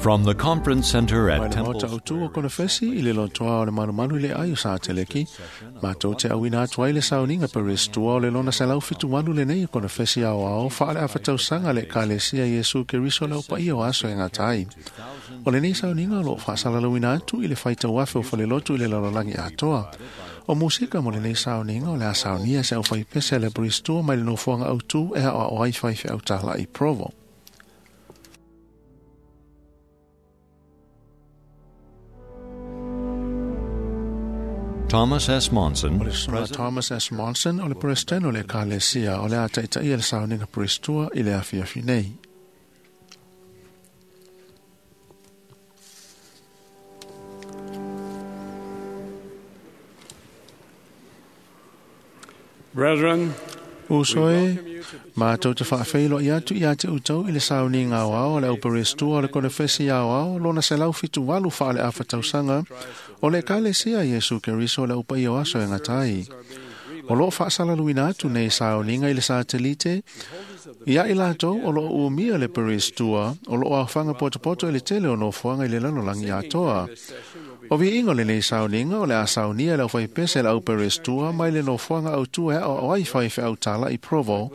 From the Conference Center Mai at le Temple maota autu o konefesi i le lotoa o le malumalu i le ai o sa teleki. Mātou te auina atu ai le sauniga peristua o le lona 178 lenei o konefesi ao ao whaale a whatausanga le kalesia Iesu Keriso le upa o aso e ngā tai. O lenei sauniga o lo whaasalalauina atu i le whaitau afe o whalelotu i le lalolagi atoa. O musika mo lenei sauniga o le a saunia se au whaipese le peristua mai le nofoanga autu e a o ai whaiwhe au tāla i Provo. Thomas S. Monson, O le susuga Thomas S. Monson o le President o le Ekalesia o le a taitaia le sauniga peristua i le afiafi nei. Brethren, Uso e, mātou te whaawheilo i atu i a te utau i le sauniga o ao le auperestua o le konefesi ao ao lona 178 whaale a whatausanga o le Ekalesia Iesu Keriso le upa i o aso e ngatai. O loo whaasalaluina atu nei sauniga i le satelite, ia i lātou o loo umia le perestua o loo awhanga potopoto i le tele o nofoanga i le lalolangi atoa. O vi ingo le nei sauniga o le a saunia le au whaipese le au perestua mai le nofoanga au tua o ai whaiwhe au tāla i Provo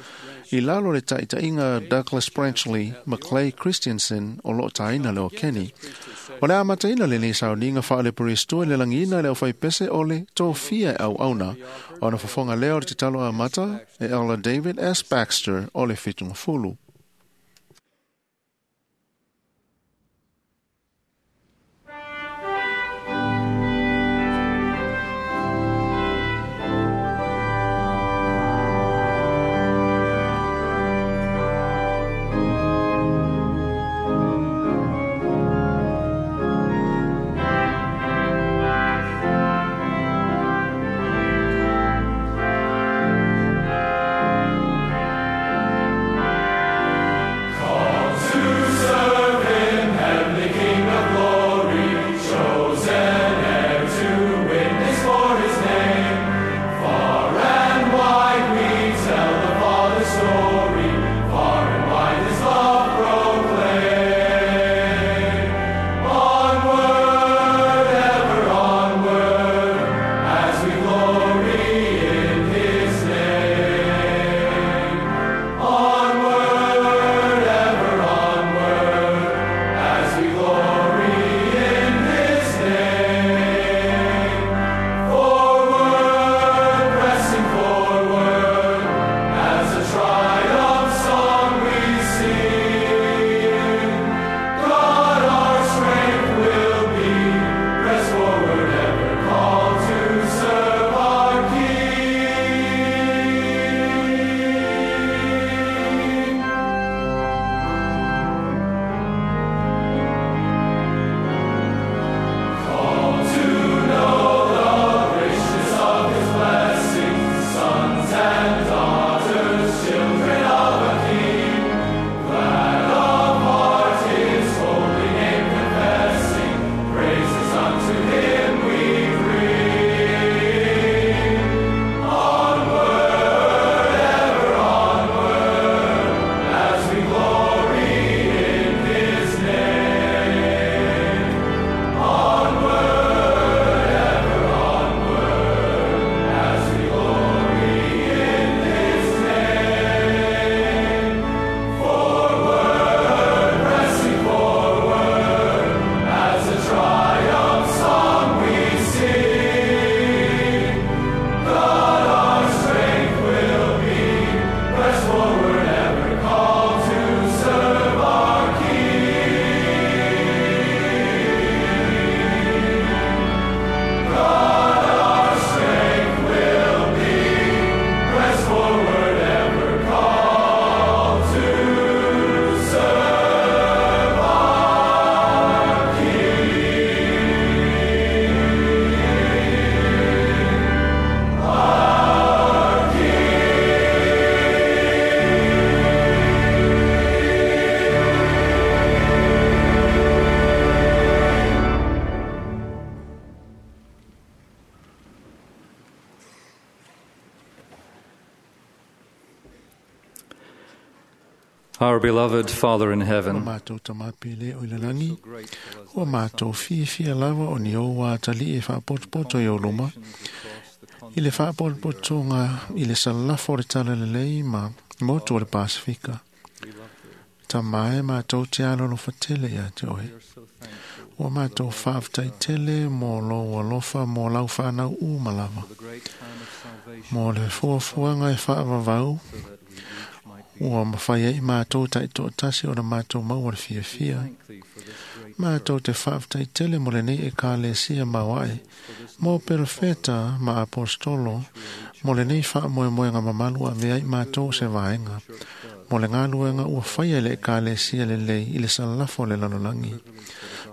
i lalo le taitainga Douglas Branchley McClay Christensen o loo taina le o Kenny. O le amataina le nei sauniga wha le perestua le langina le au whaipese o le tōfia au auna o na fofonga leo le te talo a mata e Elder David S. Baxter o le whitunga fulu. Our beloved Father in O heaven, mātou tamapele o i lalagi, ua mātou fiafia lava o ni ou atali e faapotopoto i ou luma, i le faapotopotoga i le salafo o le talalelei ma motu o le Pasifika. Tama e mātou te alolofa tele ia te oe. Ua mātou faafetai tele mo lou alofa mo lau whanau uma lava. Mo le fuafuaga e faavavau, ua mafai ai mātou taitoatasi o le mātou maua le fiafia. Mātou te faafetai tele mo lenei ekalesia mauae, mo perofeta ma apostolo, mo lenei faamoemoega mamalu avea ai mātou se vaega, mo le galuega ua faia i le ekalesia lelei i le salafo o le lalolagi,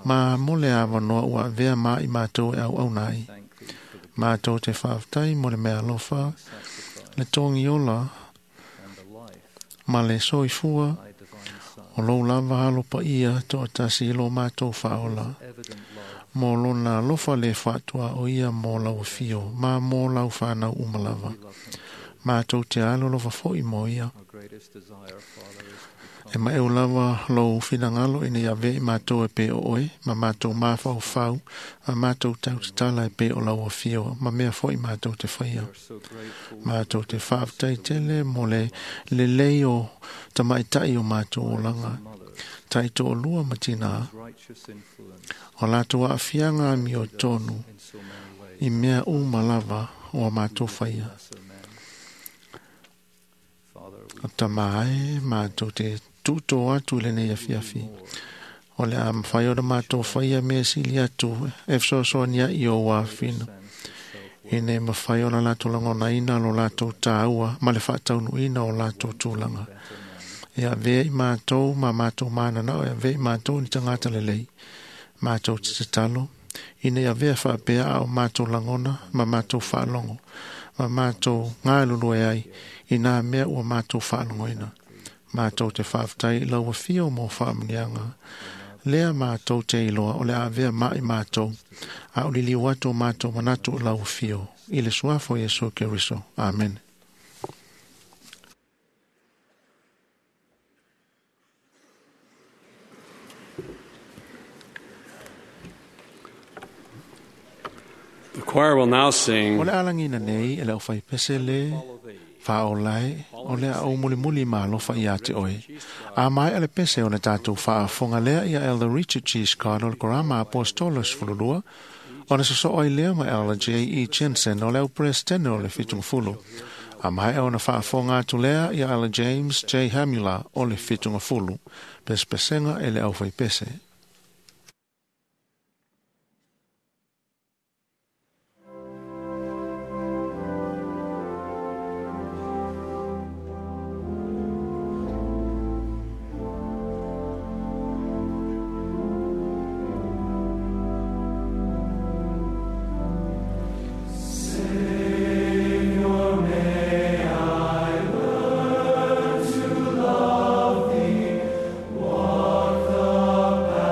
ma mo le avanoa ua avea ma i mātou e auauna ai. Mātou te faafetai mo le mea alofa, le togiola ma le soifua o lou lava alo paia toatasi i lo mātou faaola. Mo lona alofa le faatoa o ia mo lau afio, ma mo lau whanau uma lava. Mātou te alolofa foi mo ia. E maeu lava lou finagalo ina ia avea i mātou e pei o oe, ma mātou mafaufau, ma mātou tautatala e pei o lau afio, ma mea foi mātou te whaia. Mātou te faafetai tele mo le lelei o tamaitai o mātou olaga. Taitoalua ma tinā, o latou aafiaga amiotonu i mea uma lava o a mātou faia. O tama ai, mātou te tuto atu i lenei afiafi. O le a mawhai o le mātou whaia mea sili atu e fesoasoani ai i ou afina. Ina e mawhai o la latou lagonaina lo latou tāua ma le faataunuuina o latou tulaga. E avea i mātou ma mātou mananao, e avea i mātou ni tagata lelei. Mātou te tatalo, ina ia avea faapea a o mātou lagona ma mātou faalogo, ma mātou galulue ai i nā mea ua mātou faalogoina. Mātou te faafetai i lau afio mo faamuniaga. Lea mātou te iloa o le avea mai mātou, a o liliu atu o mātou manatu i lau afio. I le suafa o Iesu Keriso. Amen. The choir will now sing O le alagina nei e le au pese le faaolae o le a ou mulimuli ma alofa ia te oe. A mai a le pese o le tātou faafofoga lea ia Elder Richard G. Scott o le Korama Apostolo 12, ona sosoo ai lea ma Elder J. E. Jensen o le au presidente o le Fitungafulu. A mai ona faafofoga atu lea ia Elder James J. Hamula o le Fitungafulu. Pesepesega e le au faipese. Walk the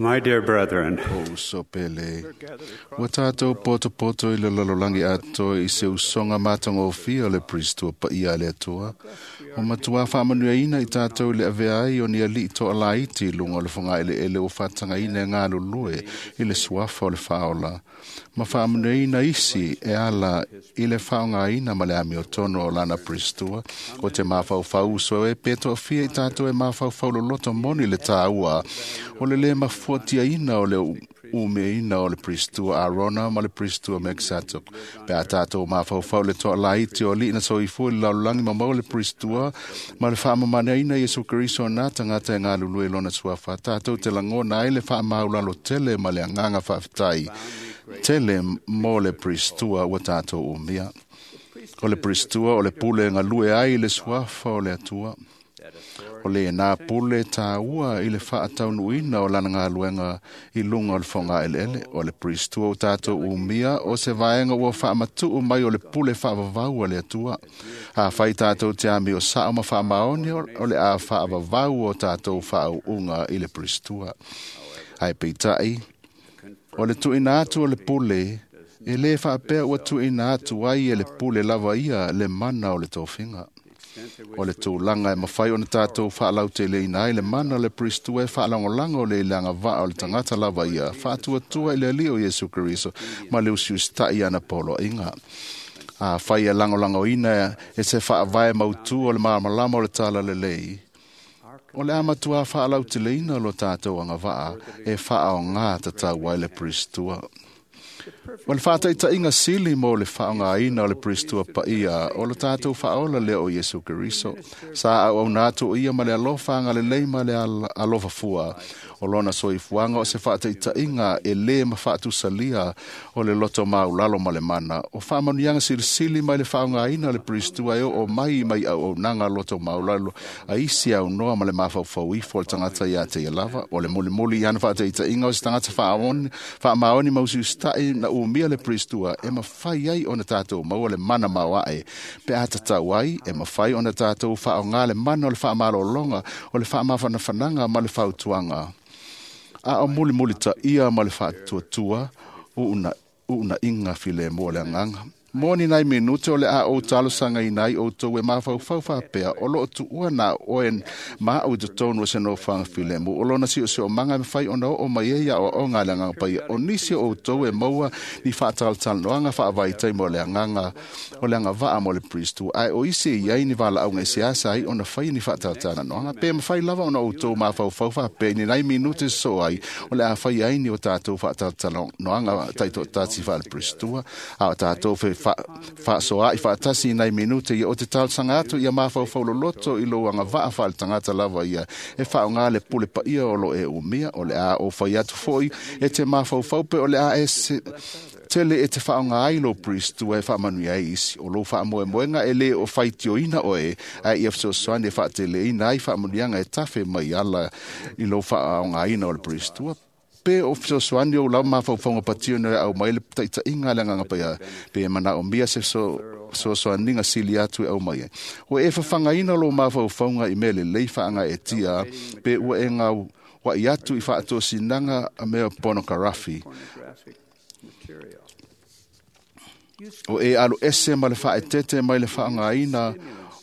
My dear brethren, O uso pele. Ua tātou poto i le lalolagi atoa i se usoga matagofie o le Pristo paia a le Atua. O matua faamanuiaina i tātou i le avea ai o ni alii toalaiti i luga o le fogaeleele ua faatagaina e galulue i le suafa o le faaola. Ma faamanuiaina isi e ala i le faaaogaina ma le amiotonu o lana Pristua. O te mafaufau uso e pe toafia i tātou e mafaufau loloto moni le tāua o le lē mafuatiaina o le umeina o le Pristua Arona ma le Pristua Melkisetek. Pe a tātou mafaufau le toalaiti o alii na soifua i le lalolagi ma maua le Pristua ma le faamamaneaina Iesu Keriso na tagata e galulue i lona suafa. Tātou te lagona ai le faamaulalo tele ma le agaga faafetai tele mo le Pristua ua tātou umia. O le Pristua o le pule e galue ai i le suafa o le Atua. O le nā pule tāua i le faataunuuina o lana galuega i luga o le fogaeleele. O le Pristua o tātou umia o se vaega ua faamatuu mai o le pule faavavau a le Atua. Afai tātou te amio sao ma faamaoni o le a faavavau o tātou faauuga i le Pristua. Ae peitai, o le tuuina atu o le pule, e lē faapea ua tuuina atu ai e le pule lava ia le mana o le tofiga. O le tulaga e mafai ona tātou faalauteleina ai le mana o le Pristua e faalagolago o le ilaga vaa o le tagata lava ia, faatuatua i le Alii o Iesu Keriso ma le usiusitai ana poloaiga. Afai e lagolagoina e se faavae mautū o le malamalama o le talalelei, o le a matua faalauteleina lo tātou agavaa e faaogā tatau ai le Pristua. O le faataitaiga sili mo le faaaogaina o le Pristua paia o le tātou faaola lea o Iesu Keriso. Sa auauna atu o ia ma le alofa agalelei ma le alofa fua. O lona soifuaga o se faataitaiga e lē ma faatusalia o le loto maulalo ma le mana. O faamanuiaga silisili mai le faaaogaina o le Pristua e oo mai mai auaunaga loto maulalo a isi aunoa ma le mafaufau ifo o le tagata ia te ia lava. O le mulimuli i ana faataitaiga o se tagata faamaoni ma usiusitai na umia le Pristua e mafai ai ona tātou maua le mana maoae. Pe a tatau ai, e mafai ona tātou faaaoga le mana o le faamalologa, o le faamafanafanaga ma le fautuaga. A o mulimuli taia ma le faatuatua, uunaiga filemu o le agaga. Mo ni nai minute o le a ou talosagaina ai outou e mafaufau faapea o loo tuua na oe ma au i totonu o se nofoaga filemu. O lona siosiomaga e mafai ona oo mai ai aoaoga a le agaga paia. O nisi o outou e maua ni faatalatalanoaga faavaitaimi o le agaga o le agavaa mo le Pristo, ae o isi e iai ni valaauga e seasa ai ona faia ni faatalatalanoaga. Pe mafai lava ona outou mafaufau faapea i ni nai minute sosoo ai o le a faia ai ni o tatou faatalatalanoaga taitoatasi faale-Pristua, a o tatou faasoaai faatasi i nai minute ia o te talosaga atu ia mafaufau loloto i lou agavaa faaletagata lava ia e faaaogā le pule paia o lo e umia. O le a ou fai atu foi e te mafaufau pe o le a e tele e te faaaoga ai lou Pristua e faamanuia ai isi. O lou faamoemoega e lē o faitioina oe, ae ia fesoasoani e faateleina ai faamanuiaga e tafe mai ala i lou faaaogaina o le Pristua. Pe o fesoasoani ou lava mafaufauga patio na e au mai le taitaiga a le agaga paia, pe e manaomia se fesoasoaniga sili atu e au mai ai. Ua e fafagaina lou mafaufauga i mea lelei faagaeetia, pe ua e gaua'i atu i faatosinaga a mea ponokarafi. O e alu ese ma le faaetete mai le faaaogaina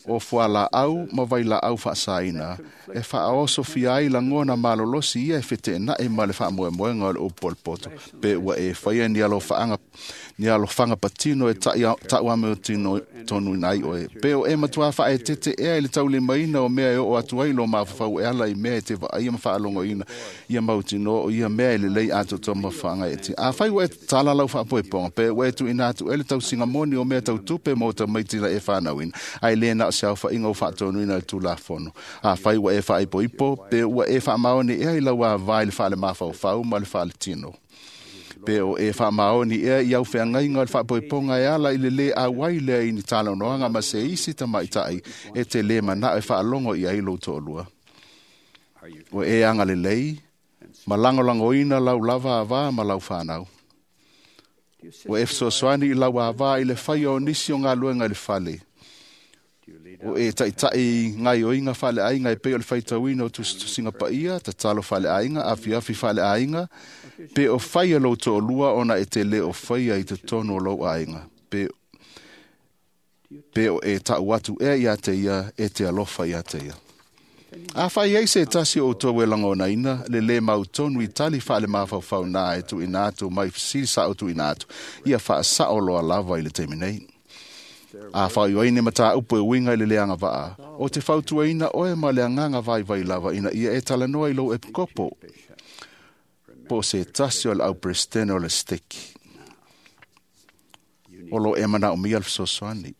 o fualaau ma vailaau faasaina e faaosofia ai lagona malolosi ia e feteenai ma le faamoemoega o le upu o le poto. Pe ua e faia ni alofaga patino e tauamiotonuina ai oe. Pe o e matua faaetete ea i le taulimaina o mea e oo atu ai lo mafaufau e ala i mea e te vaaia ma faalogoina ia mautinoa o ia mea e lelei atoatoa ma faagaeetia. Afai ua e tatala lau faapoepoga, pe ua e tuuina atu e le tausiga moni o mea tautupe mo tamaiti na e fanauina, ae lē na o se aofaiga ua faatonuina i le Tulafono. Afai ua e faaipoipo, pe ua e faamaoni ea i lau avā i le faalemafaufau ma le faaletino. Pe o e faamaoni ea i au feagaiga o le faapoepoga e ala i le lē auai lea i ni talanoaga ma se isi tamaitai e te lē manao e faalogo i ai lou toalua. Ua e agalelei ma lagolagoina lau lava avā ma lau fanau. Ua e fesoasoani i lau avā i le faia o nisi o galuega i le fale. O e taʻitaʻi gaioiga faaleaiga e pei o le faitauina o tusitusiga paia, tatalo faaleaiga, afiafi faaleaiga, pe o faia lou toalua ona e te lē o faia i totonu o lou aiga, pe o e taʻu atu ea iā te ia e te alofa iā te ia. A fai ai se tasi o outou e lagonaina le lē mautonu i tali faalemafaufau na e tuuina atu mai fesili saʻo tuuina atu, ia faasaʻo loa lava i le taimi nei. A faaiuaina mataupu e uiga i le leaga vaa, o te fautuaina oe ma le agaga vaivai lava ina ia e talanoa i lou epikopo, po o se tasi o le auperesetene o le seteki o lo e manaomia le fesoasoani.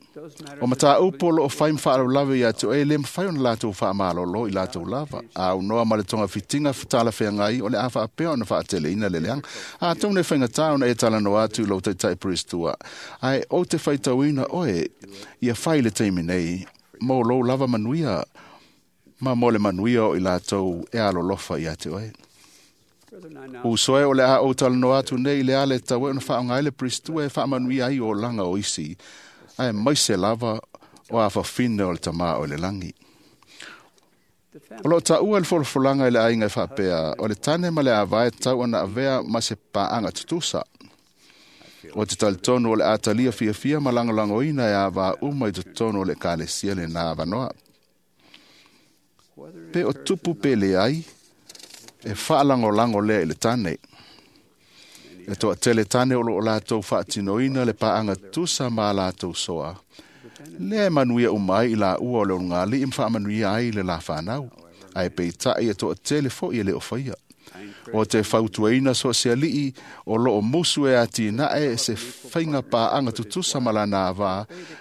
O mataupu o loo fai ma faalavelave ia te oe, e lē mafai ona latou faamalōlō i latou lava. A aunoa ma le togafitiga talafeagai o le a faapea ona faateleina le leaga. Atonu e faigata ona e talanoa atu i lou taitaʻi peristua, ae ou te faitauina oe ia fai le taimi nei mo lou lava manuia ma mo le manuia o i latou e alolofa ia te oe. Usoe o le a ou talanoa atu nei i le ala e tatau ai ona faaaoga ai le peristua e faamanuia ai olaga o isi, ae maise lava o afafine o le tamā o le lagi. O loo taua le folafolaga i le aiga e faapea, o le tane ma le avae tatau ona avea ma se paaga tutusa. O te talitonu o le a talia fiafia ma lagolagoina e avā uma i totonu o le ekalesia lenā avanoa. Pe o tupu pe leai, e faalagolago lea i le tane. E toatele tane o loo latou faatinoina le paaga tutusa ma a latou soa, lea e manuia uma ai i laua o le ulugalii ma faamanuia ai le lafanau, ae peitaʻi e toatele foʻi e lē o faia. O te fautuaina so o se alii o loo musu e atinae se faiga paaga tutusa ma lana avā,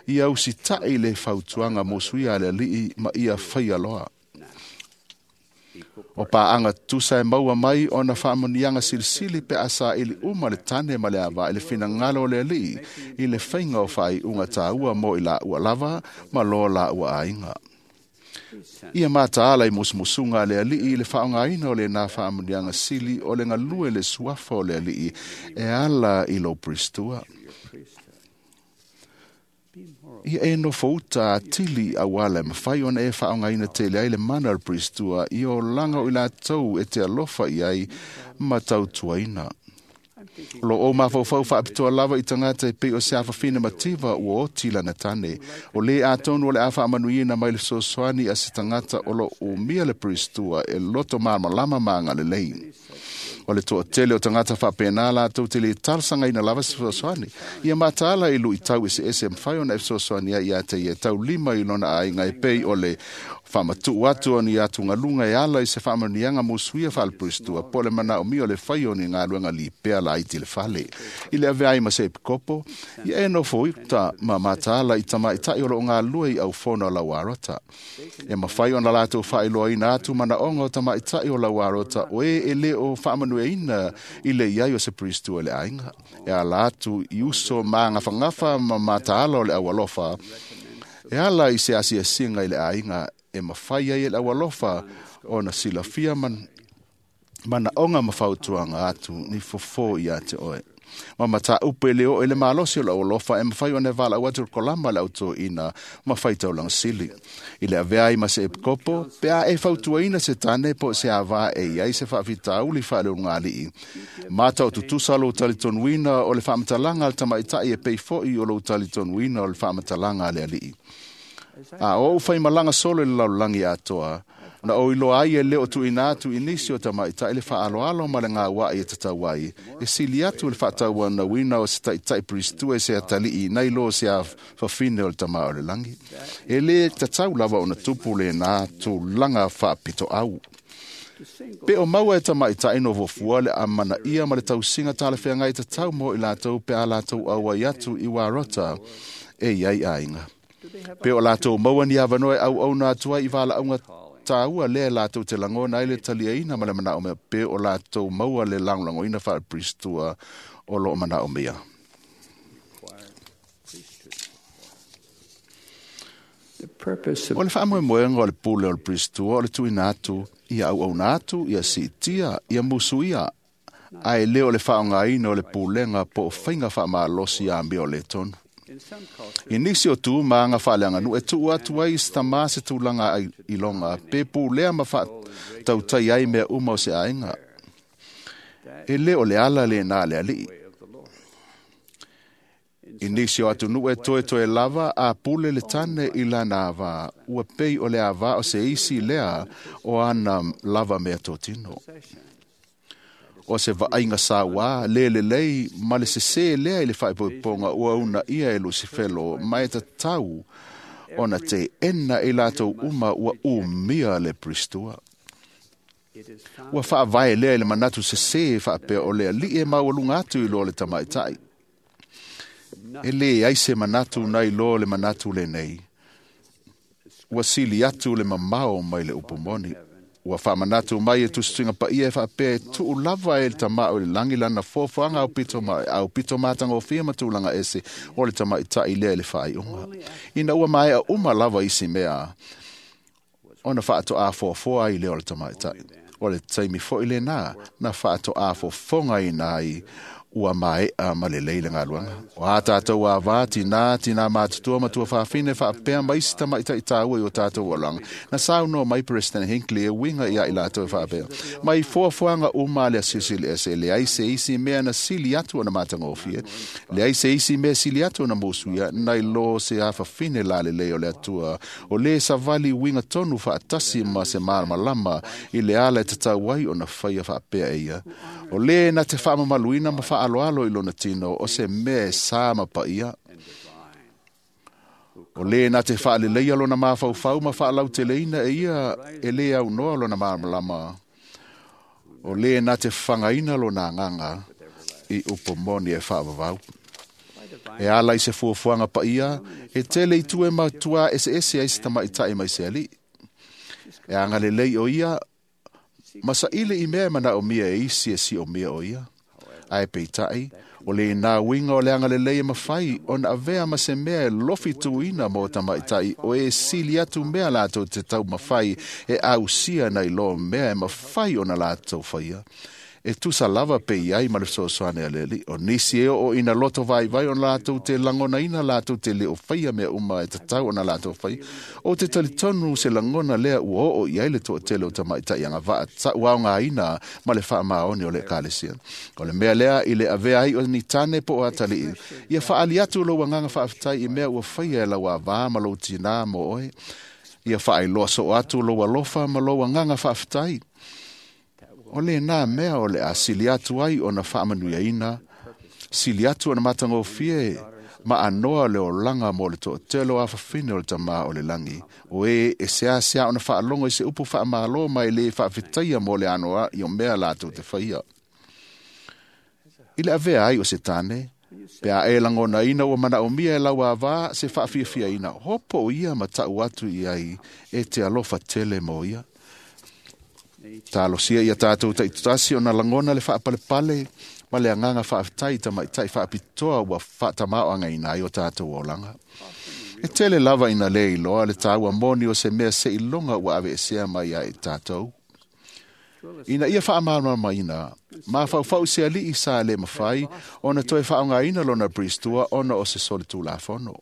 ia usitaʻi le fautuaga musuia a le alii ma ia faia loa. O paaga tutusa e maua mai ona faamanuiaga silisili pe a saili uma le tane ma le avā i le finagalo o le alii i le faiga o faaiuga taua mo i laua lava ma loa laua aiga. Ia mataala i musumusuga a le alii i le faaaogaina o lenā faamanuiaga sili o le galue le suafa o le alii e ala i lou peristua. Ia e nofouta atili auala e mafai ona e faaaogaina tele ai le mana o le peristua i olaga o i latou e te alofa i ai ma tautuaina. O loo ou mafaufau faapitoa lava i tagata e pei o se afafine mativa ua oti lana tane, o lē atonu o le a faamanuiina mai le fesoasoani a se tagata o loo umia le peristua e loto malamalama ma agalelei. O le toatele o tagata faapenā latou te lē talosagaina lava se fesoasoani. Ia mataala i luitau eseese e mafai ona e fesoasoani ai iā te ia e taulima i lona aiga e pei o le faamatuʻu atu o ni atugaluga e ala i se faamanuiaga musuia faaleperistua, po o le manaomia o le fai o ni galuega lipea laiti le fale. I le avea ai ma se epikopo, ia e nofo uta ma mataala i tamaʻitaʻi o loo galulue i aufono a lauarota. E mafai ona latou faailoaina atu manaoga o tamaʻitaʻi o lauarota o e e lē o faamanuiaina i le iai o se peristua i le aiga. E ala atu i uso magafagafa ma mataala o le aualofa, e ala i se asiasiga i le aiga e mafai ai e le aualofa ona silafia manaoga ma fautuaga atu ni fofō iā te oe. Ma mataupu e le oo i le malosi o le aualofa e mafai ona e valaau atu le kolama le autoina ma faitaulaga sili. I le avea ai ma se epikopo, pe a e fautuaina se tane po o se avā e iai se faafitauli faaleulugalii. Mata o tutusa lou talitonuina o le faamatalaga a le tamaʻitaʻi e pei foʻi o lou talitonuina o le faamatalaga a le alii. A o ou faimalaga solo i le lalolagi atoa, na ou iloa ai e lē o tuuina atu i nisi o tamaʻitaʻi le faaaloalo ma le gauaʻi e tatau ai, e sili atu le faatauanauina o se taʻitaʻi peristua e se atalii nai lo se afafine o le tamā o le lagi. E lē tatau lava ona tupu lenā tulaga faapitoau. Pe o maua e tamaʻitaʻi nofofua le amanaia ma le tausiga talafeagai tatau mo i latou pe a latou auai atu i uarota e iai aiga. Pe o latou maua ni avanoa e auauna atu ai i valaauga taua lea latou te lagona ai le taliaina ma le manaomia, pe o latou maua le lagolagoina faaleperistua o loo manaomia. O le faamoemoega o le pule o le peristua o le tuuina atu ia auauna atu, ia siitia, ia musuia, ae lē o le faaaogaina o le pulega po o faiga faamalosi amio le tonu. I nisi o tu ma aga faaleaganuu e tuu atu ai i se tamā se tulaga iloga pe pulea ma faatautai ai mea uma o se aiga. E lē o le ala lenā a le Alii. I nisi o atunuu e toetoe lava a pule le tane i lana avā, ua pei o le avā o se isi lea o ana lava meatotino. O se vaaiga sauā lē lelei ma le sesē lea i le faaipoipoga ua uunaia e Lusifelo ma e tatau ona teena i latou uma ua umia le peristua. Ua faavae lea i le manatu sesē faapea o le alii e maualuga atu i lo le tamaitai. E leai se manatu nai lo le manatu lenei. Ua sili atu le mamao mai le upu moni. Ua faamanatu mai e tusituga paia e faapea e tuu lava e le Tamā o le lagi lana foafoaga aupito matagofie ma tulaga ese o le tamaitai lea i le faaiuga. Ina ua maea uma lava isi mea, ona faatoā foafoa ai lea o le tamaitai. O le taimi foi lenā na faatoā fofogaina ai ua maea ma lelei le galuega. O a tatou avā, tinā, tinā matutua ma tuafafine faapea ma isi tamaitai tāua i o tatou olaga. Na saunoa mai President Hinckley e uiga ia i latou e faapea. Mai foafoaga uma a le Asiasi Ese, leai se isi mea na sili atu ona matagofie, leai se isi mea sili atu ona musuia, nai lo se afafine lalelei o le Atua, o lē savali uiga tonu faatasi ma se malamalama i le ala e tatau ai ona faia faapea e ia. O lē na te faamamaluina ma faaloalo i lona tino o se mea e sa ma paia. O lē na te faaleleia lona mafaufau ma faalauteleina e ia e lē aunoa lona malamalama. O lē na te fagaina lona agaga i upu moni e faavavau. E ala i se fuafuaga paia, e tele i tu e matuā eseese ai se tamaitai mai se alii. E agalelei o ia, ma saili i mea e manaomia e isi e siomia o ia. Ae peitai, o lenā uiga o le agalelei e mafai ona avea ma se mea e lofi tuuina mo tamaitai o e sili atu mea latou te taumafai e ausia nai lo mea e mafai ona latou faia. E tusa lava pe i ai ma le fesoasoani a le Alii. O nisi e oo ina loto vaivai ona latou te lagonaina latou te le o faia mea uma e tatau ona latou faia. O te talitonu se lagona lea ua oo i ai le toatele o tamaitai agavaa taʻuaogaina ma le faamaoni o le Ekalesia. O le mea lea i le avea ai o ni tane po o atalii, ia faaali atu lou agaga faafetai i mea ua faia e lau avā ma lou tinā mo oe. Ia faailoa soo atu lou alofa ma lou agaga faafetai. O lenā mea o le a sili atu ai ona faamanuiaina, sili atu ona matagofie ma anoa le olaga mo le toatele o afafine o le Tamā o le lagi. O e e seasea ona faalogo i se upu faamālō ma e lē faafetaia mo le anoa i o mea latou te faia. I le avea ai o se tane, pe a e lagonaina ua manaomia e lau avā se faafiafiaina, hopo o ia ma taʻu atu i ai e te alofa tele mo ia. Talosia ia tatou taitasi ona lagona le faapalepale ma le agaga faafetai i tamaitai faapitoa ua faatamāoagaina ai o tatou olaga. E tele lava ina lē iloa le taua moni o se mea seiloga ua aveesea mai ai i tatou. Ina ia faamalamalamaina, mafaufau se alii sa lē mafai ona toe faaaogaina lona peristua ona o se solitulafono.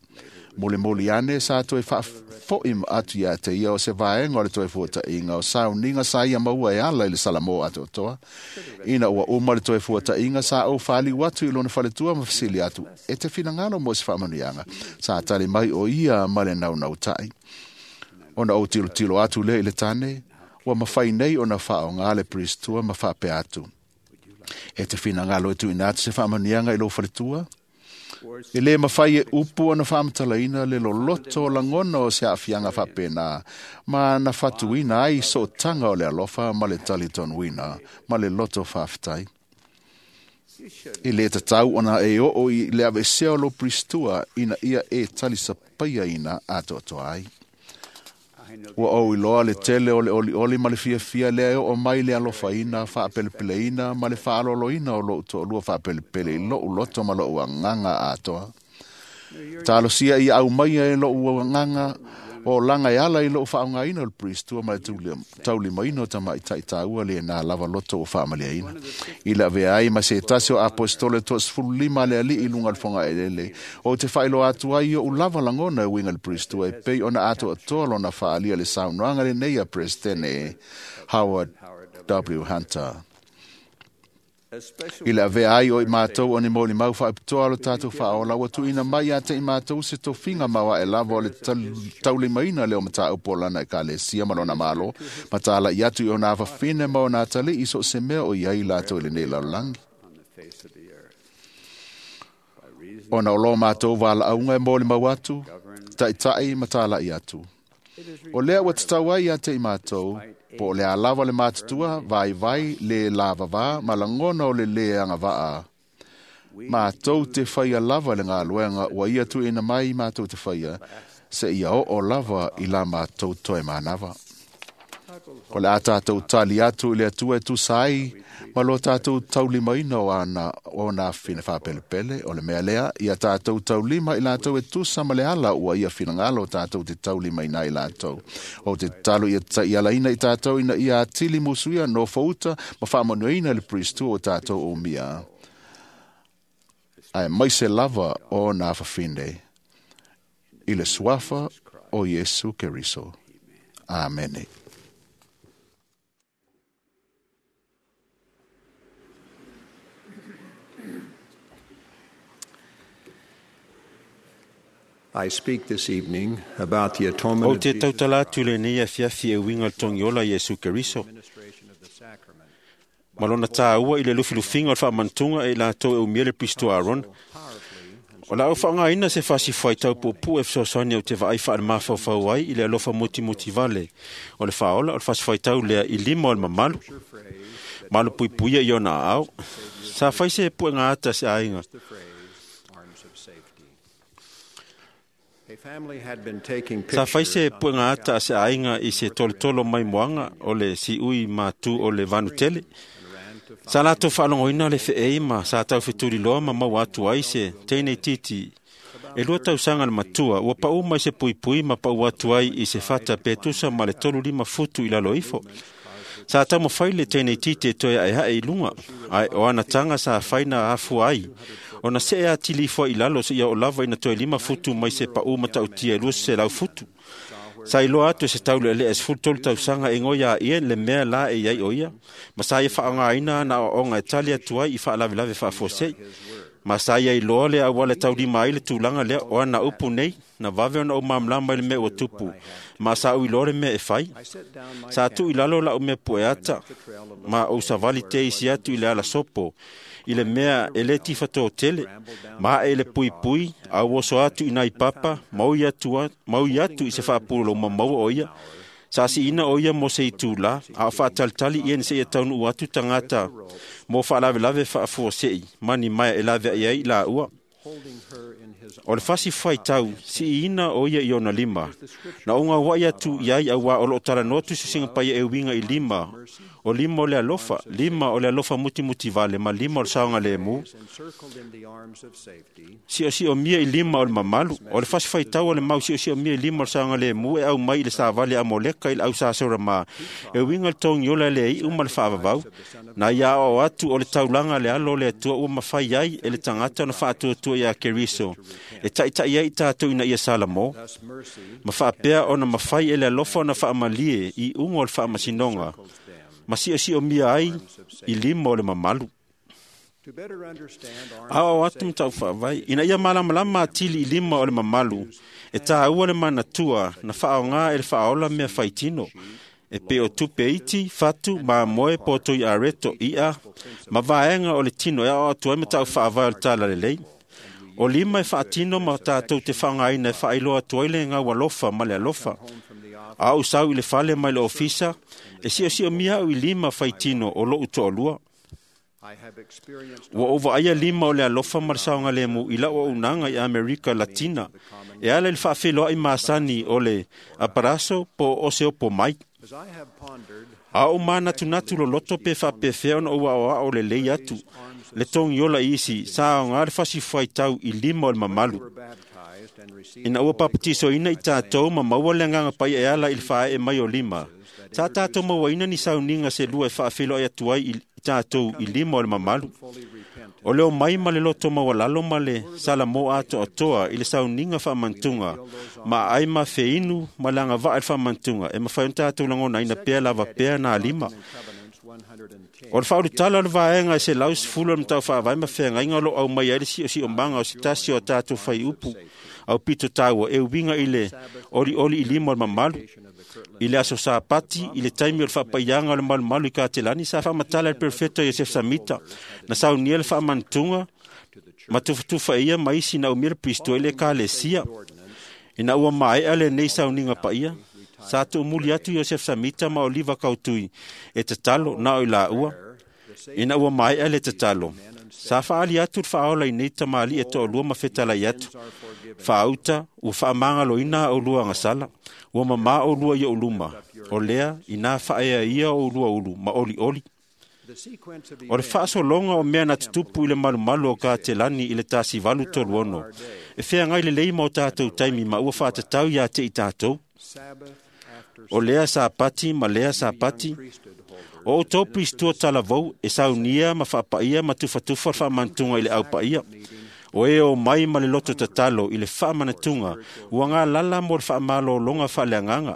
Mulimuli ane sa toe faafoʻi atu iā te ia o se vaega o le toe fuataʻiga o sauniga sa ia maua e ala i le Salamō atoatoa. Ina ua uma le toe fuataʻiga sa ou faliu atu i lona faletua ma fesili atu, e te finagalo mo se faamanuiaga. Sa tali mai o ia ma le naunautaʻi. Ona ou tilotilo atu lea i le tane, ua mafai nei ona faaogā le peristua ma faapea atu. E te finagalo e tuuina atu se faamanuiaga i lou faletua? E lē mafai e upu ona faamatalaina le loloto o lagona o se aafiaga faapenā ma na fatuina ai sootaga o le alofa ma le talitonuina ma le loto faafetai. E lē tatau ona e oo i le aveesea o lou peristua ina ia e talisapaiaina atoatoa ai. Ua ou iloa le tele o le olioli ma le fiafia lea e oo mai le alofaina, faapelepeleina ma le faaaloaloina o lou toalua faapelepele i lou loto ma lou agaga atoa. Talosia ia aumaia e lou agaga O laga e ala i lou faaaogaina o le Priestua ma le taulimaina o tamaitai taua lena lava loto ua faamaliaina. I le avea ai ma se tasi o aposetolo 15 a le alii i luga o le fogaelele, ou te faailoa atu ai i ou lava lagona e uiga i le Priestua e pei ona atoatoa lona faaalia le saunoaga lenei a Peresetene Howard W. Hunter. I le avea ai o i matou o ni molimau faapitoa o lo tatou faaola, ua tuuina mai ia te i matou se tofiga maoae lava o le taulimaina lea o mataupu o lana ekalesia ma lona malo, ma talai atu i ona afafine ma ona atalii so o se mea o i ai latou i lenei lalolagi. Ona o lo matou valaauga e molimau atu, taitai ma talai atu. O lea ua tatau ai ia te i matou, po o le a lava le matutua, vaivai, le lavavā, ma lagona o le lē agavaa. Matou te faia lava le galuega ua ia tuuina mai matou te faia, seia oo lava i la matou toe manava. O le a tatou tali atu i le Atua e tusa ai ma lo tatou taulimaina o ona afafine faapelepele. O le mea lea, ia tatou taulima i latou e tusa ma le ala ua ia finagalo tatou te taulimaina ai latou. Ou te tatalo ia taialaina i tatou ina ia atili musuia nofouta ma faamanuiaina le Priestua o tatou umia, aemaise lava o ona afafine, i le suafa o Iesu Keriso. Amene. I speak this evening about the atonement Ou of te Jesus tautala atu lenei afiafi e uiga i le togiola Iesu Keriso administration of the sacrament ma lona tāua i le lufilufiga o le faamanatuga e i latou e umia le Pristo Aaron. O la au faaaogaina se fasifuai taupuupuu e fesoasoani au te vaai faale-mafaufau ai i le alofa mutimoti vale o le faaola o le fasifuaitau lea i lima o le mamalu malupuipuia i ona aao. Sa fai se puega ata se aiga. the phrase arms of safety. A family had been taking Sa fai pictures se puega ata a se aiga i se tolotolo mai moaga o le siui matu o le vanutele. Sa latou faalogoina le feei ma sa taufetuliloa ma maua atu ai se teine itiiti e 2 tausaga le matua ua pau mai se puipui ma pau atu ai i se fata pe tusa ma le 35 futu i lalo ifo. Sa taumafai le teine itiiti e toe aeae i luga, ae o ana taga sa fai na afua ai ona see atili ifo ai i lalo seia oo lava ina toe 5 futu mai se pau matautia e 200 futu. Sa iloa atu e se taulealea e 13 tausaga e goia a ia le mea la e iai o ia, ma sa ia faaaogaina ana aoaoga e tali atu ai i faalavelave faafuasei. Ma sa ia iloa le auala e taulima ai le tulaga lea o ana upu nei, na vave ona ou malamalama i le mea ua tupu, ma sa ou iloa le mea e fai. Sa tuu i lalo lau mea pueata, ma ou savali te isi atu i le alasopo, i le mea e le tifatō tele, ma ae i le puipui, a ou oso atu i nai papa, ma ui atu i se faapulou maua o ia. Sa siina o ia mo se itulā, a o faatalitali ia ni seia taunuu atu tagata mo faalavelave faafuasei, ma ni maea e laveai ai i laua. O le fasifuaitau, siina o ia i ona lima. Na ou gauai atu i ai auā o loo talanoa tusisiga paia e uiga i lima. O lima o le alofa, lima o le alofa mutimuti vale ma lima o le saogalemu. encircled in the arms of safety Siosiomia i lima o le mamalu. O le fasifaitau o le mau siosiomia i lima o le saogalemu e aumai i le savali a Moleka i le au sasorama. E uiga le togiola e le iu ma le faavavau. Na ia aoao atu o le taulaga le alo o le Atua ua mafai ai e le tagata ona faatuatua ia Keriso. E taitai ai i tatou ina ia Salamo. thus mercy Ma faapea ona mafai e le alofa ona faamalie i uga o le faamasinoga. Ma siosiomia ai i lima o le mamalu. to better understand arms Aoao atu ma tau faavai ina ia malamalama atili i lima o le mamalu e tāua le manatua na faaaoga e le faaola mea faitino e pei o tupe iti, fatu, mamoe, potoi areto, i'a, ma vaega o le tino e aoao atu ai ma tau faavae o le talalelei. O lima e faatino ma tatou te faaaogaina e faailoa atu ai le gaualofa ma le alofa. A ou sau i le fale mai le ofisa, e siosiomia au i lima faitino o lou toalua. I have experienced Ua ou vaaia lima o le alofa ma le saogalemu i lau auaunaga i Amerika Latina, e ala i le faafeiloai masani o le aparaso po o oseopo mai. as I have pondered A ou manatunatu loloto pe faapefea ona ou aoao lelei atu, le togiola i isi, sa aoga le fasifuaitau i lima o le mamalu. were baptized Ina ua papatisoina i tātou ma maua le agaga paia e ala i le faaee mai o lima. Sa tātou mauaina ni sauniga se lua e faafeiloai atu ai i tātou i lima o le mamalu. O leo mai ma le loto maualalo ma le salamo atoatoa i le sauniga faamantuga ma ai ma feinu ma le agavaa i le faamantuga e mafai ona tātou lagonaina pea lava pea nā lima. O le faaulutala o le vaega e 110 o le Matau Faavae ma Feagaiga o lo o aumai ai le siosiomaga o se tasi o a tatou faiupu au pito taua e uiga i le olioli i lima o le mamalu. I le aso Sapati, i le taimi o le faapaiaga o le malumalu i Katelani, sa faamatala e le perofeta Iosefa Samita, na saunia le faamantuga ma tufatufa e ia ma isi na umia le Pristo i le Ekalesia. Ina ua maea lenei sauniga paia, sa tuumuli atu Iosefa Samita ma Oliva Kautui e tatalo na o i laua. Ina ua maea le tatalo, sa faali atu le faaola i nei tamalii e toalua ma fetalai atu. Faauta, ua faamagaloina a oulua agasala, ua mamā oulua i ou luma, o lea ina faaea ia oulua ulu ma olioli. O le faasologa o mea na tutupu i le malumalu o Katelani i le 1836, e feagai lelei ma o tātou taimi ma ua faatatau ia te i tātou. O lea Sapati ma lea Sapati, o outou pristua talavou e saunia ma faapaia ma tufatufa le faamantuga i le aupaia. O e o mai ma le loto tatalo i le faamanatuga ua galala mo le faamalologa faaleagaga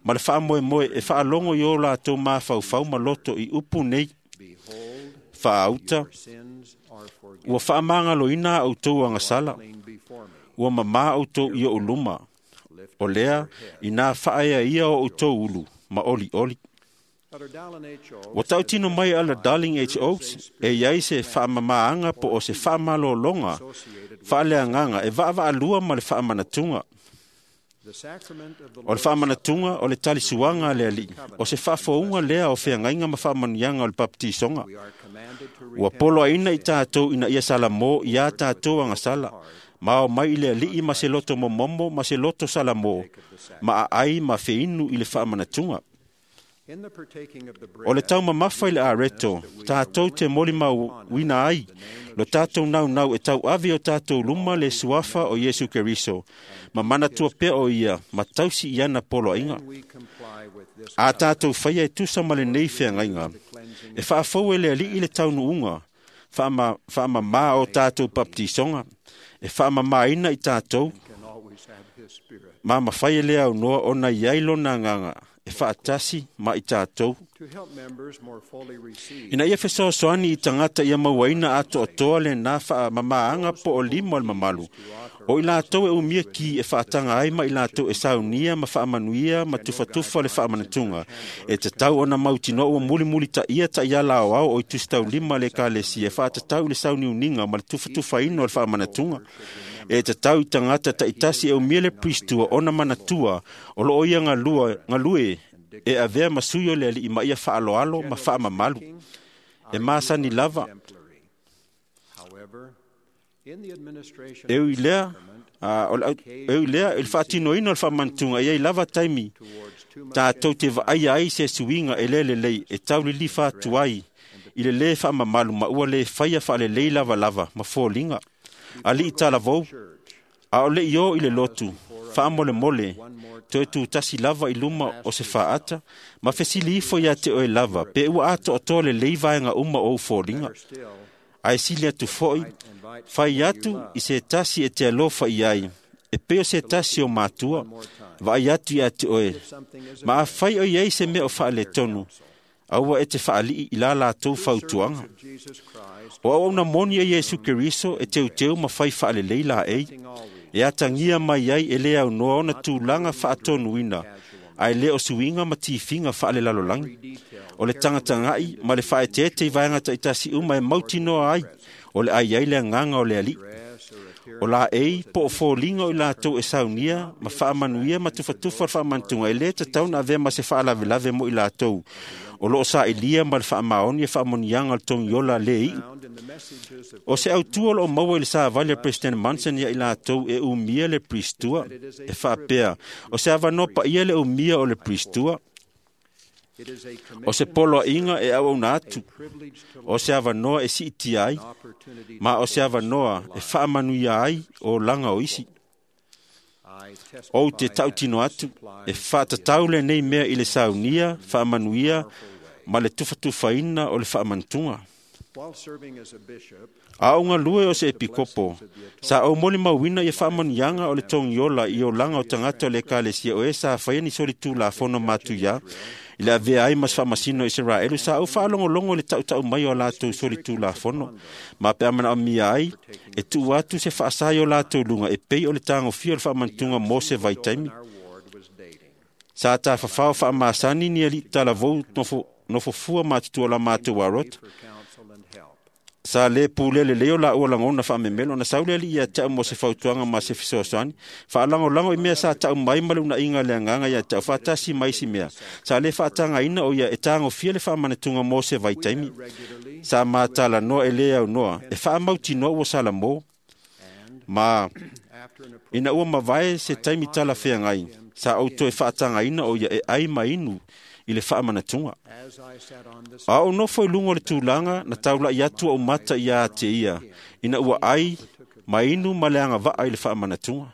ma le faamoemoe e faalogo i o latou mafaufau ma loto i upu nei. Faauta, ua faamagaloina a outou agasala, ua mamā outou i ou luma, o lea ina faaea ia o outou ulu ma olioli. Ua tautino mai ala Darling H. Oaks e iai se faamamaaga po o se faamalologa faaleagaga e vaavaalua ma le faamanatuga. O le faamanatuga o le talisuaga a le Alii, o se faafouga lea o feagaiga ma faamanuiaga o le papatisoga. Ua poloaina i tātou ina ia salamo iā tātou agasala, ma o mai i le Alii ma se loto momomo ma se loto salamo, ma aai ma feinu i le faamanatuga. O le taumamafa i le areto, tātou te molimauina ai, lo tātou naunau e tauave o tātou luma le suafa o Iesu Keriso, ma manatua pea o ia, ma tausi i ana poloaiga. A tātou whaia e tusa ma lenei feagaiga, e faafou e le Alii le taunuuga, faamamā o tātou papatisoga, e faamamāina i tātou, ma mawhai e le aunoa ona iai lona agaga, e faatasi ma i tātou. Ina ia fesoasoani i tagata ia mauaina atoatoa le nā faamamaaga po o lima o le mamalu. O i latou e umia ki e faataga ai ma i latou e saunia ma faamanuia ma tufatufa le faamanatuga. E tatau ona mautinoa ua mulimuli taia taiala aoao o i tusitaulima le Ekalesia e faatatau i le sauniuniga ma le tufatufaina o le faamanatuga. E tatau i tagata taitasi e umia le pristua ona manatua o loo ia galue e avea ma sui o le Alii ma ia faaloalo ma faamamalu. E masani lava. E ui lea, i le faatinoina o le faamanatuga e iai lava taimi tātou te vaaia ai se suiga e le lelei e taulilifa atu ai i le lē faamamalu ma ua lē faia faalelei lavalava ma foliga. Alii talavou, a o le i o i le lotu, faamolemole, toe tutasi lava i luma o se faata, ma fesili ifo ia te oe lava, pe ua atoatoa lelei vaega uma o ou foliga. Ae sili atu foi, fai atu i se tasi e te alofa i ai, e pei o se tasi o matua, vaai atu ia te oe, ma afai o iai se mea o faaletonu, aua e te faalii i la latou fautuaga. O auauna moni e Iesu Keriso e teuteu ma fai faalelei laei, e atagia mai ai e le aunoa ona tulaga faatonuina, ae le o suiga ma tifiga faalelalolagi. O le tagatagai ma le faaeteete i vaega taitasi uma e mautinoa ai, o le ai ai le agaga o le Alii. O laei po o foliga o i latou e saunia ma faamanuia ma tufatufa le faamanatuga e lē tatau na avea ma se faalavelave mo i latou o loo sailiia ma le faamaoni e faamanuiaga o le togiola lē iu. O se autua o loo maua i le savali a President Monson ia i latou e umia le pristua, e faapea, o se avanoa paia le umia o le pristua, o se poloaiga e auauna atu, o se avanoa e siitia ai, ma o se avanoa e faamanuia ai o laga o isi. Ou te tautino atu, e faatatau lenei mea i le saunia, faamanuia, ma le tufatufaina o le faamanatuga. A o galue o se epikopo, sa ou molimauina ia faamanuiaga o le togiola i olaga o tagata o le ekalesia o e sa faia ni solitulafono matuia i le avea ai ma se faamasino o Iseraelu. Sa ou faalogologo i le tautau mai o latou solitulafono, ma pe a manaomia ai e tuu atu se faasā i o latou luga e pei o le tagofia o le faamanatuga mo se vaitaimi. Sa tafafao faamasani ni alii talavou nofofua matutua o la matou arota. Sa lē pulea lelei o laua lagona faamemelo ona sau le alii ia te au mo se fautuaga ma se fesoasoani, faalagolago i mea sa tau mai ma le unaiga le agaga ia te au faatasi ma isi mea. Sa lē faatagaina o ia e tagofia le faamanatuga mo se vaitaimi. Sa matalanoa e lē aunoa e faamautinoa ua salamo, ma ina ua mavae se taimi talafeagai, sa ou toe faatagaina o ia e ai ma inu i le faamanatuga. A ou nofo i luga o le tulaga na taulai atu ou mata ia te ia, ina ua ai ma inu ma le agavaa i le faamanatuga.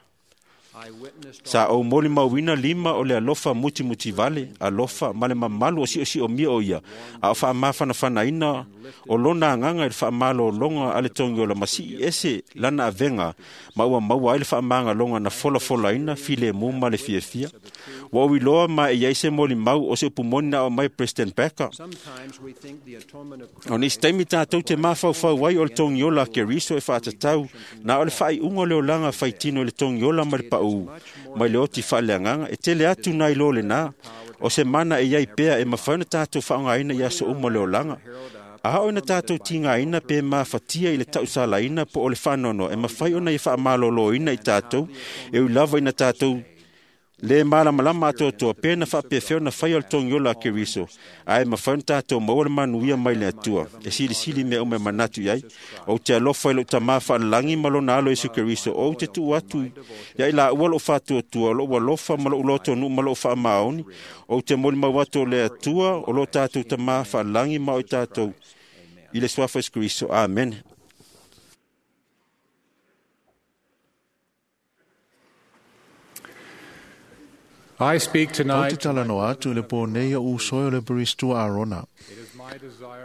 Sa ou molimauina lima o le alofa mutimutivale, alofa ma le mamalu o siosiomia o ia, a o faamafanafanaina o lona agaga i le faamalologa a le togiola ma sii ese lana avega ma ua maua ai le faamagaloga na folafolaina filemu ma le fiafia. Ua ou iloa ma e i ai se molimau o se upu moni na aumai President Packer. O nisi taimi tatou te mafaufau ai o le togiola a Keriso e faatatau na o le faaiuga o le olaga faitino i le togiola ma le paū mai le oti faaleagaga. E tele atu nai lo lena o se mana e iai pea e mafai ona tatou faaaogaina i aso uma o le olaga. A oo ina tatou tigaina pe mafatia i le tausalaina po o le faanoanoa, e mafai ona ia faamaloloina i tatou, e ui lava ina tatou lē malamalama atoatoa pe na faapefea ona faia o le togiola a Keriso, ae mafai ona tatou maua le manuia mai le Atua e silisili mea uma e manatu i ai. Ou te alofa i lou Tamā faalelagi ma lona alo Iesu Keriso. Ou te tuu atu ia i laua lou faatuatua, lou alofa ma lou lotonuu ma lou faamaoni. Ou te molimau atu o le Atua o lo tatou Tamā faalelagi ma o i tatou i le suafa Iesu Keriso. Amene. I speak Ou te tonight. talanoa atu i le pō nei o usoe o le Priest Arona.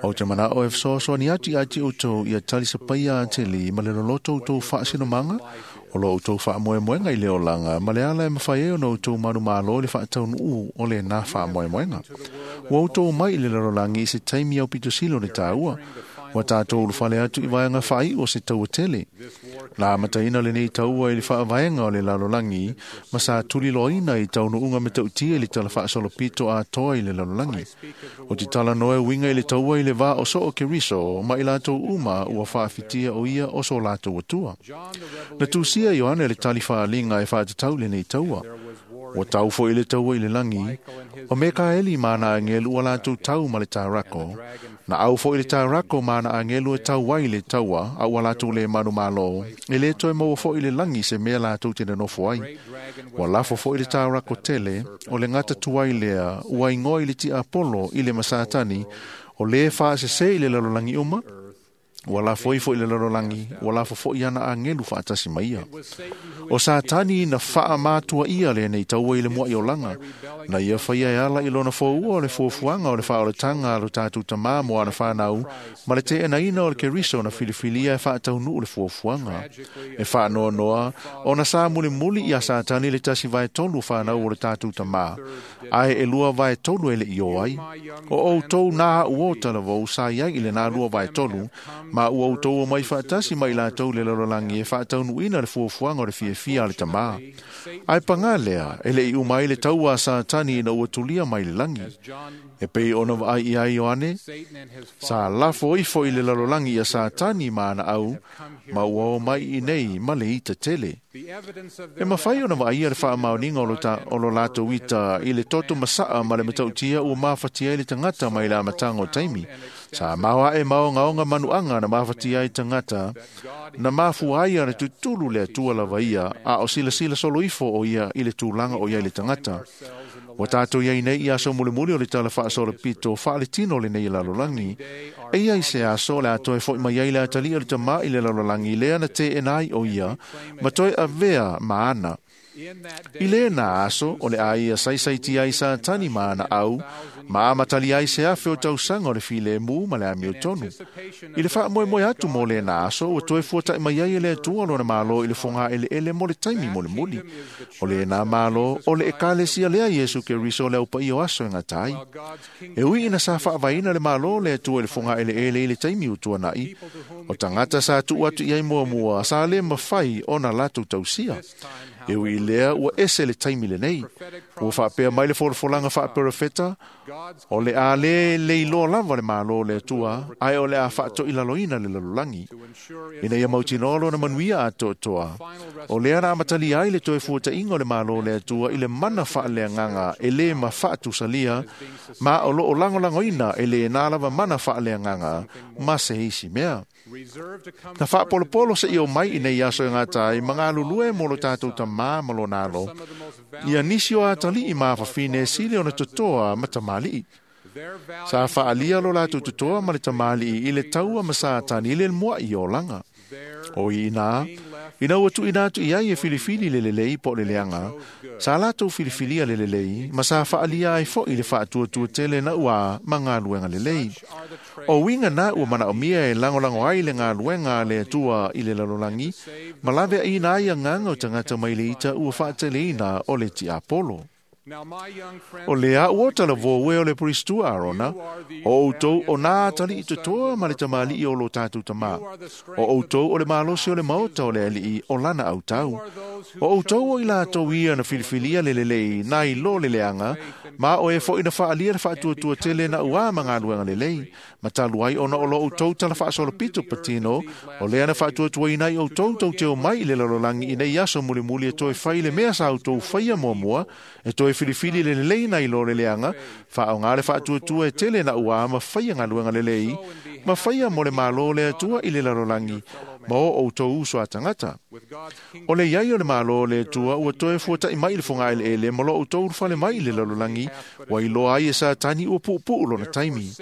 Ou te manao e fesoasoani atu ia te outou ia talisapaia atili ma le loloto outou faasinomanga, o lo outou faamoemoega i le olaga ma le ala e mafai ai ona outou manumalo i le faataunuu o lenā faamoemoega. Ua outou mai i le lalolagi i se taimi aupito sili o le tāua, ua tatou ulufale atu i vaega faaiu o se taua tele. Na amataina lenei taua i le faavaega o le lalolagi ma sa tuliloaina i taunuuga matautia i le tala faasolopito atoa i le lalolagi. O te talanoa e uiga i le taua i le vā o soo Keriso ma i latou uma ua faafitia o ia o so latou atua. Na tusia Ioane le tali faaliga e faatatau lenei taua. Ua tau foi le taua i le lagi, o Mekaeli ma ana agelu ua latou tau ma le taurako. Na au foi le taurako ma ana agelu e tau ai le taua, a ua latou le manumalo, e le toe maua foi le lagi se mea latou te nonofo ai. Ua lafo foi le taurako tele, o le gata tuai lea, ua ingoa i le tiapolo i le masatani, o le faasese i le lalolagi uma, ua lafo ifo i le lalolagi, ua lafo foi ana agelu faatasi mai ia. O Satani na faamatua ia lenei taua i le muai olaga, na ia faia e ala i lona foua o le fuafuaga o le faaolataga a lo tatou tamā mo ana whanau, ma le teenaina o le Keriso na filifilia e faataunuu le fuafuaga. E faanoanoa, ona sa mulimuli ia Satani le 1/3 o whanau o le tatou tamā, ae e 2/3 e le i o ai. O outou nā ua o talavou sa iai i le nā 2/3, ma ua outou o mai faatasi mai latou le lalolagi e faataunuuina le fuafuaga o le fiafia a le tamā. Ae pagā lea, e le i uma ai le taua a Satani ina ua tulia mai le lagi. E pei ona vaai ia Ioane, sa lafo ifo i le lalolagi ia Satani ma ana au, ma ua o mai i nei ma le ita tele. E mafai ona vaaia le faamaoniga o lo latou ita i le toto masaa ma le matautia ua mafatia ai le tagata mai le amataga o taimi. Sa maoae maogaoga manuaga na mafatia ai tagata, na mafua ai ona tutulu le Atua lava ia, a o silasila solo ifo o ia i le tulaga o ia i le tagata. Ua tatou iai nei i aso mulimuli o le tala faasolopito faaletino lenei lalolagi. E ia i se aso le a toe foi mai ai le atalia o le tamā i le lalolagi lea na teena ai o ia, ma toe avea ma ana. I lena aso o le aia saisai ai Satani ma ana au, ma amatali ai se afe o tausaga o le filemu ma le amiotonu. I le faamoemoe atu mo lena aso, ua toe fuata'i mai ai e le Atua lona Malo i le fogaeleele mo le taimi molimoli. O lena Malo o le Ekalesia lea Iesu Keriso o le aupaia o aso e gata ai. E ui ina sa faavaeina le Malo o le Atua i le fogaeleele i le taimi ua tuana'i, o tagata sa tuu atu i ai muamua sa lē mafai ona latou tausia. E ui i lea ua ese le taimi lenei. Ua faapea mai le folafolaga faaperofeta, o le a lē leiloa lava le Malo o le Atua, ae o le a faatoilaloina le lalolagi ina ia mautinoa lona manuia atoatoa. O lea na amatalia ai le toe fuata'iga o le Malo o le Atua i le mana faaleagaga e lē mafaatusalia, ma o loo lagolagoina e lēnā lava mana faaleagaga ma se isi mea. Na faapolopolo seia o mai i nei aso e gata ai ma galulue mo lo tatou tamā ma lona alo, ia nisi o atalii ma afafine sili ona totoa ma tamalii. Sa faalia lo latou totoa ma le tamalii i le taua ma Satani i le mua'i olaga. O i ina, ina ua tuuina atu i ai e filifili le lelei po o le leaga, sa latou filifilia le lelei, ma sa faalia ai fo'i le faatuatua tele na ua ma galuega lelei. O uiga na ua manaomia e lagolago ai le galuega a le Atua i le lalolagi, ma laveaina ai agaga o tagata mai le ita ua faateleina o le tiapolo. O lea ua talavou e o le Puristua Arona, o outou o nā atalii totoa ma le tamalii o lo tatou tamā. O outou o le malosi o le maota o le alii o lana autau. O outou o i latou ia na filifilia le lelei na i lo le leaga, ma o e fo'i na faalia le faatuatua tele na ua ma galuega lelei. Ma talu ai ona o lo outou tala faasolopito patino, o lea na faatuatuaina ai outou tauteo mai i le lalolagi i nei aso mulimuli e toe fai le mea sa outou faia muamua, e toe filifili le lelei na i lo le leaga, faaoga le faatuatua e tele na ua ma faia galuega lelei, ma faia mo le Malo o le Atua i le lalolagi, ma o outou uso a tagata. O le iai o le Malo o le Atua ua toe fuata'i mai i le fogaeleele ma lo outou ulufale mai i le lalolagi, ua iloa ai e Satani ua puupuu lona taimi.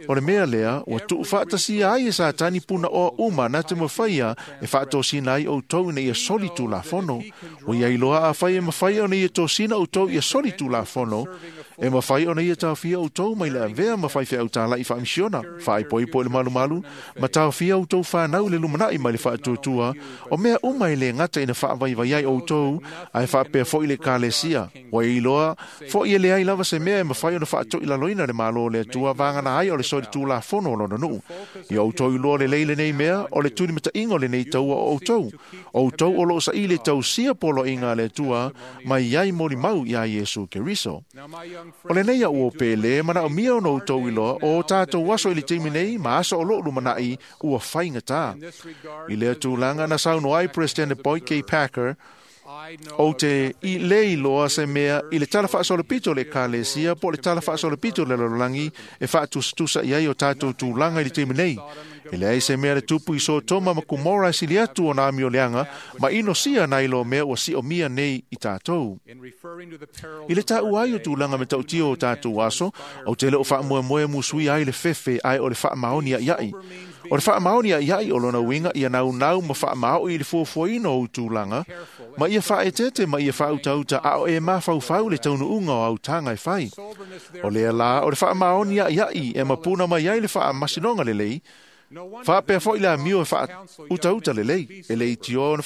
O le mea lea, ua tuufaatasia ai e Satani punaoa uma na te mafaia e faatosina ai outou ina ia soli tulafono. Ua ia iloa afai e mafai ona ia tosina outou ia soli tulafono, e mafai ona ia taofia outou mai le avea ma faifeau tāla'i faamisiona, faaipoipo i le malumalu, ma taofia outou fanau i le lumana'i mai le faatuatua, o mea uma e lē gata ina faavaivai ai outou, ae faapea fo'i le Ekalesia. Ua iloa fo'i e leai lava se mea e mafai ona faatoilaloina le Malo o le Atua vagana ai o le soli tulafono o lona nuu. Ia outou iloa lelei lenei mea, o le tulimata'iga o lenei taua o outou. Outou o loo saili e tausia poloaiga a le Atua mai ai molimau iā Iesu Keriso. O lenei au o pele, manaomia ona outou iloa, o tatou aso i le taimi nei, ma aso o loo lumana'i, ua faigatā. I lea tulaga na saunoa ai President Boyd K. Packer, ou te i le iloa se mea i le tala faasolopito o le Ekalesia po o le tala faasolopito o le lalolagi e faatusatusa i ai o tatou tulaga i le taimi nei. E leai se mea le tupu i Sotoma ma Kumora e sili atu ona amioleaga ma inosia nai lo mea ua siomia nei i tatou. I le taua ai o tulaga matautia o tatou aso, ou te le o faamoemoe musuia ai le fefe ae o le faamaoni aiai. O le faamaoni aiai o lona uiga ia naunau ma faamao'i i le fuafuaina o ou tulaga, ma ia faaeteete ma ia faautauta a o e mafaufau le taunuuga o autaga e fai. O lea la o le faamaoni aiai e mapuna mai ai le faamasinoga lelei, faapea fo'i le amio e faautauta lelei, e le itioa ona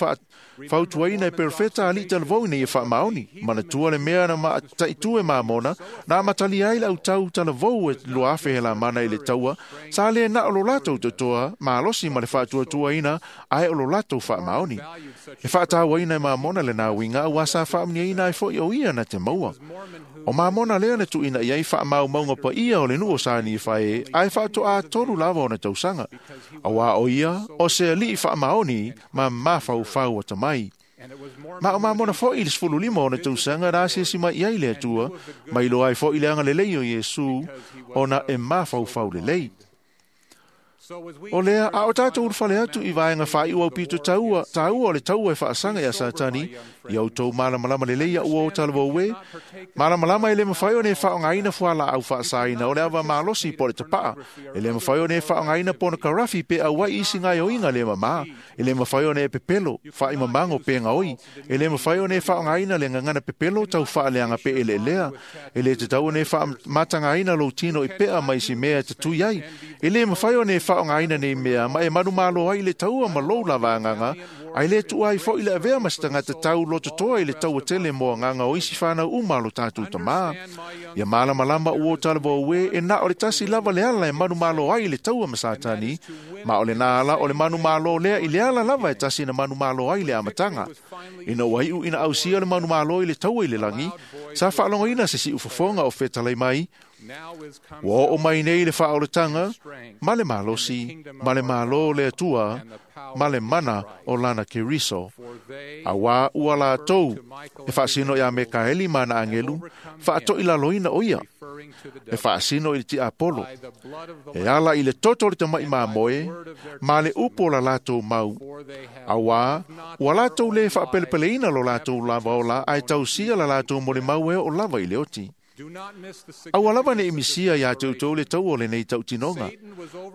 fautuaina e perofeta alii talavou ina ia faamaoni. Manatua le mea na mataitū e Mamona, na amatalia ai le autau talavou e 2,000 helamana i le taua, sa lē na o lo latou totoa malosi ma le faatuatuaina, ae o lo latou faamaoni. E faatauaina e Mamona lenā uiga auā sa faamuniaina ai fo'i o ia na te maua. O Mamona lea na tuuina i ai faamaumauga paia o le nuu o Sa Nifae, ae faatoā 3 lava ona tausaga. Auā o ia, o se alii faamaoni ma mafaufau atamai. Ma o Mamona fo'i i le 15 ona tausaga na asiasi mai i ai le Atua, ma iloa ai fo'i le agalelei o Iesu, ona e mafaufau lelei. O lea, a o tatou ulufale atu i vaega faaiu aupito taua, taua o le taua e faasaga iā Satani, ia outou malamalama lelei ua o talavou e, malamalama e lē mafai ona e faaaogaina fualaau faasaina o le ava malosi po o le tapa'a, e lē mafai ona e faaaogaina ponokarafi pe auai isi gaoioiga le mamā, E le mafai ona e pepelo, faaimamago pe gaoi. E le mafai ona e faaaogaina le gagana pepelo tau faaleaga pe eleelea. E le tatau ona e faamatagaina lou tino i pea ma isi mea e tatui ai. E le mafai ona e faaaogaina nei mea ma e manumalo ai i le taua ma lou lava agaga, ae le tuua ai foi le avea ma se tagata tau lototoa i le taua tele mo agaga o isi fanau uma a lo tatou tamā. Ia malamalama ua o talavou e, e na o le tasi lava le ala e manumalo ai i le taua ma Satani, ma o lena ala o le manumalo lea i le ala lava e tasi na manumalo ai i le amataga. Ina ua iu ina ausia le manumalo i le taua i le lagi, sa faalogoina se siufofoga o fetalai mai, ua oo mai nei le faaolataga ma le malosi, ma le malo o le Atua, ma le mana o lana Keriso. Auā ua latou e faasino iā Mekaeli ma ana agelu, faatoilaloina o ia, e faasino i le tiapolo, e ala i le toto o le tama'i mamoe, ma le upu o la latou mau. Auā ua latou lē faapelepeleina lo latou lava ola, ae tausia la latou molimau e oo lava i le oti. Aua lava ne'i misia iā te outou le taua o lenei tautinoga.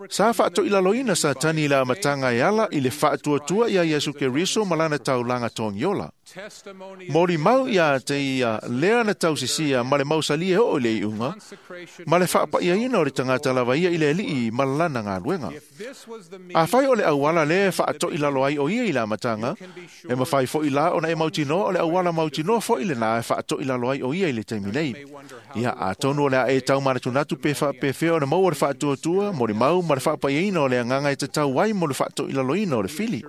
Sa faatoilaloina Satani i le amataga e ala i le faatuatua iā Iesu Keriso ma lana taulaga togiola. Molimau iā te ia lea na tausisia ma le mausali e oo i le iuga, ma le faapa'iaina o le tagata lava ia i le Alii ma lana galuega. Afai o le auala lea e faatoilalo ai o ia i le amataga, e mafai fo'i la ona e mautinoa o le auala mautinoa fo'i lenā e faatoilalo ai o ia i le taimi nei. Ia atonu o le a e taumanatunatu pe faapefea ona maua le faatuatua, molimau ma le faapaiaina o le agaga e tatau ai mo le faatoilaloina o le fili.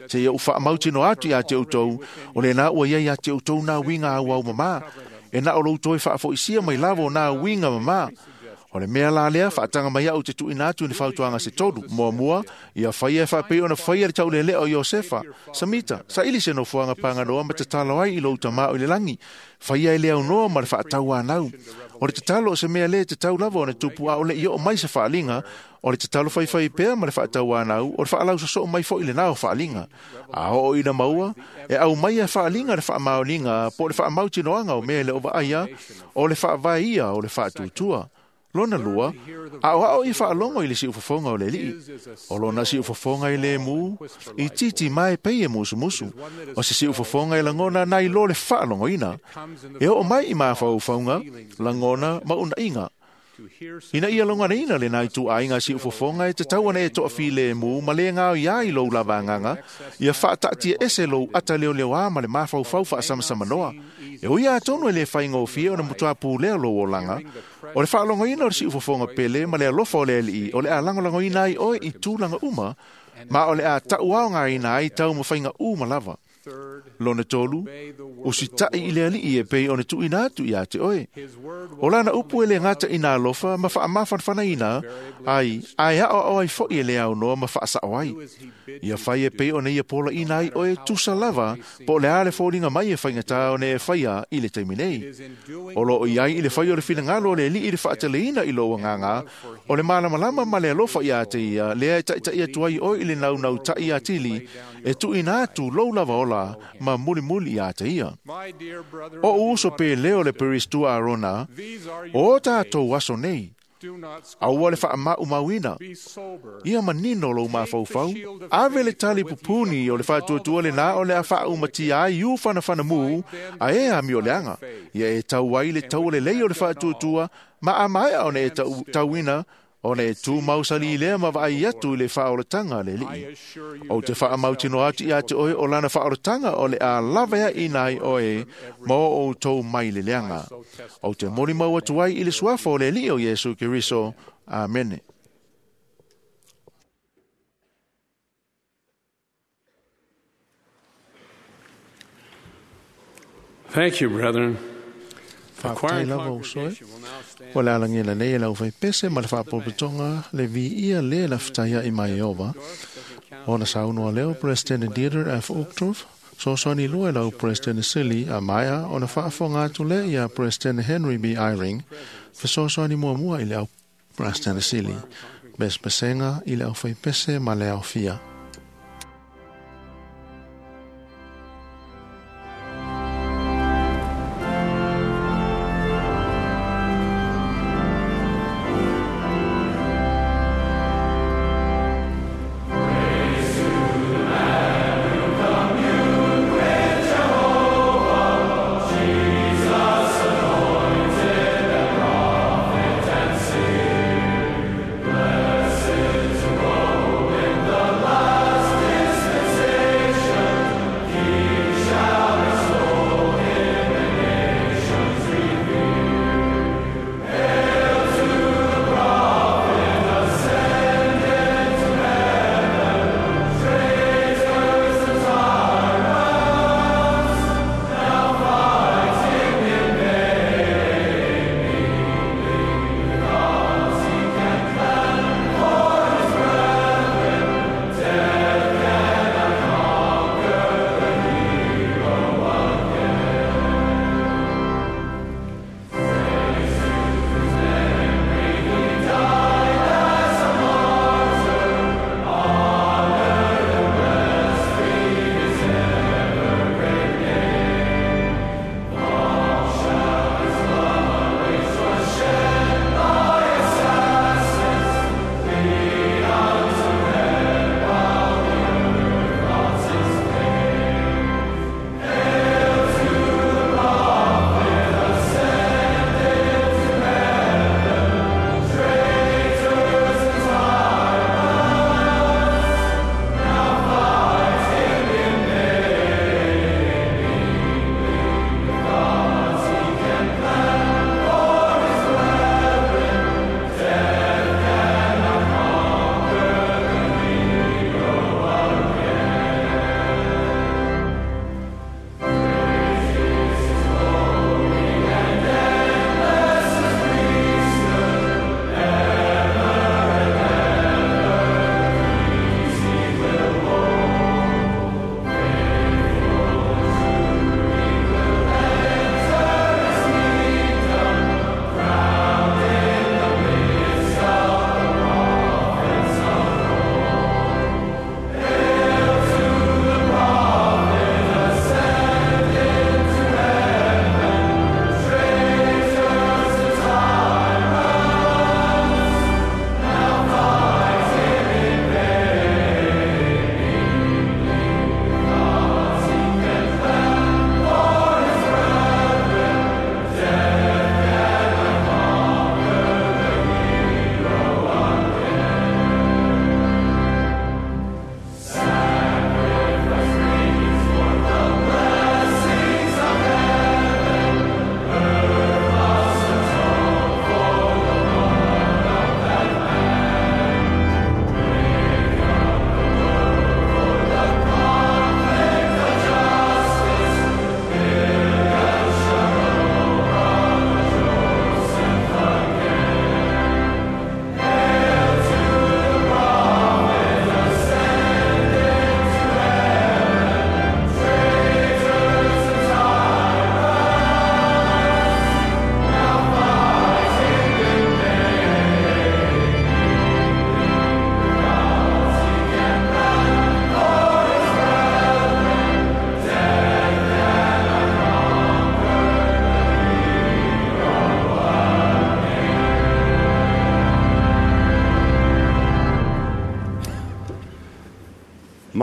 Seia ou faamautinoa atu iā te outou, o lenā ua ia iā te outou nā uiga auau mamā, e na o lou toe faafoisia mai lava o nā uiga mamā. O le mea la lea, faataga mai au te tuuina atu i le fautuaga se tolu. Muamua, ia faia e faapei ona faia le taulelea o Iosefa. Samita, saili se nofoaga paganoa ma tatalo ai i lou tamā o i le lagi. Faia e le aunoa ma le faatauanau. O le tatalo o se mea lē tatau lava ona tupu a o le'i oo mai se faaliga, o le tatalo faifai pea ma le faatauanau, o le faalausosoo mai fo'i lenā o faaliga. A oo ina maua, e aumaia e faaliga le faamaoniga po o le faamautinoaga o mea e le o vaaia, o le faavae ia o le faatuatua. Lona lua, aoao i faalogo i le siufofoga o le Alii. O lona siufofoga i le mu, i titi mae pei e musumusu. O se siufofoga e lagona nai lo le faalogoina. E oo mai i mafaufauga, lagona ma unaiga. Ina ia loganaina lenā ituaiga siufofoga e tatau ona e toafilemu ma le gaoia ai lou lava agaga, ia faataatiaese lou ata leoleoā ma le mafaufau faasamasamanoa. E ui atonu e lē faigofie ona matuā pulea lou olaga, o le faalogoina o le siufofoga pele ma le alofa o le Alii o le a lagolagoina ai oe i tulaga uma, ma o le a taʻuaogaina ai taumafaiga uma lava. Lona tolu, usitaʻi i le Alii e pei ona tuuina atu iā te oe. O lana upu e le gata ina alofa ma faamafanafanaina ai, ae aʻoaʻo ai fo'i e le aunoa ma faasaʻo ai. Ia fai e pei ona ia polaʻina ai oe tusa lava po o le a le foliga mai e faigatā ona e faia i le taimi nei. O loo i ai i le fai o le finagalo o le Alii i le faateleina i lou agaga, o le malamalama ma le alofa iā te ia lea e taʻitaʻi atu ai oe i le naunautaʻi atili, e tuuina atu lou lava ola ma mulimuli iā te ia. O ou uso pe leo le Peristua Arona, o tatou aso nei, aua le faamaumauina, ia manino lou mafaufau, ave le tali pupuni o le faatuatua lenā o le a faaumatia ai iu fanafanamū a e amioleaga, ia e tau ai le taualelei o le faatuatua ma a maea ona e tauina, ona e tu mausali lea ma vaai atu i le faaolataga a le Alii. Ou te faamautinoa atu iā te oe o lana faaolataga o le a lavaeaʻina ai oe ma o outou mai le leaga. Ou te molimau atu ai i le suafa o le Alii o Iesu Keriso. Amene. Thank you, brethren. The choir Faafetai and lava uso e. congregation will now stand. O le alagia nei e lau faipese ma le faapotopotoga le viia lē lafetaiaʻi mai Ieova. Ona saunoa lea o President Dieter F. Uchtdorf, soasoani lua e lau President Sili a maea ona faafofoga atu lea iā President Henry B. Eyring, fesoasoani muamua i le au President Sili, pesepesega i le aufaipese ma le aofia. Praise to the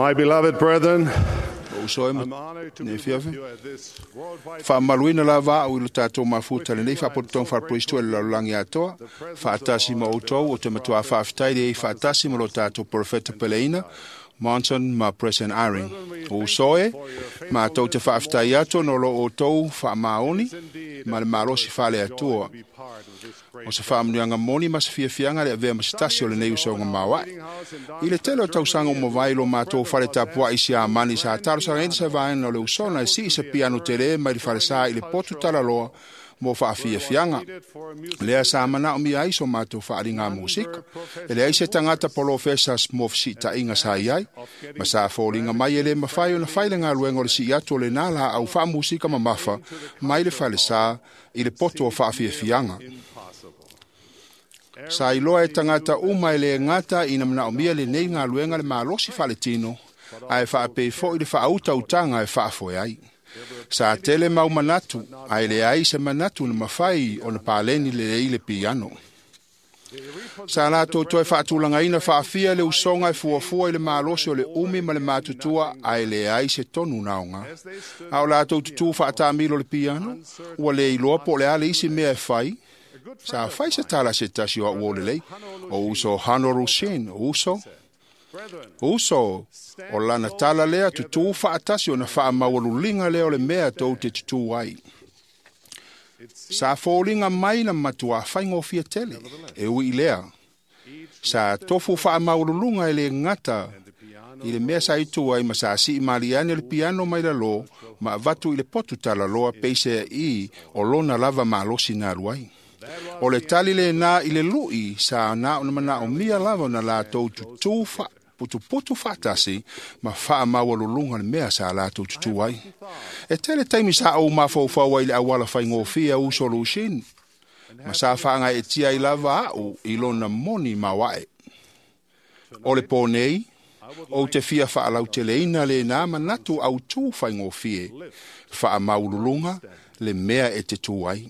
My beloved brethren, Uso e ne fiafi. Faamaluina lava au i lo tatou mafuta lenei faapotopotoga faalepristo e le lalolagi atoa. Faatasi ma outou o te matua faafetai le faatasi ma lo tatou profeta peleina Monson ma President Eyring. O uso e, matou te faafetai atu ona o lo outou faamaoni ma le malosi faale-Atua. O se faamanuiaga moni ma se fiafiaga le avea ma se tasi o lenei usoga maoae. I le tele o tausaga ua mavae lo matou fale tapuai i Siamani sa talosagaina se vaega o le usoga e sii se piano tele mai le falesa i le potu talaloa mo faafiafiaga. Lea sa manaomia ai so matou faaliga musika. E leai se tagata polofesa mo fesiitaiga sa i ai, ma sa foliga mai e le mafai ona fai le galuega o le sii atu o lenā laau faamusika mamafa mai le falesa i le poto o faafiafiaga. Sa iloa e tagata uma e le gata ina manaomia lenei galuega le malosi faaletino, ae faapei foi le faautautaga e faafoe ai. Sa tele mau manatu, ae leai se manatu na mafai ona paleni lelei le piano. Sa latou toe faatulagaina faafia le usoga e fuafua i le malosi o le umi ma le matutua, ae leai se tonu naoga. A o latou tutū faatamilo le piano, ua le iloa po o le a le isi mea e fai. Sa fai se tala se tasi o au o lelei, o uso Hano Rushin, o uso, uso, o lana tala lea tutū faatasi ona faamaualuliga lea o le mea tou te tutū ai. Sa foliga mai na matuā faigofie tele, e ui i lea. Sa tofu faamaualuluga e le gata i le mea sa itu ai ma sa sii maliane le piano mai lalo ma avatu i le potu talaloa peisea i o lona lava malosi na alu ai. O le tali lenā i le lui sa na ona manaomia lava ona latou tutū putuputu faatasi ma faamaualuluga le mea sa latou tutū ai. E tele taimi sa ou mafaufau ai i le auala faigofie uso Lushin, ma sa faagaeetia ai lava au i lona moni maoae. O le pō nei, ou te fia faalauteleina lenā manatu autū faigofie, faamaualuluga le mea e te tū ai.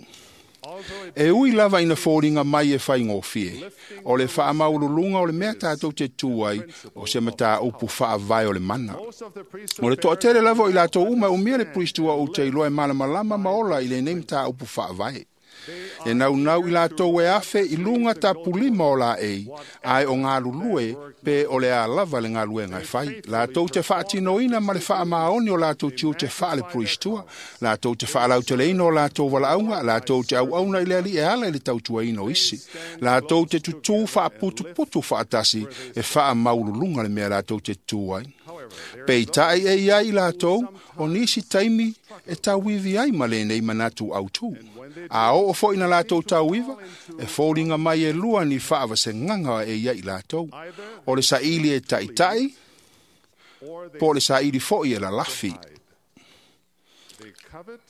E ui lava ina foliga mai e faigofie, o le faamaualuluga o le mea tatou te tū ai o se mataupu faavae o le mana. O le toatele lava o i latou uma e umia le pristua ou te iloa e malamalama ma ola i lenei mataupu faavae. E naunau i latou e afe i luga tapulima o laei, ae o galulue pe o le a lava le galuega e fai. Latou te faatinoina ma le faamaoni o latou tiute faale-puristua, latou te faalauteleina o latou valaauga, latou te auauna i le alii e ala i le tautuaina o isi. Latou te tutū faaputuputu faatasi e faamaululuga le mea latou te tutū ai. Peitai e ia i latou, o nisi taimi e tauivi ai ma lenei manatu autū. A oo foi na latou tauiva, e foliga mai e lua ni faavasegaga e ia i latou. O le saili e taitai, po o le saili foi e lalafi.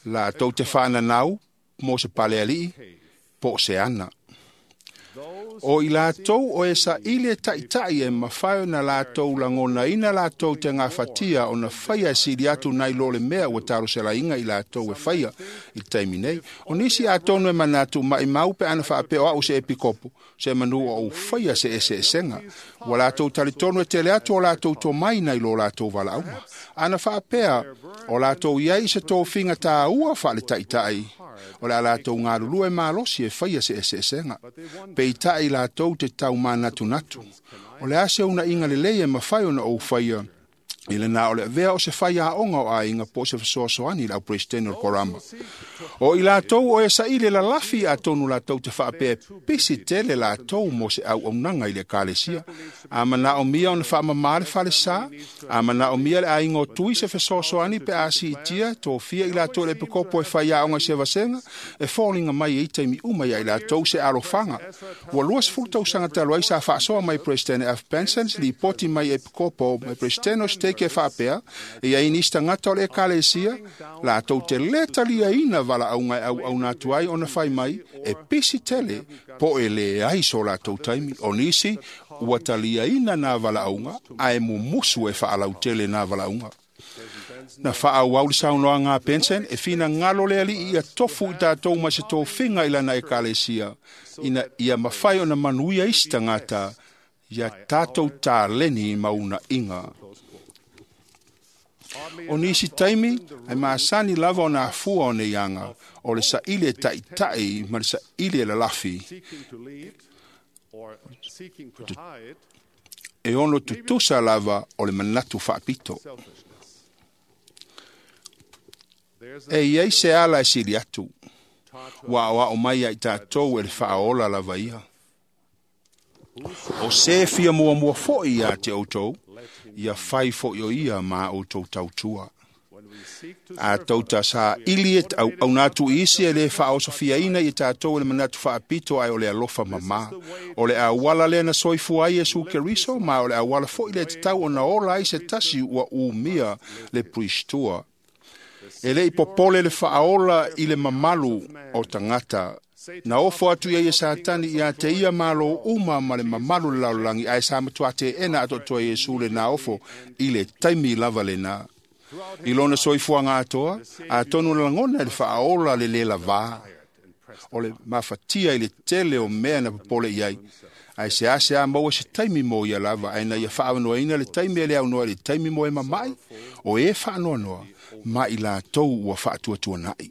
Latou te faananau mo se palealii, po o se ana. O i latou o e saili e taitai e mafai ona latou lagonaina latou te gafatia ona faia e sili atu nai lo le mea ua talosalaiga i latou e faia i le taimi nei. O nisi atonu e manatu maimau pe ana faapea o au se epikopo, se manu o ou faia se eseesega. Ua latou talitonu e tele atu o latou tomai nai lo latou valaauga. Ana faapea o latou iai i se tofiga tāua faaletaitai, o le a latou galulue malosi e faia se eseesega. Peitai latou te taumanatunatu. O le a se unaiga lelei e mafai ona ou faia i lena o le avea o se faiaoga o aiga po o se fesoasoani i le auperesetene o le korama. O i latou o e saili lalafi atonu latou te faapea pisi tele latou mo se auaunaga i le ekalesia. A manaomia ona faamamā le falesā, a manaomia le aiga o tui se fesoasoani pe a siitia tofia i latou i le epikopo e faiaoga i se vasega, e foliga mai ai taimi uma ia i latou se alofaga. Ua 20 tausaga talu ai sa faasoa mai President F. Benson, lipoti mai epikopo mai President o Stake e faapea, e iai nisi tagata o le ekalesia, latou te lē taliaina valaauga e auauna atu ai ona fai mai, e pisi tele po e leai so latou taimi. O nisi ua taliaina nā valaauga, ae mumusu e faalautele nā valaauga. Na faaauau le saunoaga a Benson e finagalo le alii ia tofu i tatou ma se tofiga i lana ekalesia, ina ia mafai ona manuia isi tagata ia tatou taleni ma unaiga. O nisi taimi, ai masani lava o nā fua o nei anga, o le saili e ta'ita'i ma le saili e lalafi. E ono tutusa lava o le manatu faapito. E iai se ala e sili atu, ua aoao mai ai tatou e le faaola lava ia. O se fia muamua fo'i ia te outou, ia fai fo'i o ia ma outou tautua. A tauta sa ili e auauna atu i isi e le faaosofiaina i tatou e le manatu faapito ae o le alofa mamā. O le auala lea na soifua ai Iesu Keriso ma o le auala fo'i le tatau ona ola ai se tasi ua umia le puisitua. E le i popole le faaola i le mamalu o tagata. Na ofo atu ia e Satani ia te ia malo uma ma le mamalu le lalolagi ae sa matua teena atoatoa e Iesu le na ofo i le taimi lava lena. I lona soifuaga atoa, atonu na lagona e le faaola le lē lavā. O le mafatia i le tele o mea na popole i ai. Ae seasea maua se taimi mo ia lava, ae na ia faaavanoaina le taimi e le aunoa i le taimi mo e mama'i, o e faanoanoa, ma i latou ua faatuatuana'i.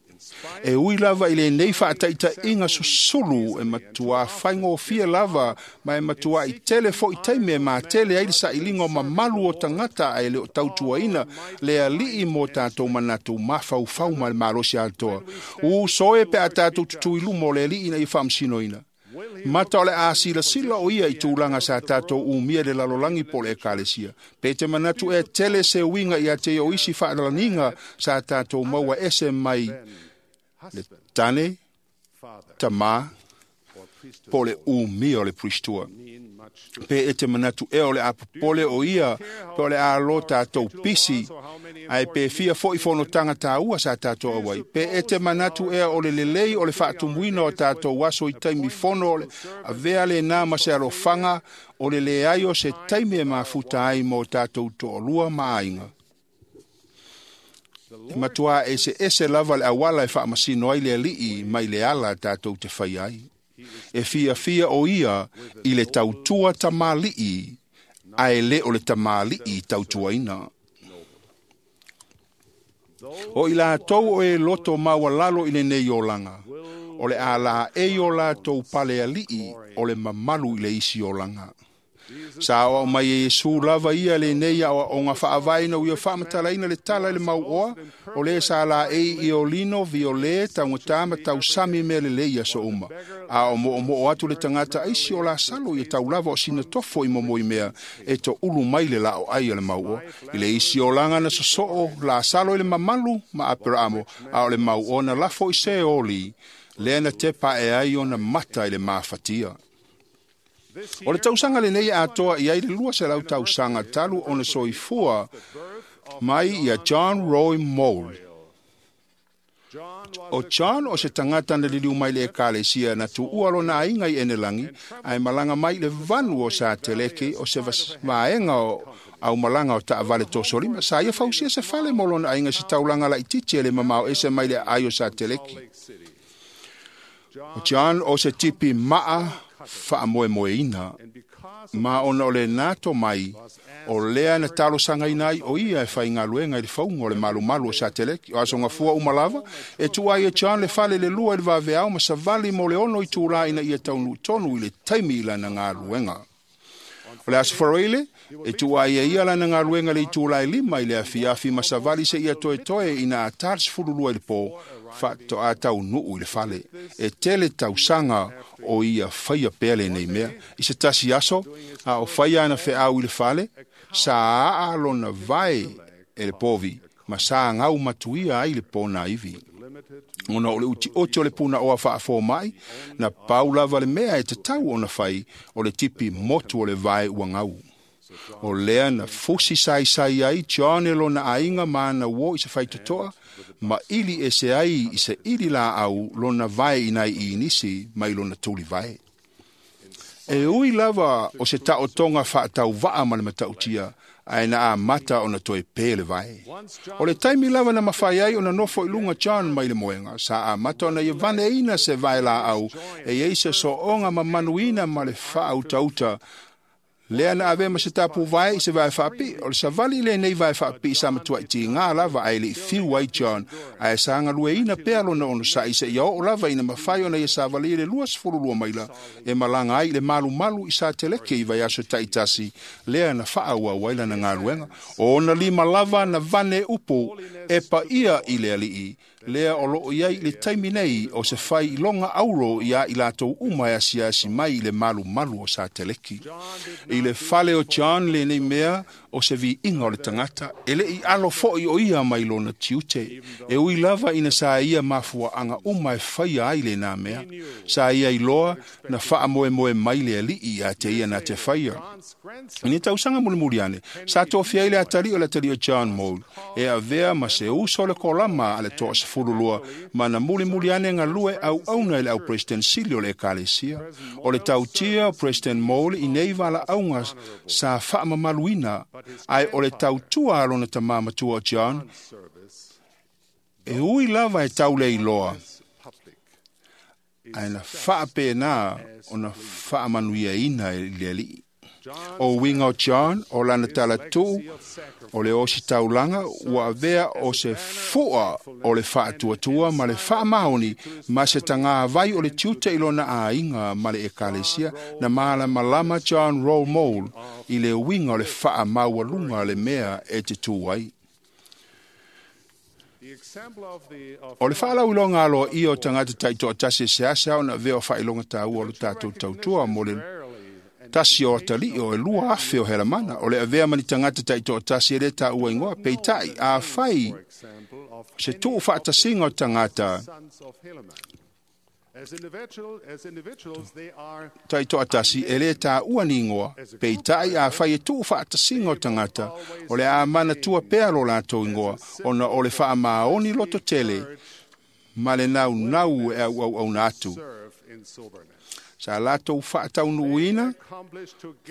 E ui lava i lenei faataitaiga susulu e matuā faigofie lava ma e matua'i tele fo'i taimi e matele ai le sailiga o mamalu o tagata ae le o tautuaina le alii mo tatou manatu mafaufau ma le malosi atoa. Uso e pe a tatou tutū i luma o le alii ina ia faamasinoina. Mata o le a silasila o ia i tulaga sa tatou umia le lalolagi po o le ekalesia. Pe te manatu e tele se uiga ia te o isi faalaniga sa tatou maua ese mai le tane, tamā, po o le umia o le puisitua. Pe e te manatu ea o le a popole o ia, pe o le a lo tatou pisi, ae pe fia fo'i fonotaga tāua sa tatou auai. Pe e te manatu ea o le lelei o le faatumuina o tatou aso i taimi fono o le avea lenā ma se alofaga o le leai o se taimi e mafuta ai mo tatou toalua ma aiga. E matuā eseese lava le auala e faamasino ai le alii mai le ala tatou te fai ai. E fiafia o ia i le tautua tamalii, ae le o le tamalii tautuaina. O i latou o e loto maualalo i lenei olaga, o le a laei o latou pale alii o le mamalu i le isi olaga. Sa aoao mai e Iesu lava ia lenei aoaoga faavae ina ua faamatalaina le tala i le mauoa, o le sa laei i olino, viole, taugatā ma tausami mea lelei i aso uma. A o moomoo atu le tagata aisi o Lasalo ia taulava o sina tofo i momoimea e toulu mai le laoai o le mauoa. I le isi olaga na sosoo Lasalo i le mamalu ma Aperaamo, a o le mauoa na lafo i Seoli, lea na tepa e ai ona mata i le mafatia. O le tausaga lenei e atoa i ai le 200 tausaga talu ona soifua mai ia John Roy Moll. O John o se tagata na liliu mai le ekalesia na tuua lona aiga i Enelagi, ae malaga mai i le vanu o Sateleke o se vaega o aumalaga o taavale tosolima. Sa ia fausia se fale mo lona aiga i se taulaga laitiiti e le mamao ese mai le aai o Sateleke. O John o se tipi maa faamoemoeina, ma ona o le nato mai, o lea na talosagaina ai o ia e faigaluega i le fauga o le malumalu o Sateleki. O asogafua uma lava, e tuu ai e John le fale le lua i le vaveao ma savali mo le 6 itulā ina ia taunuu tonu i le taimi i lana galuega. O le aso Faroile, e tuu ai e ia lana galuega le itulā e 5 i le afiafi ma savali seia toetoe ina atā le 12 i le pō, faatoa taunuu i le fale. E tele tausaga o ia faia pea lenei mea. I se tasi aso, a o faia ana feau i le fale, sa aa lona vae e le povi, ma sa gau matuia ai le pona ivi. Ona o le utioti o le punaoa faafōma'i, na pau lava le mea e tatau ona fai o le tipi motu o le vae ua gau. O lea na fusi saisai ai John e lona aiga ma ana uō i se faitotoa, ma ili ese ai i se ili laau lona vae i nai inisi mai lona tuli vae. E ui lava o se taotoga faatauvaa ma le matautia, ae na amata ona toe pē le vae. O le taimi lava na mafai ai ona nofo i luga John mai le moega, sa amata ona ia vaneina se vae laau e iai se sooga mamanuina ma le faautauta Lea na avea ma se tapuvae i se vae faapii, o le savali lenei vae faapii sa matuai tiga lava ae le'i fiu ai John, ae sa galueina pea lona onosa'i seia oo lava ina mafai ona ia savalia le 22 maila e malaga ai i le malumalu i Sateleke i vaiaso ta'itasi lea na fa'aauau ai lana galuega. O ona lima lava na vane upu e paia i le Ali'i, lea o loo i ai i le taimi nei o se failoga auro iā i latou uma e asiasi mai i le malumalu o Sateleki. I le fale o John lenei mea o se viiga o le tagata, e le'i alo fo'i o ia mai lona tiute, e ui lava ina sa ia mafua'aga uma e faia ai lenā mea. Sa ia iloa na fa'amoemoe mai le Ali'i iā te ia na te faia. I ni tausaga mulimuli ane, sa tofia ai le atalii o le atalii o John Mole, e avea ma se uso o le kolama a le 12 ma na mulimuli ane galue auauna i le au president sili o le ekalesia. O le tautia o President Mole i nei valaauga sa faamamaluina, ae o le tautua a lona tamā matua o John, e ui lava e tauleiloa, ae na faapenā ona faamanuiaina i le Alii. O uiga o John, o lana talatu'u, o le ositaulaga ua avea o se fu'a o le fa'atuatua ma le fa'amaoni ma se tagavai o le tiute i lona aiga ma le ekalesia. Na malamalama John Roll Mole i le uiga o le fa'amaualuga le mea e te tū ai. O le fa'alauiloga aloa'ia o tagata ta'ito'atasi e seasea ona avea o fa'ailoga tāua o le tatou tautua mo le tasi o atalii o e 2,000 o Helamana, o le avea ma ni tagata ta'ito'atasi e lē tāua igoa, peita'i afai se tu'u fa'atasiga o tagata ta'ito'atasi e lē tāua ni igoa, peita'i afai e tu'u fa'atasiga o tagata, o le a manatua pea lo latou igoa, ona o le fa'amaoni loto tele ma le naunau e au'au'auna atu. Sa latou fa'ataunuuina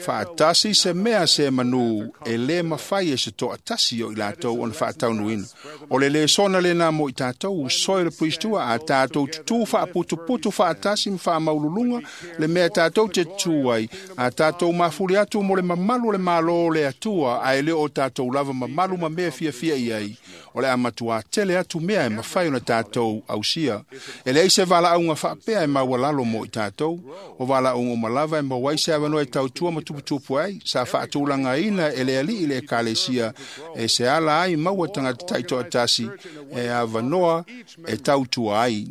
fa'atasi se mea se manū e lē mafai e se to'atasi o i latou ona fa'ataunuuina. O le lesona lenā mo i tatou soe le puisitua a tatou tutū fa'aputuputu fa'atasi ma fa'amaululuga le mea tatou te tutū ai, a tatou mafuli atu mo le mamalu o le mālō o le Atua, ae lē o tatou lava mamalu ma mea fiafia i ai, o le a matuā tele atu mea e mafai ona tatou ausia. E leai se valaauga fa'apea e maualalo mo i tatou, o valaauga uma lava e maua ai se avanoa e tautua ma tuputupu ai, sa fa'atulagaina e le Ali'i le ekalesia e se ala ai maua tagata ta'ito'atasi e avanoa e tautua ai.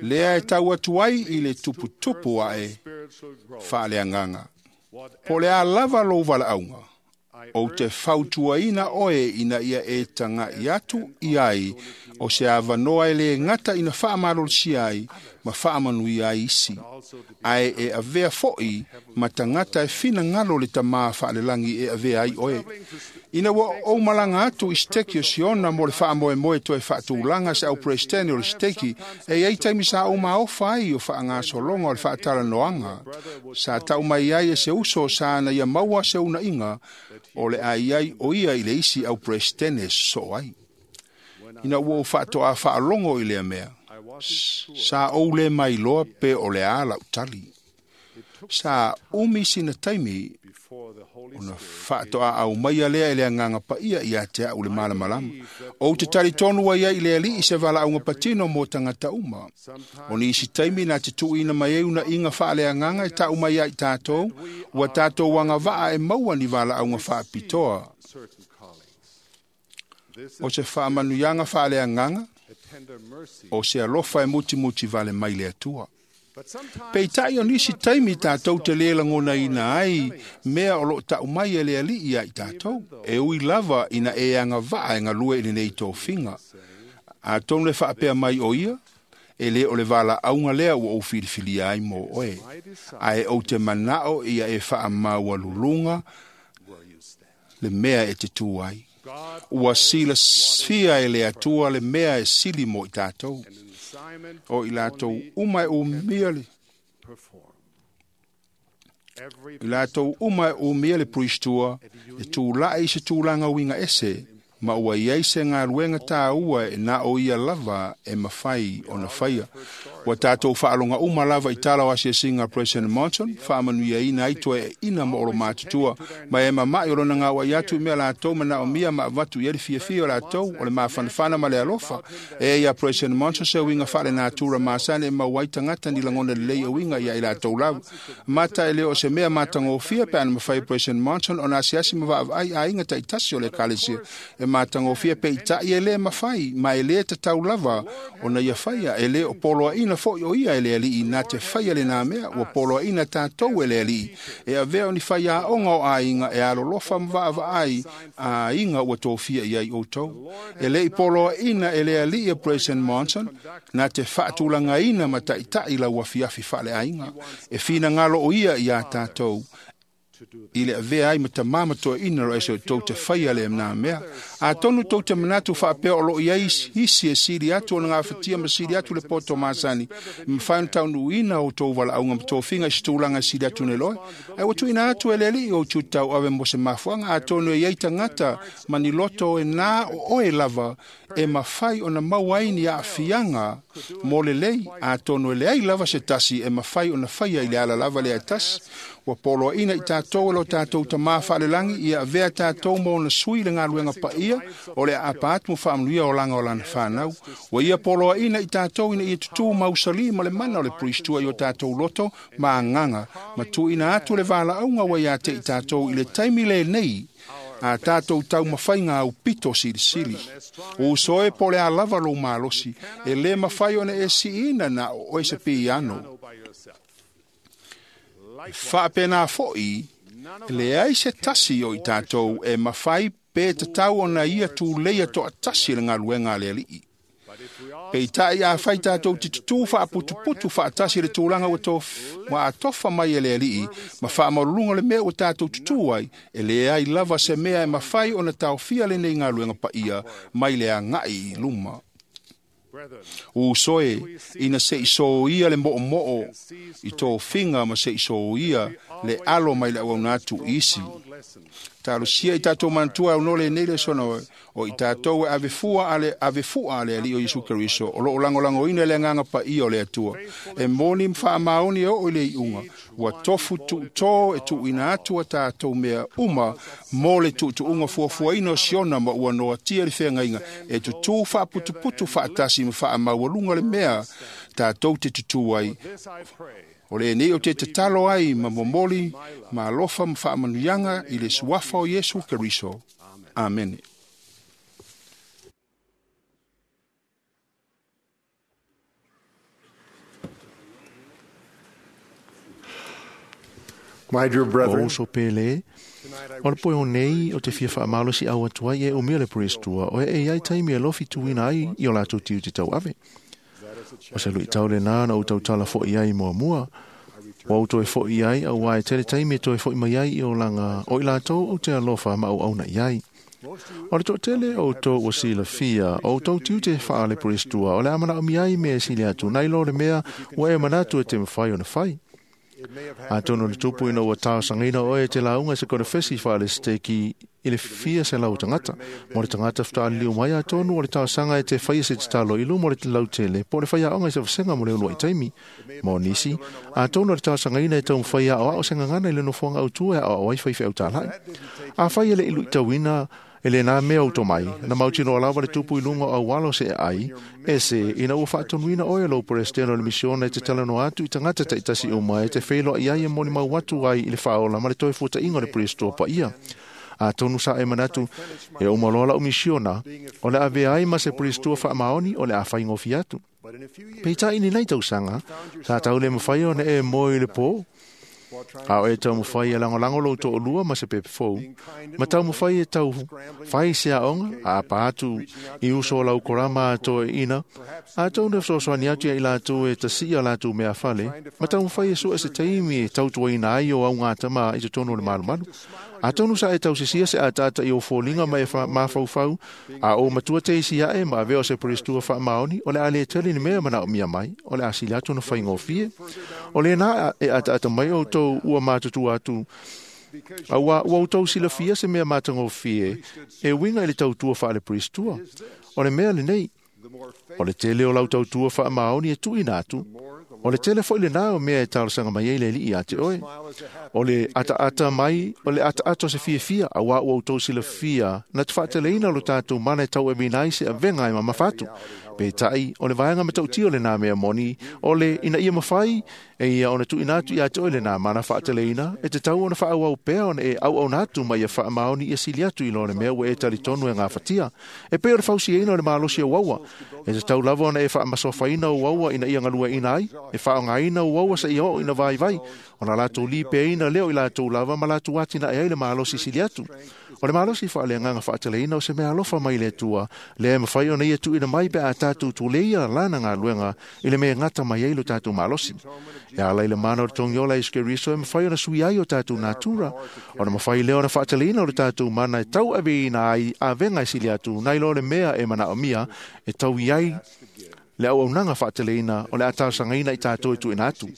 Lea e tau atu ai i le tuputupu a'e fa'aleagaga. Po o le a lava lou valaauga, ou te fautuaina oe ina ia e taga'i atu i ai o se avanoa e lē gata ina fa'amalolosia ai ma fa'amanuia ai isi, ae e avea fo'i ma tagata e finagalo le tamā fa'alelagi e avea ai oe. Ina ua ou malaga atu i seteki o Siona mo le fa'amoemoe toe fa'atulaga se au presidente o le seteki, e iai taimi sa ou maofa ai o fa'agasologa o le fa'atalanoaga. Sa ta'u mai ai e se uso sa na ia maua se una'iga o le a iai o ia i le isi au presidente so'o ai. Ina ua ou fa'ato'a fa'alogo i lea mea, sa ou lē mailoa pe o le a la'u tali. Sa umi sina taimi ona fa'ato'a aumaia lea e le Agaga Paia iā te a'u le malamalama. Ou te talitonu ai ai i le Ali'i se valaauga patino mo tagata uma. O nisi taimi na te tu'uina mai ai una'iga fa'aleagaga e ta'u mai ai tatou, ua tatou agava'a e maua ni valaauga fa'apitoa. O se fa'amanuiaga fa'aleagaga, o se alofa e mutimuti vale mai le Atua. Peita'i o nisi taimi tatou te lē lagonaina ai mea o lo'o ta'u mai e le Ali'i ia i tatou, e ui lava ina e agava'a e galue i lenei tofiga. Atonu e fa'apea mai o ia, e lē o le valaauga lea ua ou filifilia ai mo oe, ae ou te mana'o ia e fa'amaualuluga le mea e te tū ai. Ua silafia e le Atua le mea e sili mo i tatou. O i latou uma e umia le i latou uma e umia le puisitua, e tula'i i se tulaga uiga ese, ma ua iai se galuega tāua e na o ia lava e mafai ona faia. Ua tātou whaalonga uma lava i tala o asiasinga President Monson, whaamanuiaina ai toe ina mo olo mātutua. Ma e mamai o lona ngā wai atu i mea lātou mana o mia ma avatu i eri fiafia o lātou o le māwhanawhana ma le alofa. E ia President Monson se uinga whaale nātura māsane e mauai tangata ni langona le lei uinga ia i lātou lava. Mata e leo o se mea mātangofia pe ana mawhai President Monson o nā siasi mawaa ai a inga taitasi o le ekalesia. E mātangofia pe i tai e le mawhai, ma e le te tau lava o na ia whaia, e le o poloa ina foi o ia e le alii, nā te whaia le nā mea, ua poloa ina tātou e le alii. E avea o ni whaia a onga o a inga, e alolofa mawaa ai a inga ua tōfia i ai o tau. E le i poloa ina e le alii e President Monson, nā te whaatulanga ina ma taitai la ua fiafi whaale a inga. E whina ngalo o ia i a tātou, i le avea ai ma tamama toa ina ro eso tau te whaia le nā mea. A tonu tau te manatu whaapea o lo i ai hisi e siri atu o ngā whatia ma siri atu le poto māsani. Ma whain tau ina o tau wala au ngā tōwhinga i stūlanga siri atu ne loe. Ai watu ina atu e leli o tūtau ave mo se mafuanga a tonu e iei tangata maniloto e nā o oe lava e mawhai o na mau ai ni a fianga mō le lei a tonu e leai lava se tasi e mawhai o na whaia i le ala lava le a tasi. Ua poloa ina i tātou e lo tātou ta mā whaalelangi i a vea tātou mō na sui le ngā luenga paia o le apa atu mo whaamanuia o langa o lana whānau. Ua ia poloa ina i tātou ina ia tutu mausali ma le mana o le puristua i o tātou loto ma nganga. Ma tu ina atu le wāla aunga wa ia te i tātou i le taimi le nei a tātou tau mawhai ngā au pito silisili. O soe po le a lava lo malosi, e le mawhai ona e si ina na o e se piano. Whaapena foi, le ai se tasi o i tātou e mawhai pe te tau ona ia tū leia toa tasi le ngā luenga le alii. Pe i tai a whai tātou te tutu whaaputuputu whaatasi le tūranga wa atofa mai e le alii, ma whaamarulunga le mea o tātou tutu ai, e le ai lava se mea e mawhai ona taofia le nei ngā luenga paia, mai le a ngai i luma. U soe, ina se i so ia le moo moo i tō finga ma se i so ia le alo mai le au atu isi. Talosia i tātou mantua au nole nei le sono o i tātou e avefua ale ali o Yesu Kristo o lo lango lango ina le nganga pa i o le atua. E moni mwha maoni o i le iunga. Ua tofu tu tō e tu ina atua tātou mea uma mō le tu tu unga fuafua ina o siona ma ua noa tia le whenga inga. E tu tū whaaputuputu whaatasi ma wha maualunga le mea tātou te tutu ai. O le nei o te tatalo ai ma momoli ma alofa ma whaamanuianga i le suafa o Yesu Kristo. Amen. My dear brethren, O uso pele, o le poe o nei o te fia whaamalo si au atua i e o mea le puristua o e e ai taimi e lofi tuina ai i o lātou tiu te tau ave. O se lui tau le nā na o tau tala fo i ai mua mua. O au toe fo i ai au ai tele taimi e toe fo i mai ai i o langa o i lātou o te alofa ma au auna i ai. O le tō o tō o sila fia, o tō tiu te whaale puristua, o le amana o mi ai mea sili atu, nei lo le mea o e manatu e te mwhai o na whai. A tono le tupu ina ua tau sangina oe te launga se kona fesi whaale steki i le fia se lau tangata. Mo le tangata whataali liu mai a tonu o le tau sanga e te whaia se te talo ilu mo le te lau tele. Po le whaia onga i se whasenga mo le ulua i taimi. Mo nisi, a tonu o le tau sangaina e tau mwhaia o ao se ngangana i le nofoanga au tua e au ai whai whai au tālai. A whaia le ilu i tauina e le nā mea o tō mai, na mautino lava le tupu i lunga au alo se ai, e se ina ua whaatonuina oe lo presidente o le misiona e te talano atu i tangata taitasi o mai e te whelo i ai e moni mau atu ai i le whaola ma le toi futa inga le presto pa ia. A tonu sa e manatu e o malola o misiona, o le ave ai ma se presto wha maoni o le a whaingo fiatu. Peita ini nei tausanga, sa tau le mwhai o ne e moi le pō, A o e tau mwhai e langolango lo tō lua ma se pepe fou. Ma tau mwhai e tau whai se aonga, a pātu i uso lau korama a tō e ina. A tau ne wsosoani atu i lātou e tasia lātou mea whale. Ma tau mwhai e sua se teimi e tautua ina ai o au ngā tama i te tono le malumalu. A tonu sa e tau sisia se a tata i o fōlinga ma e mawhauwhau, a o matua te isi ae ma aveo se puristua wha maoni, o le a le tele ni mea mana o mia mai, o le a sili atu na whaingo fie. O le nā e ata mai o tau ua mātutu atu, a ua ua tau sila fia se mea mātango fie, e winga i le tautua wha le puristua. O le mea le nei, O le tele o lau tautua faamaoni e tuuina atu, o le tele foi lenā o mea e talosaga mai ai le Alii ia te oe. O le ataata mai, o le ataata o se fiafia, auā ua outou silafia na te faateleina lo tatou mana e tauaveina ai se avega e mamafa atu. Peitai, o le vaega matautia o lenā mea moni, o le ina ia mafai e ia ona tuuina atu ia te oe lenā mana faateleina, e tatau ona faaauau pea ona e auauna atu ma ia faamaoni ia sili atu i lo le mea ua e talitonu e gafatia. E pei o le fausiaina o le malosi o uaua, e tatau lava ona e faamasofaina o uaua ina ia galueaiina ai, e faaaogaina uaua seia oo ina vaivai, ona latou lipeaina lea o i latou lava ma latou atinae ai le malosi sili atu. O le malosi faaleagaga faateleina o se mea alofa mai le Atua, lea e mafai ona ia tuuina mai pe a tatou tuleia lana galuega i le mea e gata mai ai lo tatou malosi. E ala i le mana o le togiola Iesu Keriso e mafai ona sui ai o tatou natura, ona mafai lea ona faateleina o le tatou mana e tauaveina ai avega e sili atu nai lo le mea e manaomia e tau i ai le auaunaga faateleina o le a talosagaina i tatou e tuuina atu.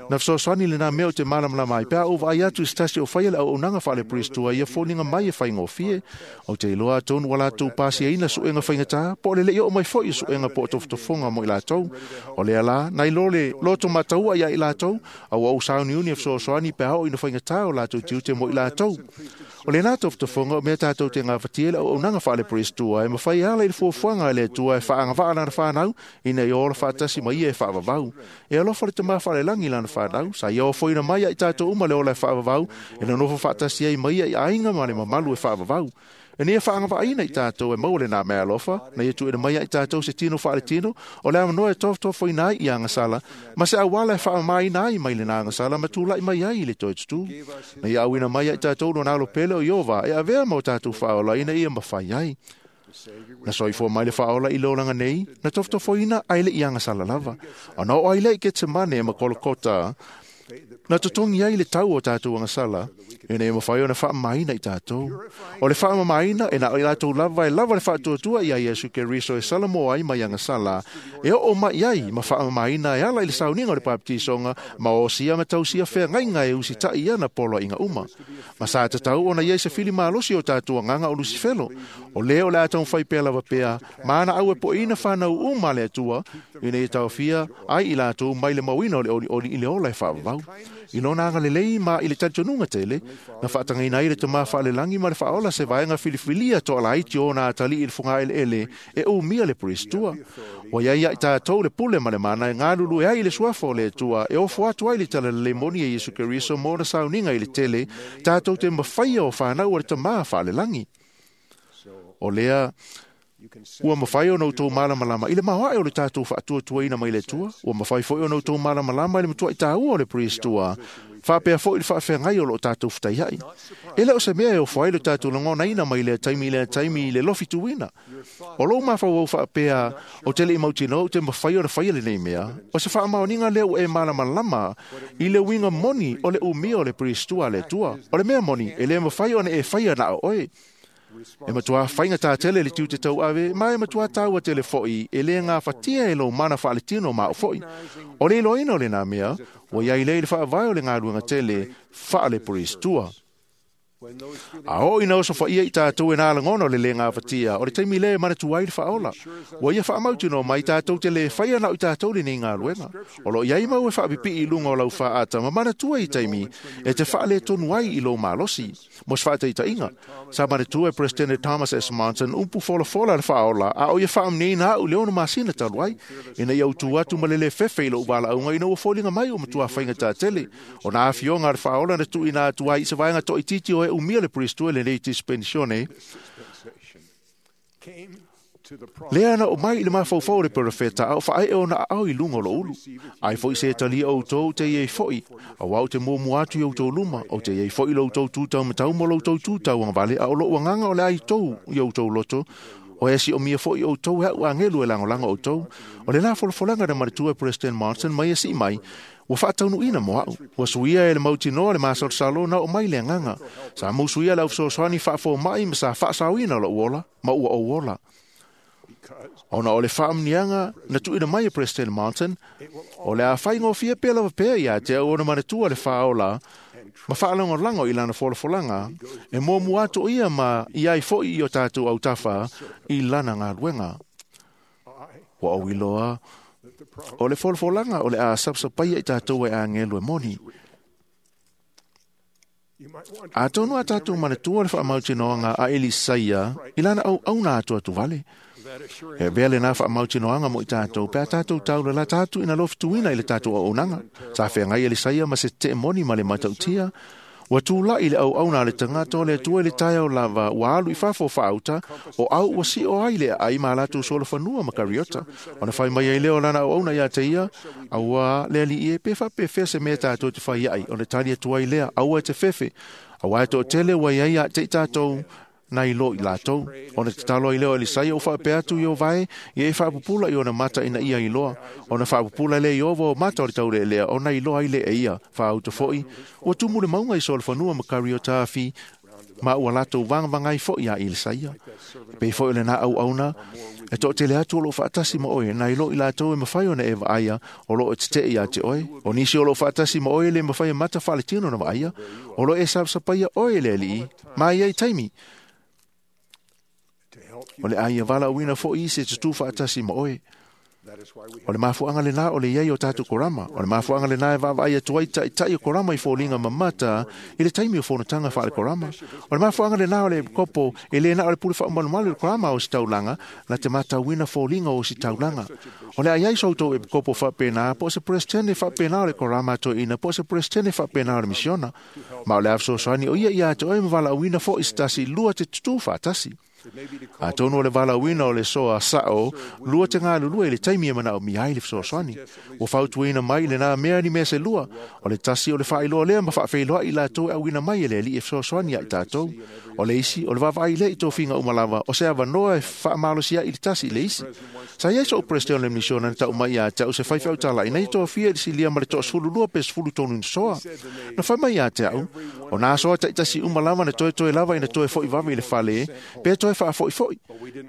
Na fesoasoani lenā mea o te malamalama ai pe a ou vaai atu i se tasi o faia le auaunaga faale-Priestua ia foliga mai e faigofie. Ou te iloa atonu ua latou pasiaina suega faigatā po o le le'i oo mai foi o suega po o tofotofoga mo i latou. O lea la, nai lo le loto mataua ia i latou, a ua ou sauniuni e fesoasoani pe a oo ina faigatā o latou tiute mo i latou. O lenā tofotofoga o mea tatou te gafatia le auaunaga faale-Priestua e mafai ala i le fuafuaga a le Atua e faaagavaa lana fanau ina ia ola faatasi ma ia e faavavau. E alofa le Tamā Faalelagi lana fanau, sa ia ofoina mai ia i tatou uma le ola e faavavau, e nonofo faatasi ai ma ia i aiga ma le mamalu e faavavau. E nia faagavaaina i tatou e maua lenā mea alofa, na ia tuuina mai ia i tatou se tino faaletino, o le avanoa e tofotofoina ai i agasala, ma se auala e faamamaina ai mai lenā agasala ma tula'i mai ai i le toe tutū. Na ia auina mai ia i tatou lona alo pele o Ieova e avea ma o tatou faaola ina ia mafai ai. Na soifua mai le faaola i le olaga nei, na tofotofoina ae le i agasala lava. Ona oo ai lea i Ketsemane ma Kolokota, na totogi ai le tau o tatou agasala, ina ia mafai ona faamamaina i tatou. O le faamamaina e na o i latou lava e lava le faatuatua ia Iesu Keriso e salamoa ai mai agasala, e oo mai ai ma faamamaina e ala i le sauniga o le baptisoga ma osia ma tausia feagaiga e usita'i ana poloaiga uma. Ma sa tatau ona iai se fili malosi o tatou agaga o Lusifelo. O lea o le a taumafai pea lava pea, ma ana au e po'eina fanau uma a le Atua, ina ia taofia ai i latou mai le mauina o le olioli i le ola e faavavau. I lona agalelei ma i le talitonuga tele, na faatagaina ai le Tamā Faalelagi ma le Faaola se vaega filifilia toalaiti o ona atalii i le fogaeleele e umia le Priestua. Ua iai ia i tatou le pule ma le mana e galulue ai i le suafa o le Atua e ofo atu ai le talalelei moni e Iesu Keriso mo ona sauniga i le tele, tatou te mafaia o fanau a le Tamā Faalelagi. O lea ua mafai ona outou malamalama i le maoae o le tatou faatuatuaina mai le Atua, ua mafai foi ona outou malamalama i le matuai tāua o le Priestua, faapea foi le faafeagai o loo tatou fetaiai. E le o se mea e ofo ai le tatou lagonaina mai lea taimi i lea taimi i le lofituina. O lou mafaufau faapea o te lei mautinoa ou te mafai ona faia lenei mea, o se faamaoniga lea ua e malamalama i le uiga moni o le umia o le Priestua a le Atua. O le mea moni, e le mafai ona e faia na o oe. E matuā faigata tele le tiute tauave, ma e matuā taua tele foi e le gafatia e lou mana faaletino ma au foi. O le iloaina o lenā mea, ua iai lea i le faavae o le galuega tele faale-Priestua. A oo ina osofaia i tatou e nā lagona o le lē gafatia, o le taimi lea e manatua ai le faaola. Ua ia faamautinoa mai tatou te lē faia na o i tatou lenei galuega. O loo iai mau e faapipii i luga o lau faaata ma manatua i taimi e te faaletonu ai i lou malosi. Mo se faataitaiga, sa manatua e Presidente Thomas S. Monson upu folafola le faaola a o ia faamaniaina a'u i le 6 masina talu ai, ina ia utu atu ma le lē fefe i lou valaauga ina ua foliga mai ua matuā faigata tele. O nā afioga a le faaola na tuuina atu ai i se vaega toaitiiti o e umia le Priestua lenei dispensione. Lea na o mai i le mafaufau o le perofeta a o faaee ona aao i luga o lou ulu. Ai foi se talia outou te iai foi, auā ou te muamua atu i outou luma, ou te iai foi i lo outou tutaumatau ma lo outou tutauagavale, a o lou agaga o le a i tou i outou loto, o e siomia foi outou e a'u agelu e lagolago outou. O le la folafolaga na manatua e President Monson mai e sii mai, ua faataunuuina mo a'u. Ua suia e le mautinoa le masalosalo na oo mai le agaga. Sa mausuia le aufesoasoani faafoma'i ma sa faasaoina lo'u ola, ma ua ou ola. Ona o le faamanuiaga na tuuina mai e President Monson, o le a faigofie pea lava pea ia te au ona manatua le faaola ma faalagolago i lana folafolaga e muamua atu ia ma i ai foi i o tatou autafa i lana galuega. Ua ou iloa o le folafolaga o le a sapasapaia i tatou e agelu e moni. Atonu a tatou manatua le faamautinoaga a Elisaia i lana auauna atu atu vale. E avea lenā faamautinoaga mo i tatou pe a tatou taulalata atu ina lofituina i le tatou auaunaga. Sa feagai Elisaia ma se tetee moni ma le matautia. Ua tula'i le auauna a le tagata o le Atua i le taeao lava, ua alu i fafo faauta, o au ua sio ai le aai ma latou solofanua ma kariota. Ona fai mai ai lea o lana auauna ia te ia, auā le alii e, pe faapefea se mea tatou te fai ai, ona tali atu ai lea, aua e te fefe, auā e toatele ua i ai ia te i tatou nai lo i latou. Ona tatalo ai lea o Elisaia o faapea atu i o vae, ia e faapupula i ona mata ina ia iloa. Ona faapupula lea i ova o mata o le taulealea, ona iloa ai lea e ia. Faauta foi, ua tumu le mauga i solofanua ma kariota afi, ma ua latou vagavagai foi ia Elisaia. Pei foi o lenā auauna, e toatele atu o loo faatasi ma oe, nai lo i latou e mafai ona e vaaia, o loo e tetee ia te oe. O nisi o loo faatasi ma oe le mafai e mata faaletino na vaaia, o loo e sapasapaia oe le alii, ma ia i taimi. O le aia valaauina foi i se tutū faatasi ma oe. O le mafuaaga lenā o le iai o tatou korama. O le mafuaaga lenā e vaavaai atu ai ta'ita'i o korama i foliga mamata i le taimi o fonotaga faale-korama. O le mafuaaga lenā o le kopo e lē na o le pule faamalumalu i le korama o ositaulaga na te matauina foliga o ositaulaga. O le a iai so outou epikopo faapena, po o se peresetene faapena o le korama a toeaina, po o se peresetene faapena o le misiona. Ma o le a fesoasoani o ia ia te oe ma valaauina foi se tasi lua te tutū faatasi. Atonu o le valaauina o le soa sa'o lua te galulue i le taimi e manaomia ai le fesoasoani. Ua fautuaina mai lenā mea ni mea se lua, o le tasi o le faailoa lea ma faafeiloai i latou e auina mai e le alii e fesoasoani ia i tatou. O le isi, o le vaavaai lea i tofiga uma lava, o se avanoa e faamalosia i le tasi i le isi. Sa iai so'u peresetene o le misiona na ta'u mai ia te a'u se faifeau tala'i na ia tofia i le silia ma le 12 pe 13 ina soa. Na fai mai ia te a'u, o nā soa ta'itasi uma lava na toetoe lava ina toe fo'i vave i le fale, pe toe faafo'ifo'i.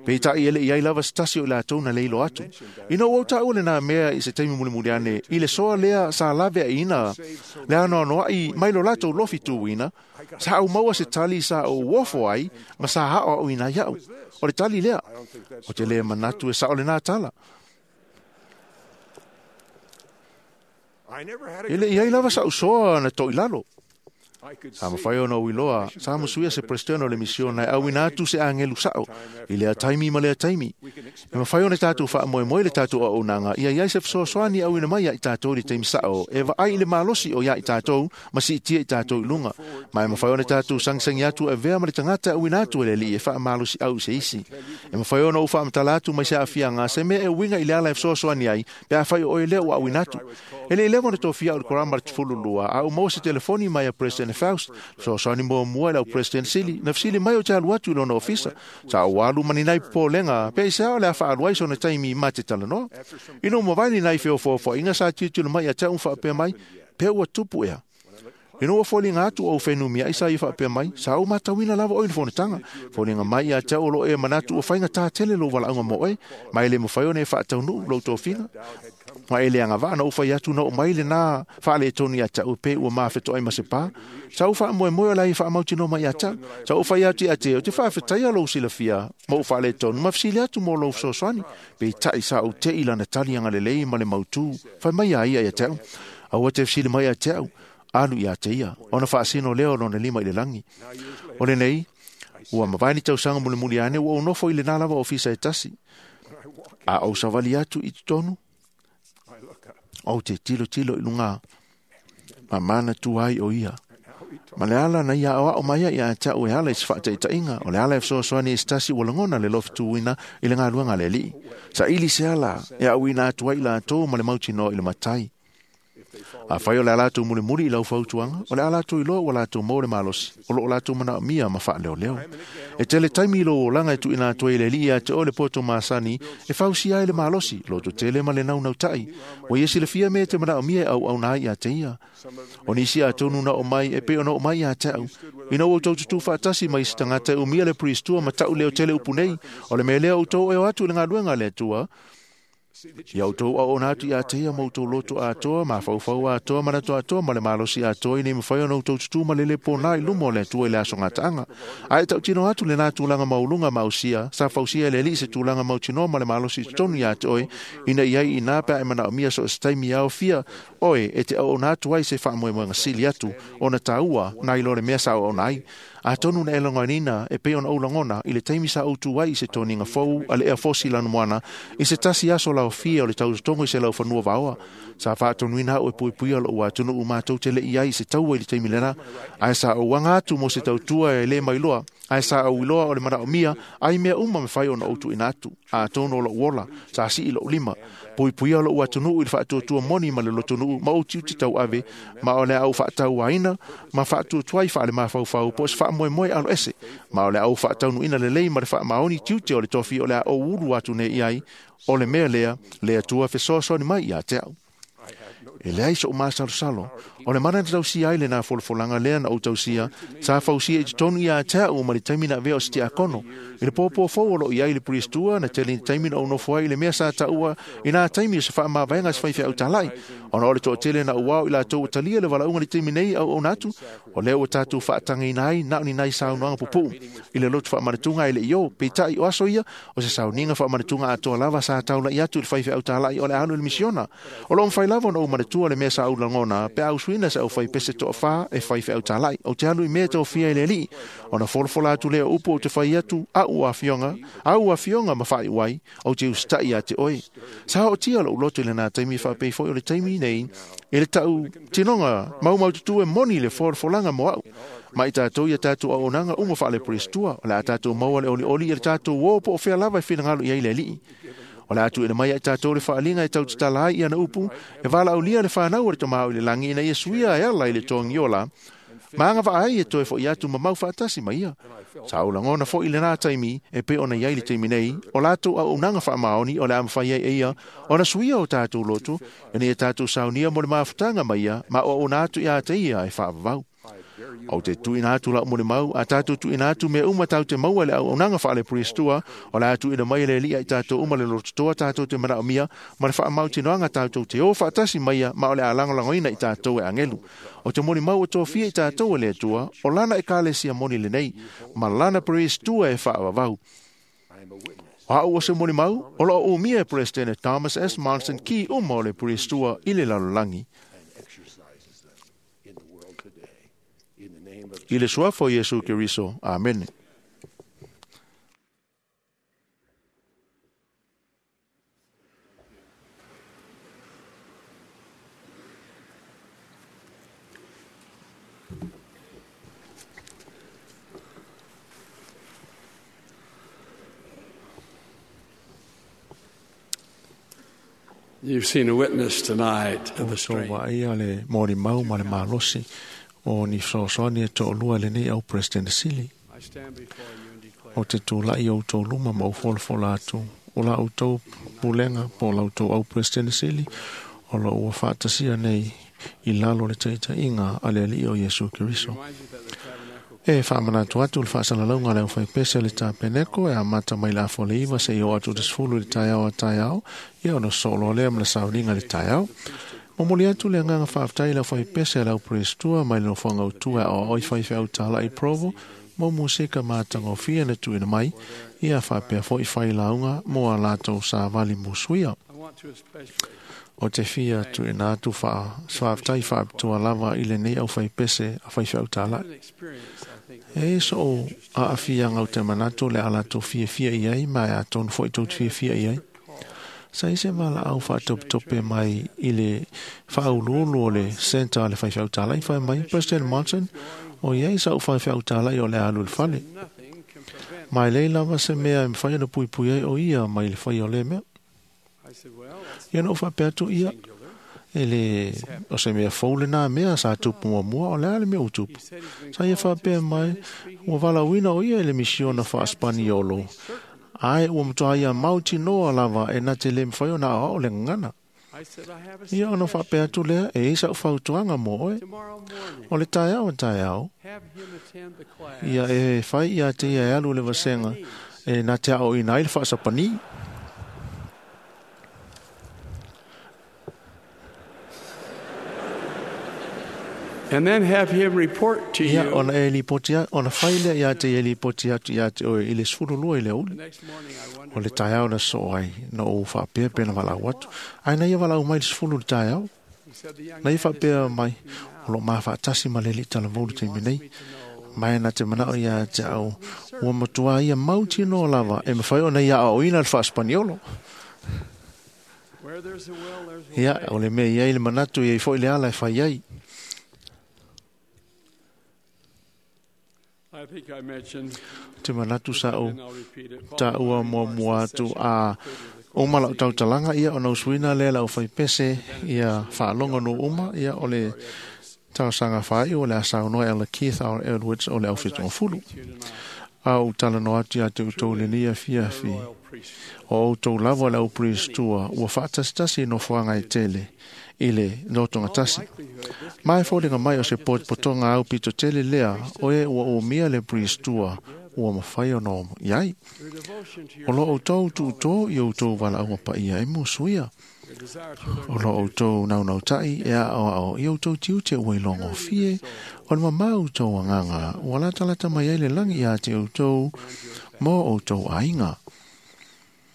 Peitai e le'i ai lava se tasi o i latou na le iloa atu. Ina ua ou taua lenā mea i se taimi mulimuli ane, i le soa lea sa laveaina le anoanoa'i mai lo latou lofi tuuina, sa ou maua se tali sa ou ofo ai ma sa aoaoina ai a'u. O le tali lea, o te lē manatu e sa'o lenā tala. E le'i ai lava sa'u soa na to'ilalo. Sa mafai ona ou iloa, sa musuia se peresetene o le misiona e auina atu se agelu sa'o i lea taimi ma lea taimi. E mafai ona tatou faamoemoe le tatou auaunaga ia iai se fesoasoani auina mai ia i tatou i le taimi sa'o e vaai i le malosi o ia i tatou ma siitia i tatou i luga. Ma e mafai ona tatou sagisagi atu e avea ma le tagata e auina atu e le alii e faamalosiau i se isi. E mafai ona ou faamatala atu mai se aafiaga se mea e uiga i le ala e fesoasoani ai pe afai o oe lea ua auina atu. E le'i leva ona tofia au i le korama le 12 a ou maua se telefoni mai a President Faust, fesoasoani muamua i lau President Sili, na fesili mai ou te alu atu i lona ofisa. Sa ou alu ma ni nai popolega, pe aisea o le a faalu ai sona taimi ma te talanoa. Ina ua mavae ni nai feofoofoaiga sa tilotilo mai ia te a'u ma faapea mai, pe ua tupu ea. Ina ua foliga atu ou fenumiai sa ia faapea mai, sa ou matauina lava oe i le fonotaga. Foliga mai ia te au o loo e manatu ua faigata tele lou valaauga mo oe, ma e le mafai ona e faataunuu lou tofiga. Ma e le agavaa na ou fai atu na oo mai lenā faaletonu ia te a'u pe ua mafetoai ma se pā. Sa ou faamoemoe o le a ia faamautinoa mai ia te a'u. Sa ou fai atu ia te ou te faafetaia lou silafia ma ou faaletonu ma fesili atu mo lou fesoasoani. Peitai sa ou te'i lana tali agalelei ma le mautū. Fai mai a ia ia te a'u. Aua te fesili mai ia te a'u, alu ia te ia, ona faasino lea o lona lima i le lagi. O lenei, ua mavae ni tausaga mulimuli ane ua ou nofo i lenā lava ofisa e tasi. A ou savali atu i totonu, ou te tilotilo i luga, ma manatua ai o ia. Ma le ala na ia aoao mai ai ia te a'u e ala i se faataitaiga, o le ala e fesoasoani i se tasi ua lagona le lofituina i le galuega a le alii. Saili se ala e auina atu ai i latou ma le mautinoa i le matai. Afai o le a latou mulimuli i lau fautuaga, o le a latou iloa ua latou maua le malosi, o loo latou manaomia ma faaleoleo. E tele taimi i lou olaga e tuuina atu ai e le alii ia te oe le poto masani e fausia ai le malosi, lototele ma le naunauta'i. Ua ia silafia mea e te manaomia e auauna ai ia te ia. O nisi atonu na oo mai e pei ona oo mai ia te a'u. Ina ua outou tutū faatasi ma isi tagata e umia le priestua ma ta'u leo tele upu nei, o le mea lea outou e o atu i le galuega a le Atua, Ia outou auauna atu ia te ia ma outou loto atoa, mafaufau atoa, manatu atoa ma le malosi atoa, ina ia mafai ona outou tutū ma le lē pōnā i luma o le Atua i le aso gataaga. Ae tautino atu lenā tulaga maualuga ma ausia, sa fausia e le Alii se tulaga mautinoa ma le malosi i totonu iā te oe, ina ia i inā pe a e manaomia so o se taimi e aofia oe e te auauna atu ai se faamoemoega sili atu ona tāua nai lo le mea sa auauna ai. Atonu na e lagonaina e pei ona ou lagona i le taimi sa ou tu ai i se toniga fou a le Air Force i Lanumoana i se tasi aso laofia o le tautotogo i se laufanua vaoa. Sa faatonuina au e puipuia lo'u atunuu matou te le'i ai i se taua i le taimi lena, ae sa ou aga atu mo se tautua e lē mailoa, ae sa ou iloa o le manaomia ai mea uma mafai ona ou tuuina atu. Atonu o lo'u ola sa sii lo'u lima, puipuia lo'u atunuu i le faatuatua moni ma le lotonuu ma ou tiute tauave, ma o le a ou faatauaina ma faatuatuai faale-mafaufau po o se faamoemoe aloese, ma o le a ou faataunuuina lelei ma le faamaoni tiute o le tofi o le a ou ulu atu nei i ai, o le mea lea le Atua fesoasoani mai ia te au. E leai so'u masalosalo, o le mana na tausia ai lenā folafolaga lea na ou tausia, sa fausia i totonu iā te a'u ma le taimi na avea o se tiakono. I le pōpō fou o loo i ai le puristua na tele i taimi na ou nofo ai i le mea sa taua i nā taimi o se faamavaega se faifeau tāla'i. Ona o le toatele na ou ao i latou ua talia le valaauga i le taimi nei auauna atu, o lea ua tatou faatagaina ai na o ni nai saunoaga pupuu i le lotu faamanatuga e le i o. Peitai o aso ia, o se sauniga faamanatuga atoa lava sa taula'i atu i le faifeau tāla'i o le a alu i le misiona. O loo mafai lava ona ou manatua le mea sa ou lagona pe a usuina se aufaipese toafā e faifeau tāla'i. Ou te alu i mea e tofia e le Alii, ona folafola atu lea o upu ou te fai atu, a'u afioga, au afioga ma faaiu ai, ou te usita'i ia te oe. Sa ootia lo'u loto i lenā taimi faapei foi o le taimi nei, i le ta'u tinoga maumaututu e moni le folafolaga mo a'u. Ma i tatou ia tatou auaunaga uma faale-Peristua, o le a tatou maua le olioli i le tatou ō po o fea lava e finagalo i ai le Alii. O le a tuuina mai ai tatou le faaliga e tautatala ai i ana upu, e valaaulia le fanau o le Tama o i le lagi ina ia suia e ala i le togiola, ma agavaa ai e toe fo'i atu ma mau faatasi ma ia. Sa ou lagona fo'i lenā taimi e pei ona i ai le taimi nei, o latou auaunaga faamaoni o le a mafai ai e ia ona suia o tatou loto, ina ia tatou saunia mo le mafutaga ma ia, ma o auauna atu iā te ia e faavavau. Ou te tuuina atu la'u molimau, a tatou tuuina atu mea uma tatou te maua i le auaunaga faale-Peristua, o le a tuuina mai e le Alii ai tatou uma le lototoa tatou te manaomia, ma le faamautinoaga tatou te o faatasi mai ia, ma o le a lagolagoina i tatou e agelu. O te molimau o tofia i tatou e le Atua, o lana Ekalesia moni lenei, ma lana Peristua e faavavau. O a'u o se molimau, o loo umia e Peresetene Thomas S. Monson ki uma o le Peristua i le lalolagi. I le suafa o Iesu Keriso. Amene. You've seen a witness tonight of the strength. Vaaia le molimau ma le malosi o ni fesoasoani e to'alua lenei au President Sili. I stand before you and declare O te tula'i o outou luma ma ou folafola atu o la outou pulega po o la outou au President Sili o lo ua faatasia nei i lalo o le taita'iga a le Alii o Iesu Keriso. remind you that the tabernacle E faamanatu atu le faasalalauga a le aufaipese o le tapeneko e amata mai le afa o le 9 seia oo atu i le 10 i le taeao a taeao, ia ona sosoo loa lea ma le sauniga i le taeao. Momoli atu le agaga faafetai i le aufaipese a le auperestua mai le nofoaga autu e aoaoa i faifeau tāla'i Provo mo musika matagofie na tuuina mai, ia faapea fo'i failauga mo a latou savali musuia. I want to especially O te fia tuuina atu faafetai faapitoa lava i lenei aufaipese a faifeau tāla'i. an experience I think E i so'u aafiaga o te manatu le a latou fiafia i ai ma e atonu fo'i tou te fiafia i ai. Sa i se valaau faatopetope mai i le faauluulu o le Centre a le faifeau tāla'i fai mai, President Monson, o iai sa'u faifeau tāla'i o le a alu i le fale. nothing can prevent. Ma e lei lava se mea e mafai ona puipui ai o ia mai le fai o le mea. I said, well, that's Ia na ou faapea atu ia, singular. e le o se mea fou lenā mea sa tupu muamua, o le a le mea ua tupu. He said he's been Sa ia called to faapea mai, Spanish speaking ua valaauina o ia i le misiona faaspaniolo, ae ua matuā ia mautinoa lava e na te lē mafai ona aoao le gagana. I said, I have a Ia ona faapea atu lea, e i sa'u fautuaga mo oe. tomorrow morning. O le taeao e taeao, Have him attend the class. ia e fai ia te ia e alu le vasega, e na te aoina ai le faasapani. And then have him report to Ia you. ona e lipoti ona fai lea ia te e lipoti atu ia te oe i le 12 i le aoauli. The next morning I O wondered le taeao na soo ai na ou faapea pe na valaau atu. Ae na ia valaau mai le 10 le taeao. he said the young Na ia man is faapea mai o lo mafaatasi ma le alii talavou le taimi nei. Mai na te manao ia te au ua matua ia mautinoa lava e mafai ona ia aoaoina le faaspaniolo. where there's a will, there's a Ia way. o le mea i ai le manatu i ai foi le ala e fai ai. I think I mentioned, Te manatu sa ou and I'll repeat it. taua muamua atu a uma lau tautalaga ia ona usuina lea lau faipese ia faalogo no uma ia o le talosaga faaiu o le a saunoa e Keith R. Edwards o le aufetogafulu. A ou talanoa atu ia te outou lenei afiafi Royal priesthood. o outou lava o le au priestua ua faatasitasi i nofoaga e tele i le lotogatasi. Ma e foliga mai o se potopotoga au pito tele lea o e ua umia le priestua ua mafai ona o iai. Your devotion to your O lo outou tuutō i outou valaauga paia e musuia. your desire to learn O lo outou naunautai e aoao i outou tiute ua ilogofie o le mamā outou agaga ua latalata mai ai le lagi ia te outou mo outou aiga.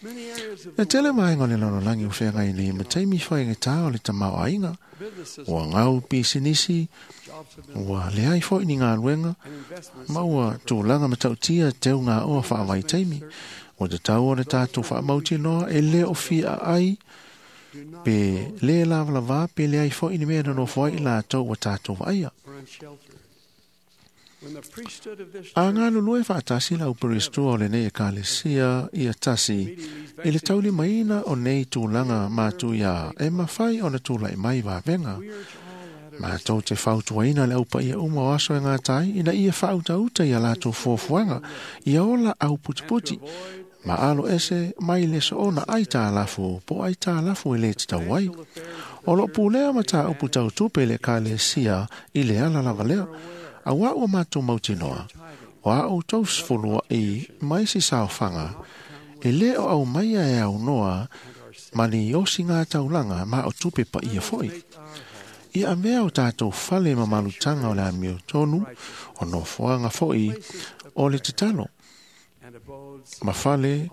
many areas of E tele vaega o le lalolagi o feagai nei ma taimi faigata o le tamaoaiga. businesses, Ua gau pisinisi, jobs have been ua leai foi ni galuega, and investments ma ua tulaga matautia teuga oa faavaitaimi. Ua tatau ona tatou faamautinoa e le o fia ai do not pe le lavalavā pe leai foi ni mea na nofo ai i latou ua tatou vaaia. or unsheltered. When the priesthood of this A church galulue faatasi lau peristua o lenei ekalesia ia tasi meeting i le these taulimaina o nei tulaga matuia e mafai ona tula'i mai vavega. we urge all latter Matou te fautuaina le aupaia uma o aso e gatai ina ia faautaūta ia latou fuafuaga ia ola auputiputi avoid ma alo ese mai le soona ai tālafu po ai tālafu e le tatau ai. O loo pulea ma tāupu tautupe le ekalesia i le ala lava lea. Auā ua matou mautinoa. O a outou sefuluaʻi mai se saofaga e lē o aumaia e aunoa ma ni osiga taulaga ma o tupe paia foʻi. Ia avea o tatou fale ma malutaga o le amiotonu o nofoaga foʻi o le tatalo and abodes ma fale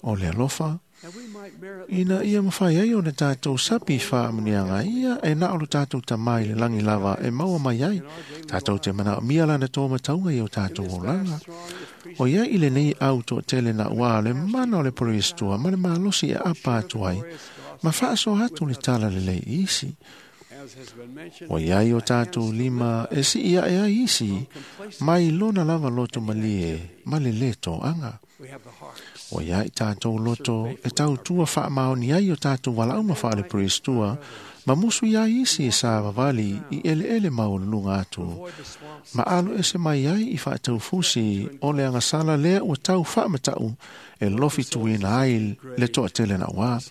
o le alofa and we might merit ina ia mafai ai ona tatou sapi faamuniaga ia e na o lo tatou tamā i le lagi lava e maua mai ai. Tatou te manaomia lana tōmatauga i o tatou olaga. O ia i lenei au toatele na ua le mana o le peristua ma le malosi e apa atu ai ma faasoa atu le tala lelei i isi. as has been mentioned O iai o tatou lima e sii aʻe ai isi mai lona lava loto malie ma le lē toaga. we have the hearts O ia i tatou loto e tautua faamaoni ai o tatou valaauga faale-peristua ma musu ia isi e savavali i eleele maualuluga atu avoid the swamps ma alo ese mai ai i faataufusi o le agasala lea ua tau faamataʻu e lofi tuina ai le toatele nauā.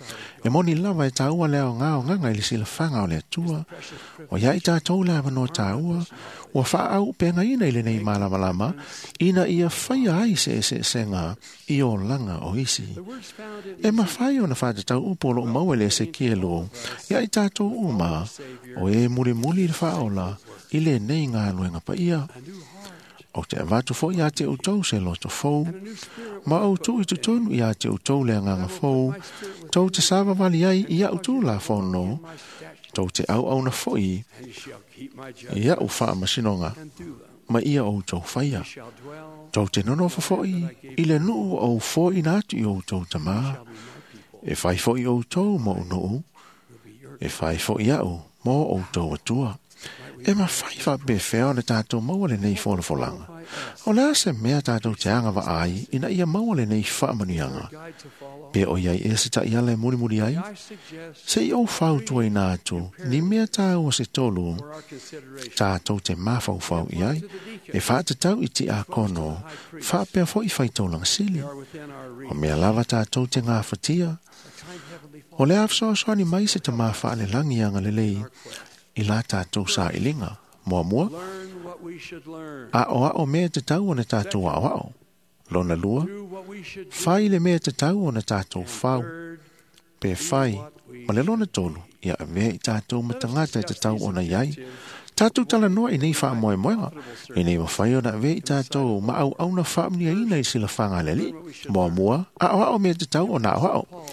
E moni lava e taua le aogā ogaga i le silafaga o le Atua. O ia i tatou le avanoa tāua ua faaauupegaina i lenei malamalama ina ia faia ai se eseesega i olaga o isi. the words found in E mafai ona faatatau upu o loo maua i le Esekielo ia i tatou uma o e mulimuli i le faaola i lenei galuega paia. a new heart O te avatu foʻi iā te outou se loto fou and a new spirit ma ou tuu i totonu iā te outou le agaga fou tou te savavali ai i aʻu tulafono my statutes tou te auauna foʻi and you shall keep my i judgments aʻu faamasinoga and do them ma ia outou faia. you shall dwell Tou te nonofo foʻi i le nuu ua ou foaina atu i outou tamā. shall be my people E fai foʻi outou mo nuu will be your e fai foʻi aʻu mo outou atua. E mafai faapefea ona tatou maua lenei folafolaga. O le a se mea tatou te agavaa ai ina ia maua lenei faamanuiaga. guide to follow Pe o iai e se taʻiala e mulimuli ai. I suggest Se i ou fautuaina atu, ni mea tāua se tolu for our consideration tatou te mafaufau i ai, e faatatau i tiakono, faapea foʻi faitaulaga sili. they are within our O reach mea lava tatou te gafatia, a kind heavenly o le a fesoasoani mai se tamā faalelagi agalelei i la tatou sailiga. Muamua, learn what we should learn aʻoaʻo mea e tatau ona tatou aʻoaʻo. Lona lua, do what we should do fai le mea e tatau ona tatou fau, third pe fai, ma le lona tolu, ia avea i tatou ma tagata e tatau ona iai. Tātou talanoa i nei whaamoemoega, i nei mawhai o na ve i tātou ma au auna whaamnia ina i sila whanga leli, mua mua, a o ao mea te tau o nā o ao.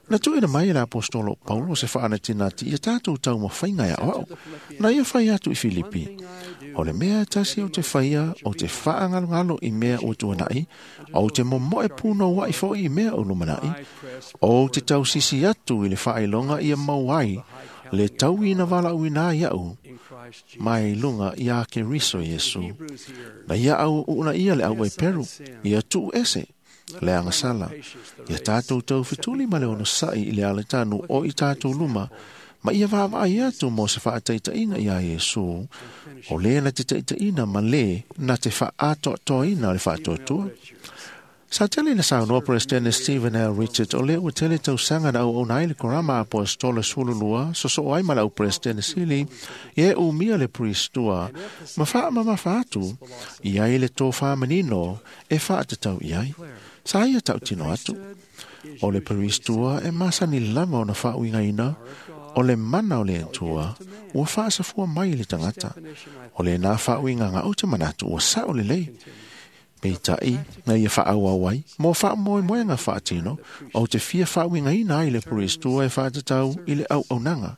Na tuina mai e le apostolo Paulo se whaanatinati i a tātou tau mawhainga ia o ao, na ia whai atu i Filipi. O le mea tasi o te whaia, o te whaangalungalo i mea o tuanai, o te momoe pūno wai fo i mea o lumanai, o te tausisi atu i le whailonga ia mauai, le tau ina wala uina iau, mai lunga ia ke riso Yesu. Na ia au una ia le au e peru, ia tuu ese, le angasala, ia tātou tau fituli ma le ono sai i le aletanu o i tātou luma, ma ia vaavaai atu mo se faataitaiga iā Iesu, o lē na te taitaiina ma lē na te faaatoatoaina o le faatuatua. Sa tele na saunoa Presidente Stephen L. Richards o lea ua tele tausaga na auauna ai le korama apostola 12 sosoo ai ma le au Presidente Sili ia e umia le Priestua ma faamamafa atu i ai le tofā manino e faatatau i ai. Sa ia tautino atu. O le Priestua e masani lava ona faauigaina o le mana o le Atua ua faasafua mai i le tagata. O le nā faauigaga o te manatu ua sao lelei. Peitai, na ia whaauau ai, mō whaamoemoenga whaatino, o te fia whaauingaina ai le Priestua e whaatatau i le au aunanga.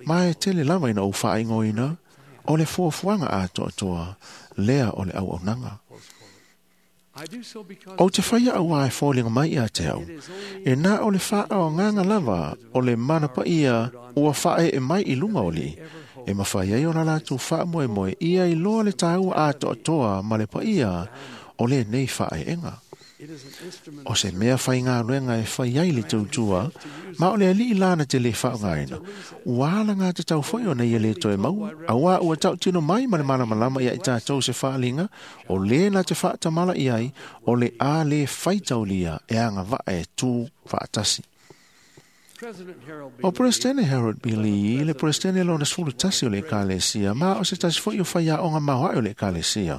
Ma e tele lava ina o whaaingoina, o le fuafuaga atoatoa, lea o le au aunanga. O te whaia au ai fōlinga mai ia te au, e nā o le whaaonganga lava o le mana paia ua whae e mai i lunga o li, e mawhai ai o la lātou whaamoemoe ia i loa le tāua atoatoa ma le paia o le nei whaeenga. O se mea whai ngā ruenga e whai ai le tautua, ma o le alii lana te le whaongaina. Ua ala ngā te tau whai o nei e le toe maua, a wā ua tau tino mai ma le malamalama ia i tātou se whaalinga, o le na te whaatamala i ai, o le a le whaitaulia e anga waa e tū whaatasi. O Presidente Harold B. Lee, le Presidente lona 11 o le Ekalesia, ma o se tasi foi o whaiaonga maoae o le Ekalesia.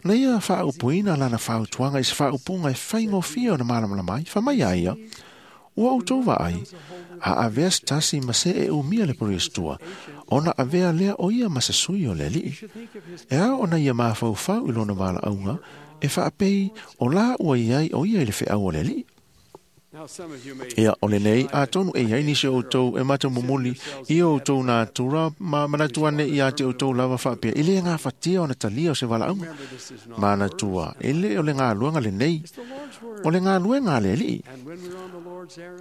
Na ia whaaupuina lana whautuanga i se whaaupunga e whaingofia o na malamalama ai, whamai ai ia, ua outou vaai, a avea se tasi ma se e umia le Priestua, ona avea lea o ia ma se sui o le alii. E ao ona ia mafaufau i lona valaauga, e faapei o la ua iai o ia i le feau o le alii. Ia o lenei, atonu e iai nisi o outou e matamumuli i o outou natura ma manatu ane ia te outou lava faapea. I le gafatia ona talia o se valaauga. Manatua, e le o le galuega lenei, o le galuega a le alii.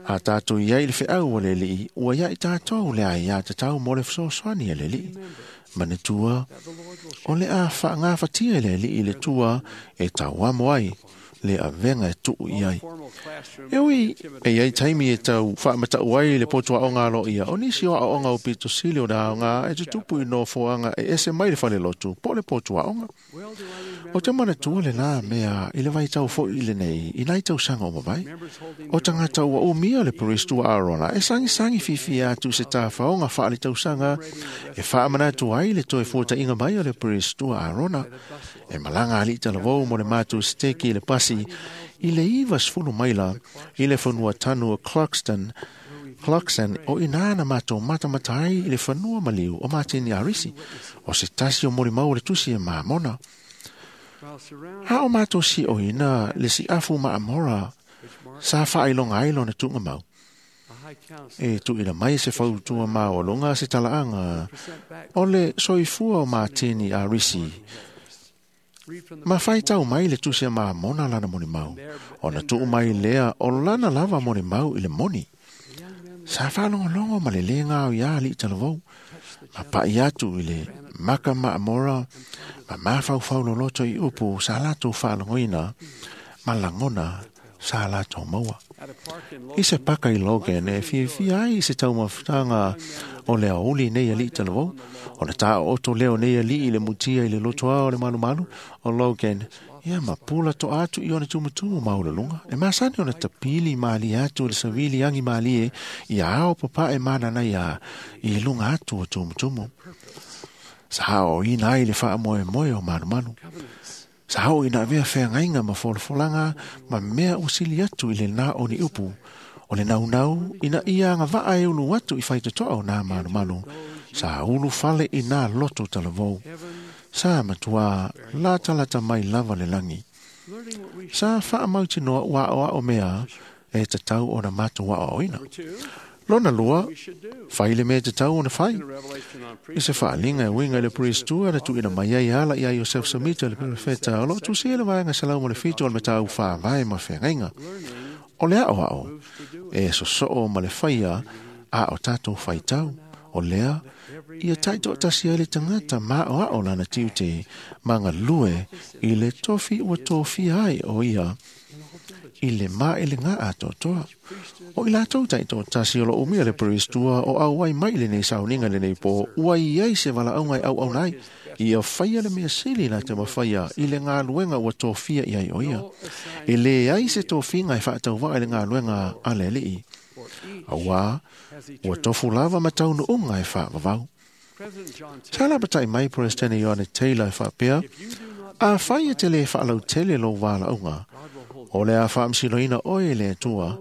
A tātou iai le feau o le alii, ua iai tātou le ai a tatau mo le fesoasoani a le alii. Manatua, o le a faagafatia e le alii le tua e tauamo ai le avenga e tuu i ai. E ui, e iai taimi e tau whaamatau ai le potua o ngā lo ia. O nisi o aonga o pito sili o na aonga e tutupu i nofoanga e ese mai le whale lotu, po le potua onga. O te manatua le nā mea i le vai tau fo i le nei, i nai tau sanga o mawai. O tangata ua umia le Priestua Arona, e sangi sangi fifi atu se tā whaonga whaale tau sanga, e whaamanatu ai le toe fuatainga mai o le Priestua Arona, e malanga ali talavou mo le mātou steki le pasi i le 90 maila i le whanua tanu o Clarkston, o inā na mātou matamatai i le whanua maliu o Martini Arisi, o se tasi o morimau o le tusi e maamona. Ha o mātou si o ina le si afu maamora sa whailonga ai lona tunga mau. E tuina mai se fautua maolonga se talaanga o le soifua o Martini Arisi. Ma whaitau mai le tusi a maamona lana moni mau. O na tuu mai lea o lana lava moni mau i le moni. Sa whalongolongo ma le lenga o ia li talavou. Ma pai atu i le maka maamora, ma mawhauwhau loloto i upu sa latou whalongoina, ma langona sa latou maua. I se paka i Logan e fiafia ai i se taumafutaga o le aouli nei alii talavou, o na taoto leo nei alii i le mutia i le lotoa o le malumalu o Logan, ia ma pula toa atu i ona tumutumu maulalunga. E masani ona tapili malie atu le savili angi malie ia ao papae manana ia i lunga atu o tumutumu. Sa hao ina ai le faamoemoe o malumalu. Sa hao ina avea feagaina ma folafolanga ma mea usili atu i le nā o ni upu. O le naunau ina ia agavaa e ulu atu i faitotoa o nā malumalu. Sa ulufale i nā loto talavou. Sa matua latalata mai lava le lagi. Sa faamautinoa ua aoao mea e tatau ona matou aoaoina. Lona lua, fai le mea tatau ona fai. I se faaaliga e uiga i le Priest-ua na tuuina mai ai ala ia Iosefo Semita le perofeta o loo tusia le vaega 107 o le mataupu faavae ma feagaiga. O le aoao e sosoo ma le faia a o tatou faitau. O lea, ia taitoatasi ai le tagata ma aoao lana tiute ma galue i le tofi ua tofia ai o ia i le maelega atoatoa. O i latou taitoatasi o lo umia le Priest-ua o auai mai lenei sauniga lenei po ua i ai se valaauga e auauna ai. Ia faia le mea sili la te mafaia i le galuega ua tofia i ai o ia. E le ai se tofiga e faatauvaa i le galuega a le Alii. Auā, ua tofu lava ma taunuuga e faavavau. Sa lapatai mai President Ioane Taylor e faapea, a fai e te le faalautele lou valaauga, o le a faamasinoina oe e le Atua,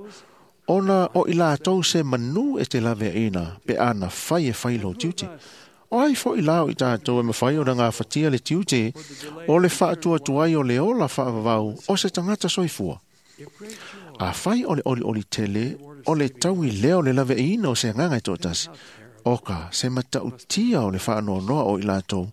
ona o i latou se manu e te laveaina pe ana fai e fai lou tiute. O ai foi la o i tatou e mafai ona gafatia le tiute o le faatuatuai o le ola faavavau o se tagata soifua. A fai o le olioli tele, o le taui lea o le laveaina o se agaga e toatasi, o ka se matautia o le faanoanoa o i latou,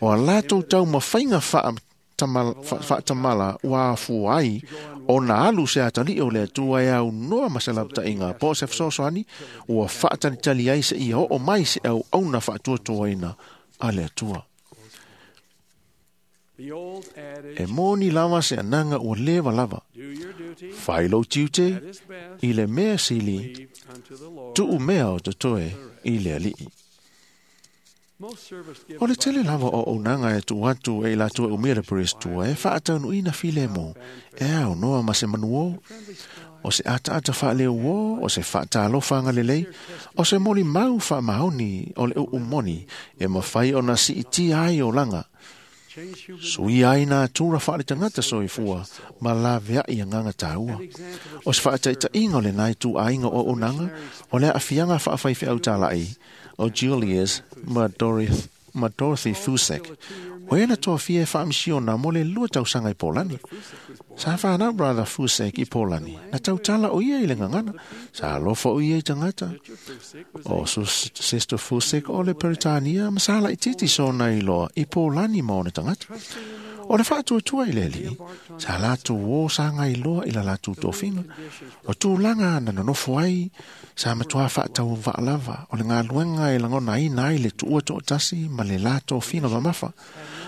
o a latou taumafaiga faatamala ua afua ai ona alu se atalii o le Atua e aunoa ma se lapataiga po o se fesoasoani ua faatalitali ai se ia oo mai se auauna faatuatuaina a le Atua. E moni lava se anaga ua leva lava. Fai lou tiute i le mea sili, tuu mea o totoe i le Alii. O le tele lava o auaunaga e tuu atu e i latou e umia le Priest-ua e faataunuuina filemu, e aunoa ma se manuō, o se ataata faaleuō, o se faatalofa agalelei, o se molimau faamaoni o le uumoni e mafai ona siitia ai olaga. Suia ai nā tura faaletagata soifua ma laveai agaga tāua. O se faataitaiga o lenā ituaiga o auaunaga o le aafiaga faafaifeau talai o Julius ma Dorothy Fusek. O ena tofia e faamisiona mo le 2 tausaga i Polani. Sa whanau Brother Fusek i Polani. Na tautala o ia i le gagana. Sa alofa o ia i tagata. O Sister Fusek o le Peretania ma sa laititi sona iloa i Polani ma ona tagata. O le faatuatua i le Alii, sa latou o sa ngailoa i la latou tofiga. O tulaga na nonofo ai, sa matua faatauvaa lava o le galuega e lagonaina ai le tuua toatasi ma le la tofiga mamafa.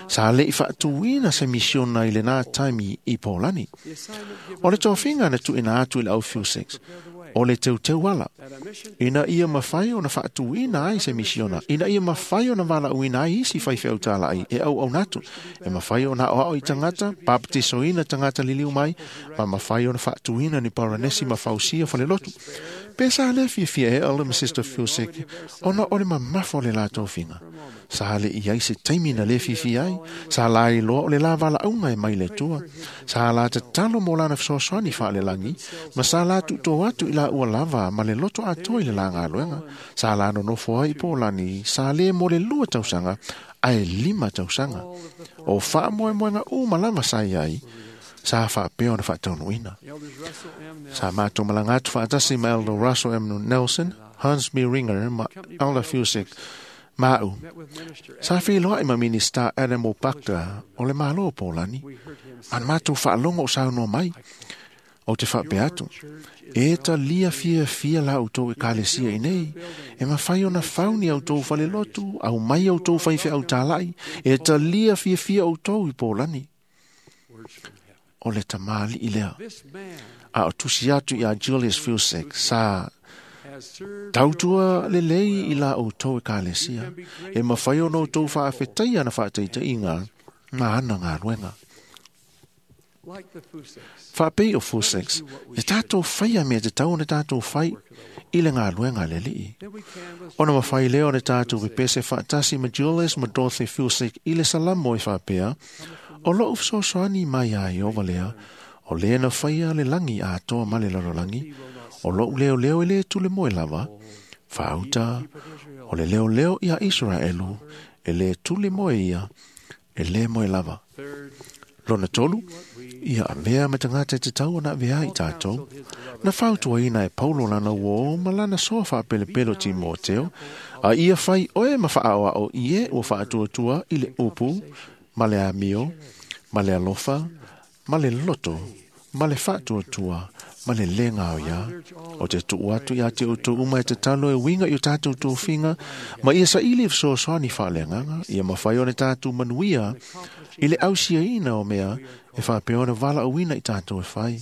Sa le'i faatuina se misiona i lenā taimi i Polani. O le tofiga na tuuina atu i le au Fusek, o le teuteu ala. Ina ia mafai ona faatuina ai se misiona, ina ia mafai ona valaauina ai isi faifeau talai e auauna atu, e mafai ona aoao i tagata, baptisoina tagata liliu mai, ma mafai ona faatuina ni paranesi ma fausia falelotu. Pe sa le fiafia e Elder ma Sister Fusek, ona o le mamafa o le la tofiga. Sa le i ai se taimi na le fiafia ai, sa la iloa o le la valaauga e mai le Atua, sa la tatalo mo lana fesoasoani faalelagi, ma sa la tuuto atu i la ua lava ma le loto atoa i le la galuega. Sa la nonofo ai i Polani, sa le mo le 2 tausaga, ae 5 tausaga. O faamoemoega uma lava sa i ai, sa faapea ona faataunuuina. Sa matou malaga atu faatasi ma Elder Russell M. Nelson, Hans B. Ringer ma Elder Fusek ma'u. Sa feloai ma Minista Adam Opakta o le Malo o Polani. Ma na matou faalogo o saunoa mai. O te faapea atu, e talia fiafia la outou ekalesia i nei, e mafai ona fau ni outou falelotu, au mai outou faifeau talai, e talia fiafia outou i Polani. O le tamalii lea. A o tusi atu ia Julius Fusek, sa tautua lelei i la outou ekalesia, e mafai ona outou faafetaia na faataitaiga ma ana galuega. Faapei o Fuseks, e tātou whaia mea te tau na tātou whai i le galuega a le Alii. Ona mawhai leo na tātou pepese faatasi ma Julius ma Dorothy Fusek i le salamo e whapea, o lou fesoasoani mai a Iova lea, o lea na whaia le langi atoa ma le lalolagi, o lou leo leo e le tule moe lava, Faauta o le leoleo ia Israelu e le tuli moe ia e le moe lava. Lona tolu, ia avea ma tagata e tatau ona avea ai tatou. Na fautuaina e Paulo lana uō ma lana soa faapelepele o Timoteo, a ia fai oe ma faaoao i e ua faatuatua i le upu, ma le amio, ma le alofa, ma le loto, ma le faatuatua, ma le le gaoia. O te tuu atu ia te outou uma e tatalo e uiga i o tatou tofiga, ma ia saili e fesoasoani faaleagaga, ia mafai ona tatou manuia i le ausiaina o mea e faapea ona valaauina i tatou e fai.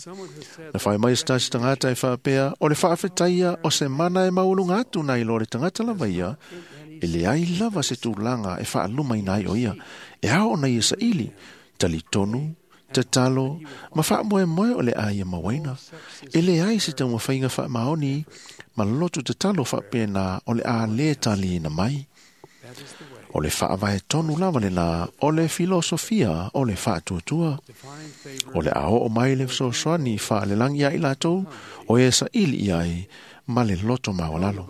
Na fai mai se tasi tagata e faapea, o le faafetaia o se mana e maualuga atu nai lo le tagata lava ia, e leai lava se tulaga e faalumaina ai o ia, e ao ona ia saili, talitonu, tatalo, ma faamoemoe o le a ia mauaina. E leai se taumafaiga faamaoni ma loto tatalo faapena o le a lē taliina mai. O le faavae tonu lava lena o le filosofia o le faatuatua. O le a oo mai le fesoasoani faalelagi ia i latou o e saili i ai ma le loto maualalo.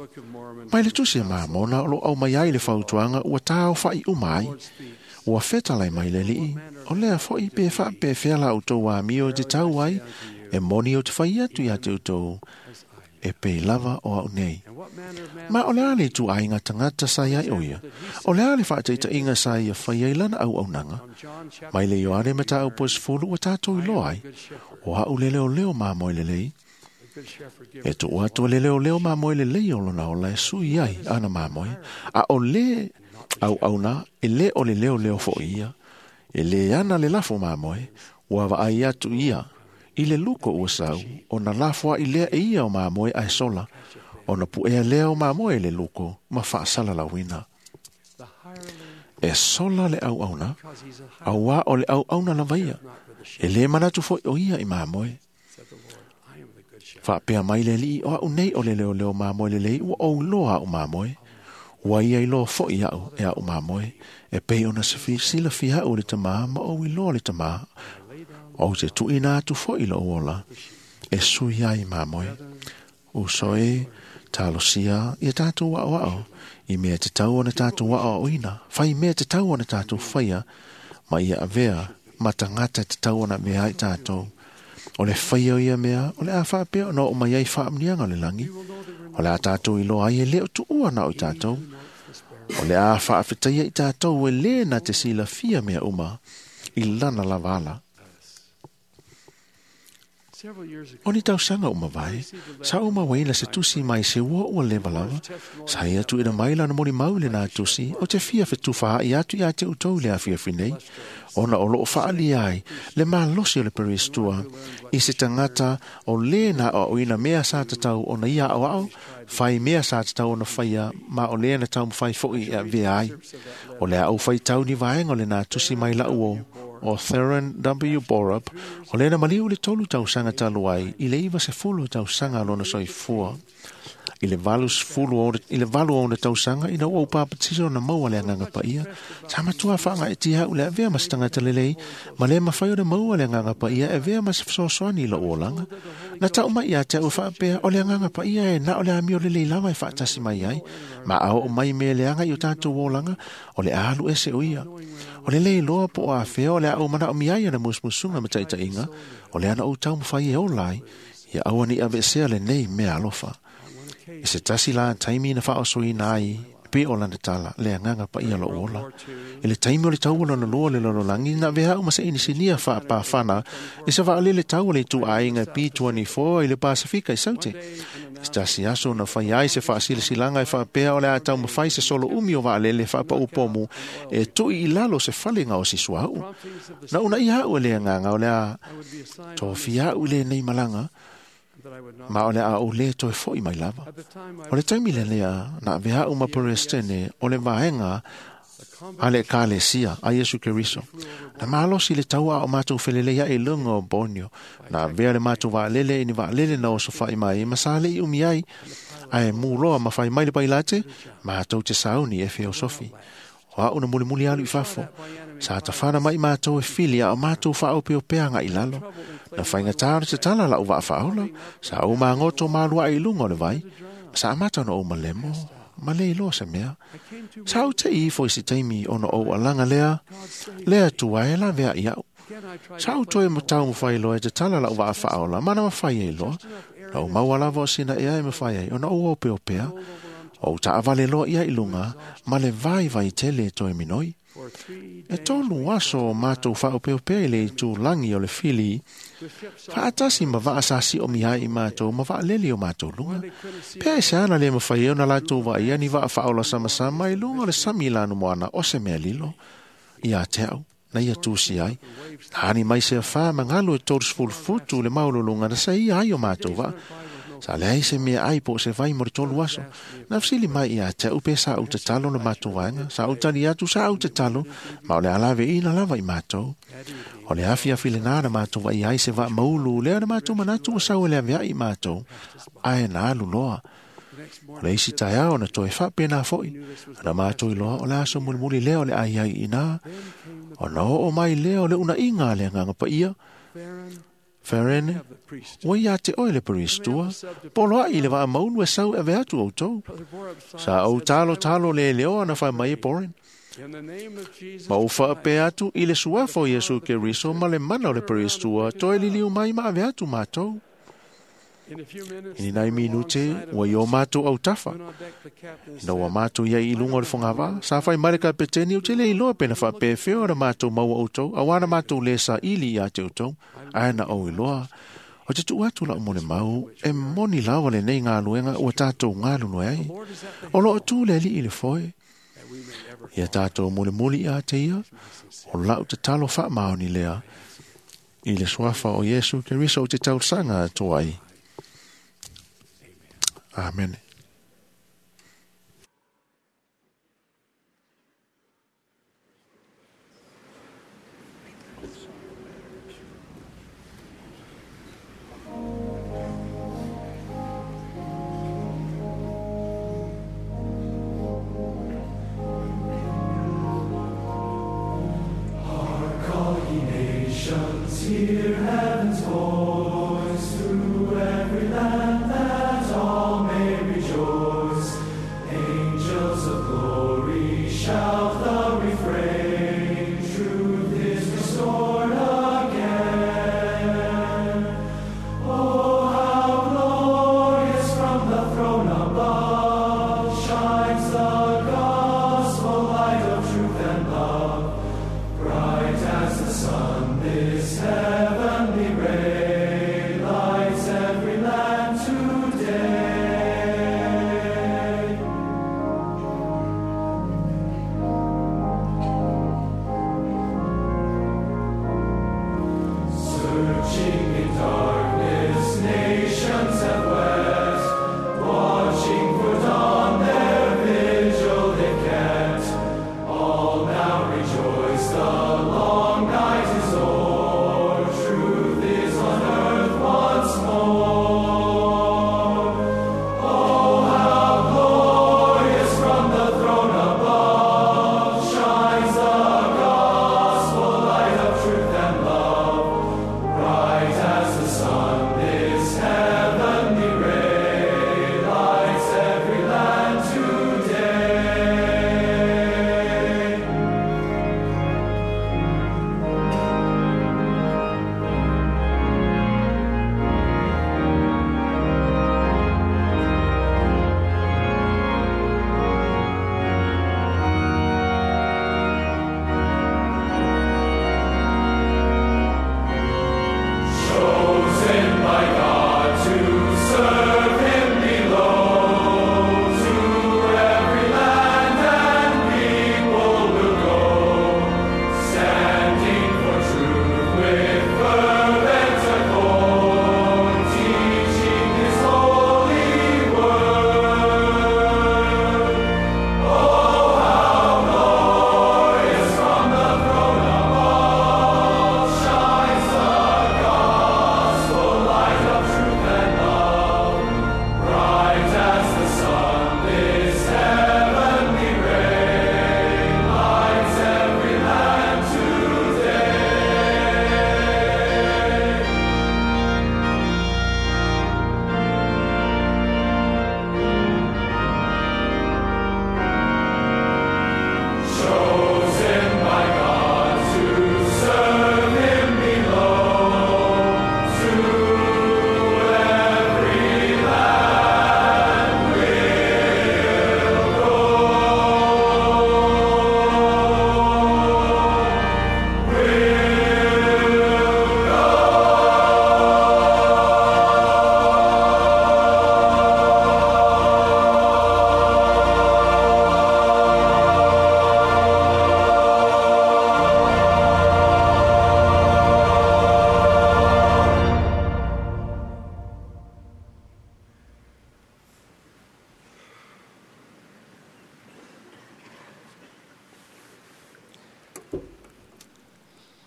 Mai le tusi a Mamona o lo aumai ai le fautuaga ua taofa'i uma ai. Ua fetalai mai le Alii, o lea fo'i pe faapefea la outou amio e tatau ai, e moni ou te fai atu ia te outou, e pei lava o au nei. Ma o le a le ituaiga tagata sa iai o ia? O le a le faataitaiga sa ia fai ai lana auaunaga? Mai le Ioane Mataupu e 10 ua tatou iloa ai, o a'u le leoleo mamoe lelei. E tuu atu e le leoleo mamoe lelei o lona ola e sui ai ana mamoe, a o le auauna e lē o le leoleo fo'i ia. E lē ana le lafo mamoe, ua vaai atu ia i le luko ua sau, ona lafo a'i lea e ia o mamoe ae sola, ona puea lea o mamoe i le luko ma faasalalauina. E sola le auauna, auā o le auauna lava ia, e lē manatu fo'i o ia i mamoe. Faapea mai le Alii, o a'u nei o le leoleo mamoe lelei ua ou iloa a'u mamoe. Ua ia iloa fo'i a'u e a'u mamoe, e pei ona silafia a'u e le Tamā ma ou iloa le Tamā. Ou te tuuina atu fo'i lou ola, e sui ai mamoe. Uso e, talosia ia tatou aoao, i mea tatau ona tatou aoaoina, fai mea tatau ona tatou faia, ma ia avea ma tagata e tatau ona avea ai tatou. O le faia o ia mea, o le a faapea ona oo mai ai faamanuiaga o le lagi. O le a tatou iloa ai e lē o tuua na o i tatou. O le a faafetaia i tatou e lē na te silafia mea uma i lana lava ala. O ni tausaga uma vae, sa ou mauaina se tusi mai se ua ua leva lava. Sa ia tuuina mai lana molimau i lenā tusi, o te fia fetufaa'i atu ia te outou i le afiafi nei, ona o loo faaalia ai le malosi o le peristua i se tagata o lē na aoaoina mea sa tatau ona ia aoao, fai mea sa tatau ona faia, ma o lea na taumafai fo'i e avea ai. O le a ou faitau ni vaega o lenā tusi mai la'u o o Theron W. Borup, o lena maliu i le 3 tausaga talu ai, i le 90 tausaga lona soifua. I le 86 ona tausaga ina ua ou papatiso na maua le agaga paia, sa matua faagaetia a'u le avea ma se tagata lelei, ma le mafai ona maua le agaga paia e avea ma se fesoasoani i lou olaga. Na tau mai ia te a'u faapea, o le agaga paia e na o le amio lelei lava e faatasi mai ai, ma a oo mai mea leaga i o tatou olaga, o le a alu ese o ia. O le lē iloa po o afea o le a ou manaomia ai ana musumusuga ma taitaiga, o le ana ou taumafai e ola ai, ia aua ne i aveesea lenei mea alofa. E se tasi la taimi na faaosoina ai pe o lana tala le agaga paia lou ola. I le taimi o le taua lona lua o le lalolagi, na avea a'u ma se inisinia faapafana i se vaalele tau o le ituaiga P24 i le Pasifika i Saute. E se tasi aso na fai ai se faasilasilaga e faapea o le a taumafai se solo umi o vaalele faapaupomu e tu'i i lalo se falega o si suauu. Na uunaia a'u e le agaga o le a tofia a'u i lenei malaga, ma o le a ou lē toe fo'i mai lava. O le taimi lelea na avea a'u ma Perestene o le vaega a le Ekalesia a Iesu Keriso. Na malosi le taua a o matou felelei aʻe i luga o Borneo. Na avea le matou vaalele i ni vaalele na osofa'i mai ma sa le'i umi ai, ae muloa ma fai mai le pailate, matou te sauni e feosofi. O a'u na mulimuli alu i fafo. Sa tafana mai matou e fili a o matou faaopeopea aga'i lalo. Na faigatā o le tatala la'u vaa faaola, sa ou magoto maluaʻe i luga o le vai. Sa amata ona ou malemo, ma le iloa se mea. Sa ou te ifo i se taimi ona ou alaga lea, lea tua e lavea i au. Sa ou toe matau mawhai loa e te tala lau waa whaola, mana mawhai e loa. Na ou maua lava o sina ea e mawhai ai, ona ou opeo pea. O taavale loa ia i lunga, ma le vai vai tele toe minoi. E tolu aso o mātou whaopeopea i le itu langi o le fili, whaatasi ma waa sa si o mihai i mātou, ma waa leli o mātou lunga. Pea e se ana le mawhai e ona lātou waa ia ni waa whaola sama sama i lunga o le sami lanu moana o se mea lilo. Ia te au, na ia tūsi ai. Hani mai se wha mangalu e 30 futu le maululunga na sa ia ai o mātou waa. Sa leai se mea ai po se vai mo le tolu aso. Na fesili mai ia te au pe sa au te talo na mātou vaenga. Sa au tali atu sa au te talo. Ma o le alave ina lava i mātou. O le afi afi le nā na mātou vai ai se va maulu. Lea na mātou manatu o sau e le avea i mātou. Ae na alu loa. O le isi taeao na toe whapena foi. Na mātou i loa o le aso mulimuli lea o le ai ai ina. O na oo mai lea o le una inga le nganga pa ia. Ferene, ua ia te oe le peristua, polo ai le vaa maunu e sau e atu o tau. Sa au talo talo le leoa na whai mai e poren. Ma u wha atu i le suafa o Yesu Keriso ma le mana o le peristua, toe liliu mai ma ave atu mātou. Ini nai minute, ua i o mātou au tafa. Ina ua mātou ia i lunga o le whangava, sa whai mare ka peteni o te le iloa pena wha pēwheo na mātou maua o tau, awana mātou le sa ili ia te o tau, ae na au iloa. O te tuu atu lau mo le mau, e moni lawa le nei ngā luenga ua tātou ngā lulu ai. O loo tū le li i le foe. Ia tātou mule muli ia te ia, o lau te talo wha maoni lea, i le suafa o Yesu Keriso o te tausanga atu ai. Amen. Hark, all ye nations, hear heaven's voice through every land that all may rejoice.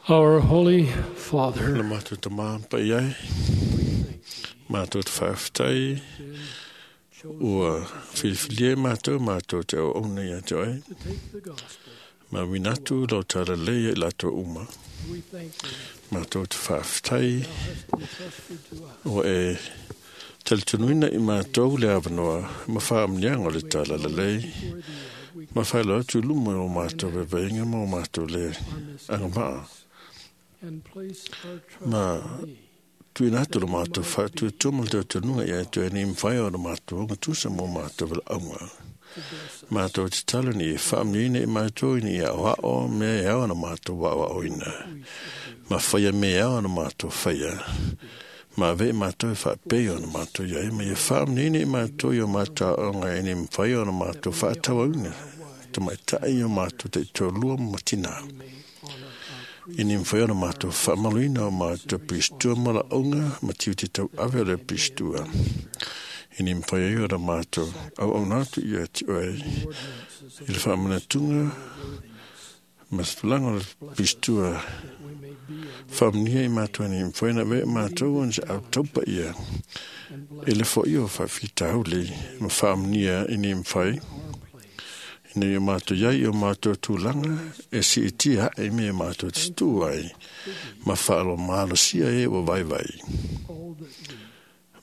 Our Holy Father, Le mātou te māmpa i ai, mātou te whaaftai, ua whiliwhilia e mātou, mātou te au auna ia te oe, ma winatu lau tala leia i lātou uma. Mātou te whaaftai, ua e talitunuina i mātou le awanoa, ma whaamnianga o le tala lelei, ma whailo atu luma o mātou veveinga ma o mātou le angamaa. Ma tuina atu lo mātou whātu e tūma le tautanunga ia e tue ni mwhai o lo mātou nga tūsa mō mātou wala aunga. Mātou te talo ni e whaamniina i mātou ni ia oa o mea e awa na mātou wa o ina. Ma whaia me awa na mātou whaia. Ma ve mātou e whaapei o na mātou ia e ma ia whaamniina i mātou i o mātou aonga e ni mwhai o na mātou whaatawa una. Te mai tai o mātou te tōlua matina. I ni mwhai o na mātou whaamaluina o mātou pistua mala aunga ma tiu te tau ave o le pistua. I ni mwhai ai o na mātou au au nātu ia te oe. I le whaamanatunga ma se tulanga o le pistua whaamnia i mātou ni mwhai na ve mātou o se au taupa ia. I le fo i o whawhita hauli ma whaamnia i ni mwhai. Ina ia mātou iai o mātou tūlanga e si i tia e mea mātou te tū ai. Ma whaalo mālo sia e o vai vai.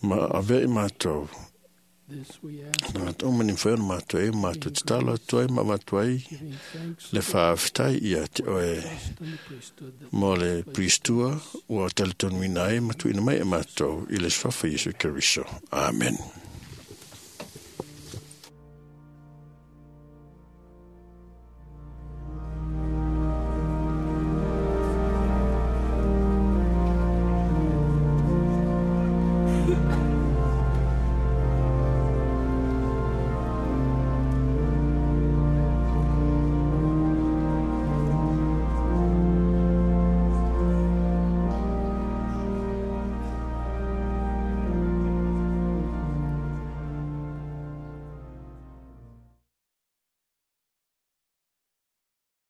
Ma ave i mātou. Nā tō mani whai ona mātou e mātou te talo atu ai ma mātou ai le whaaftai ia te oe mō le pristua ua talitonuina ai matuina mai e mātou i le swafa Yesu Keriso. Amen.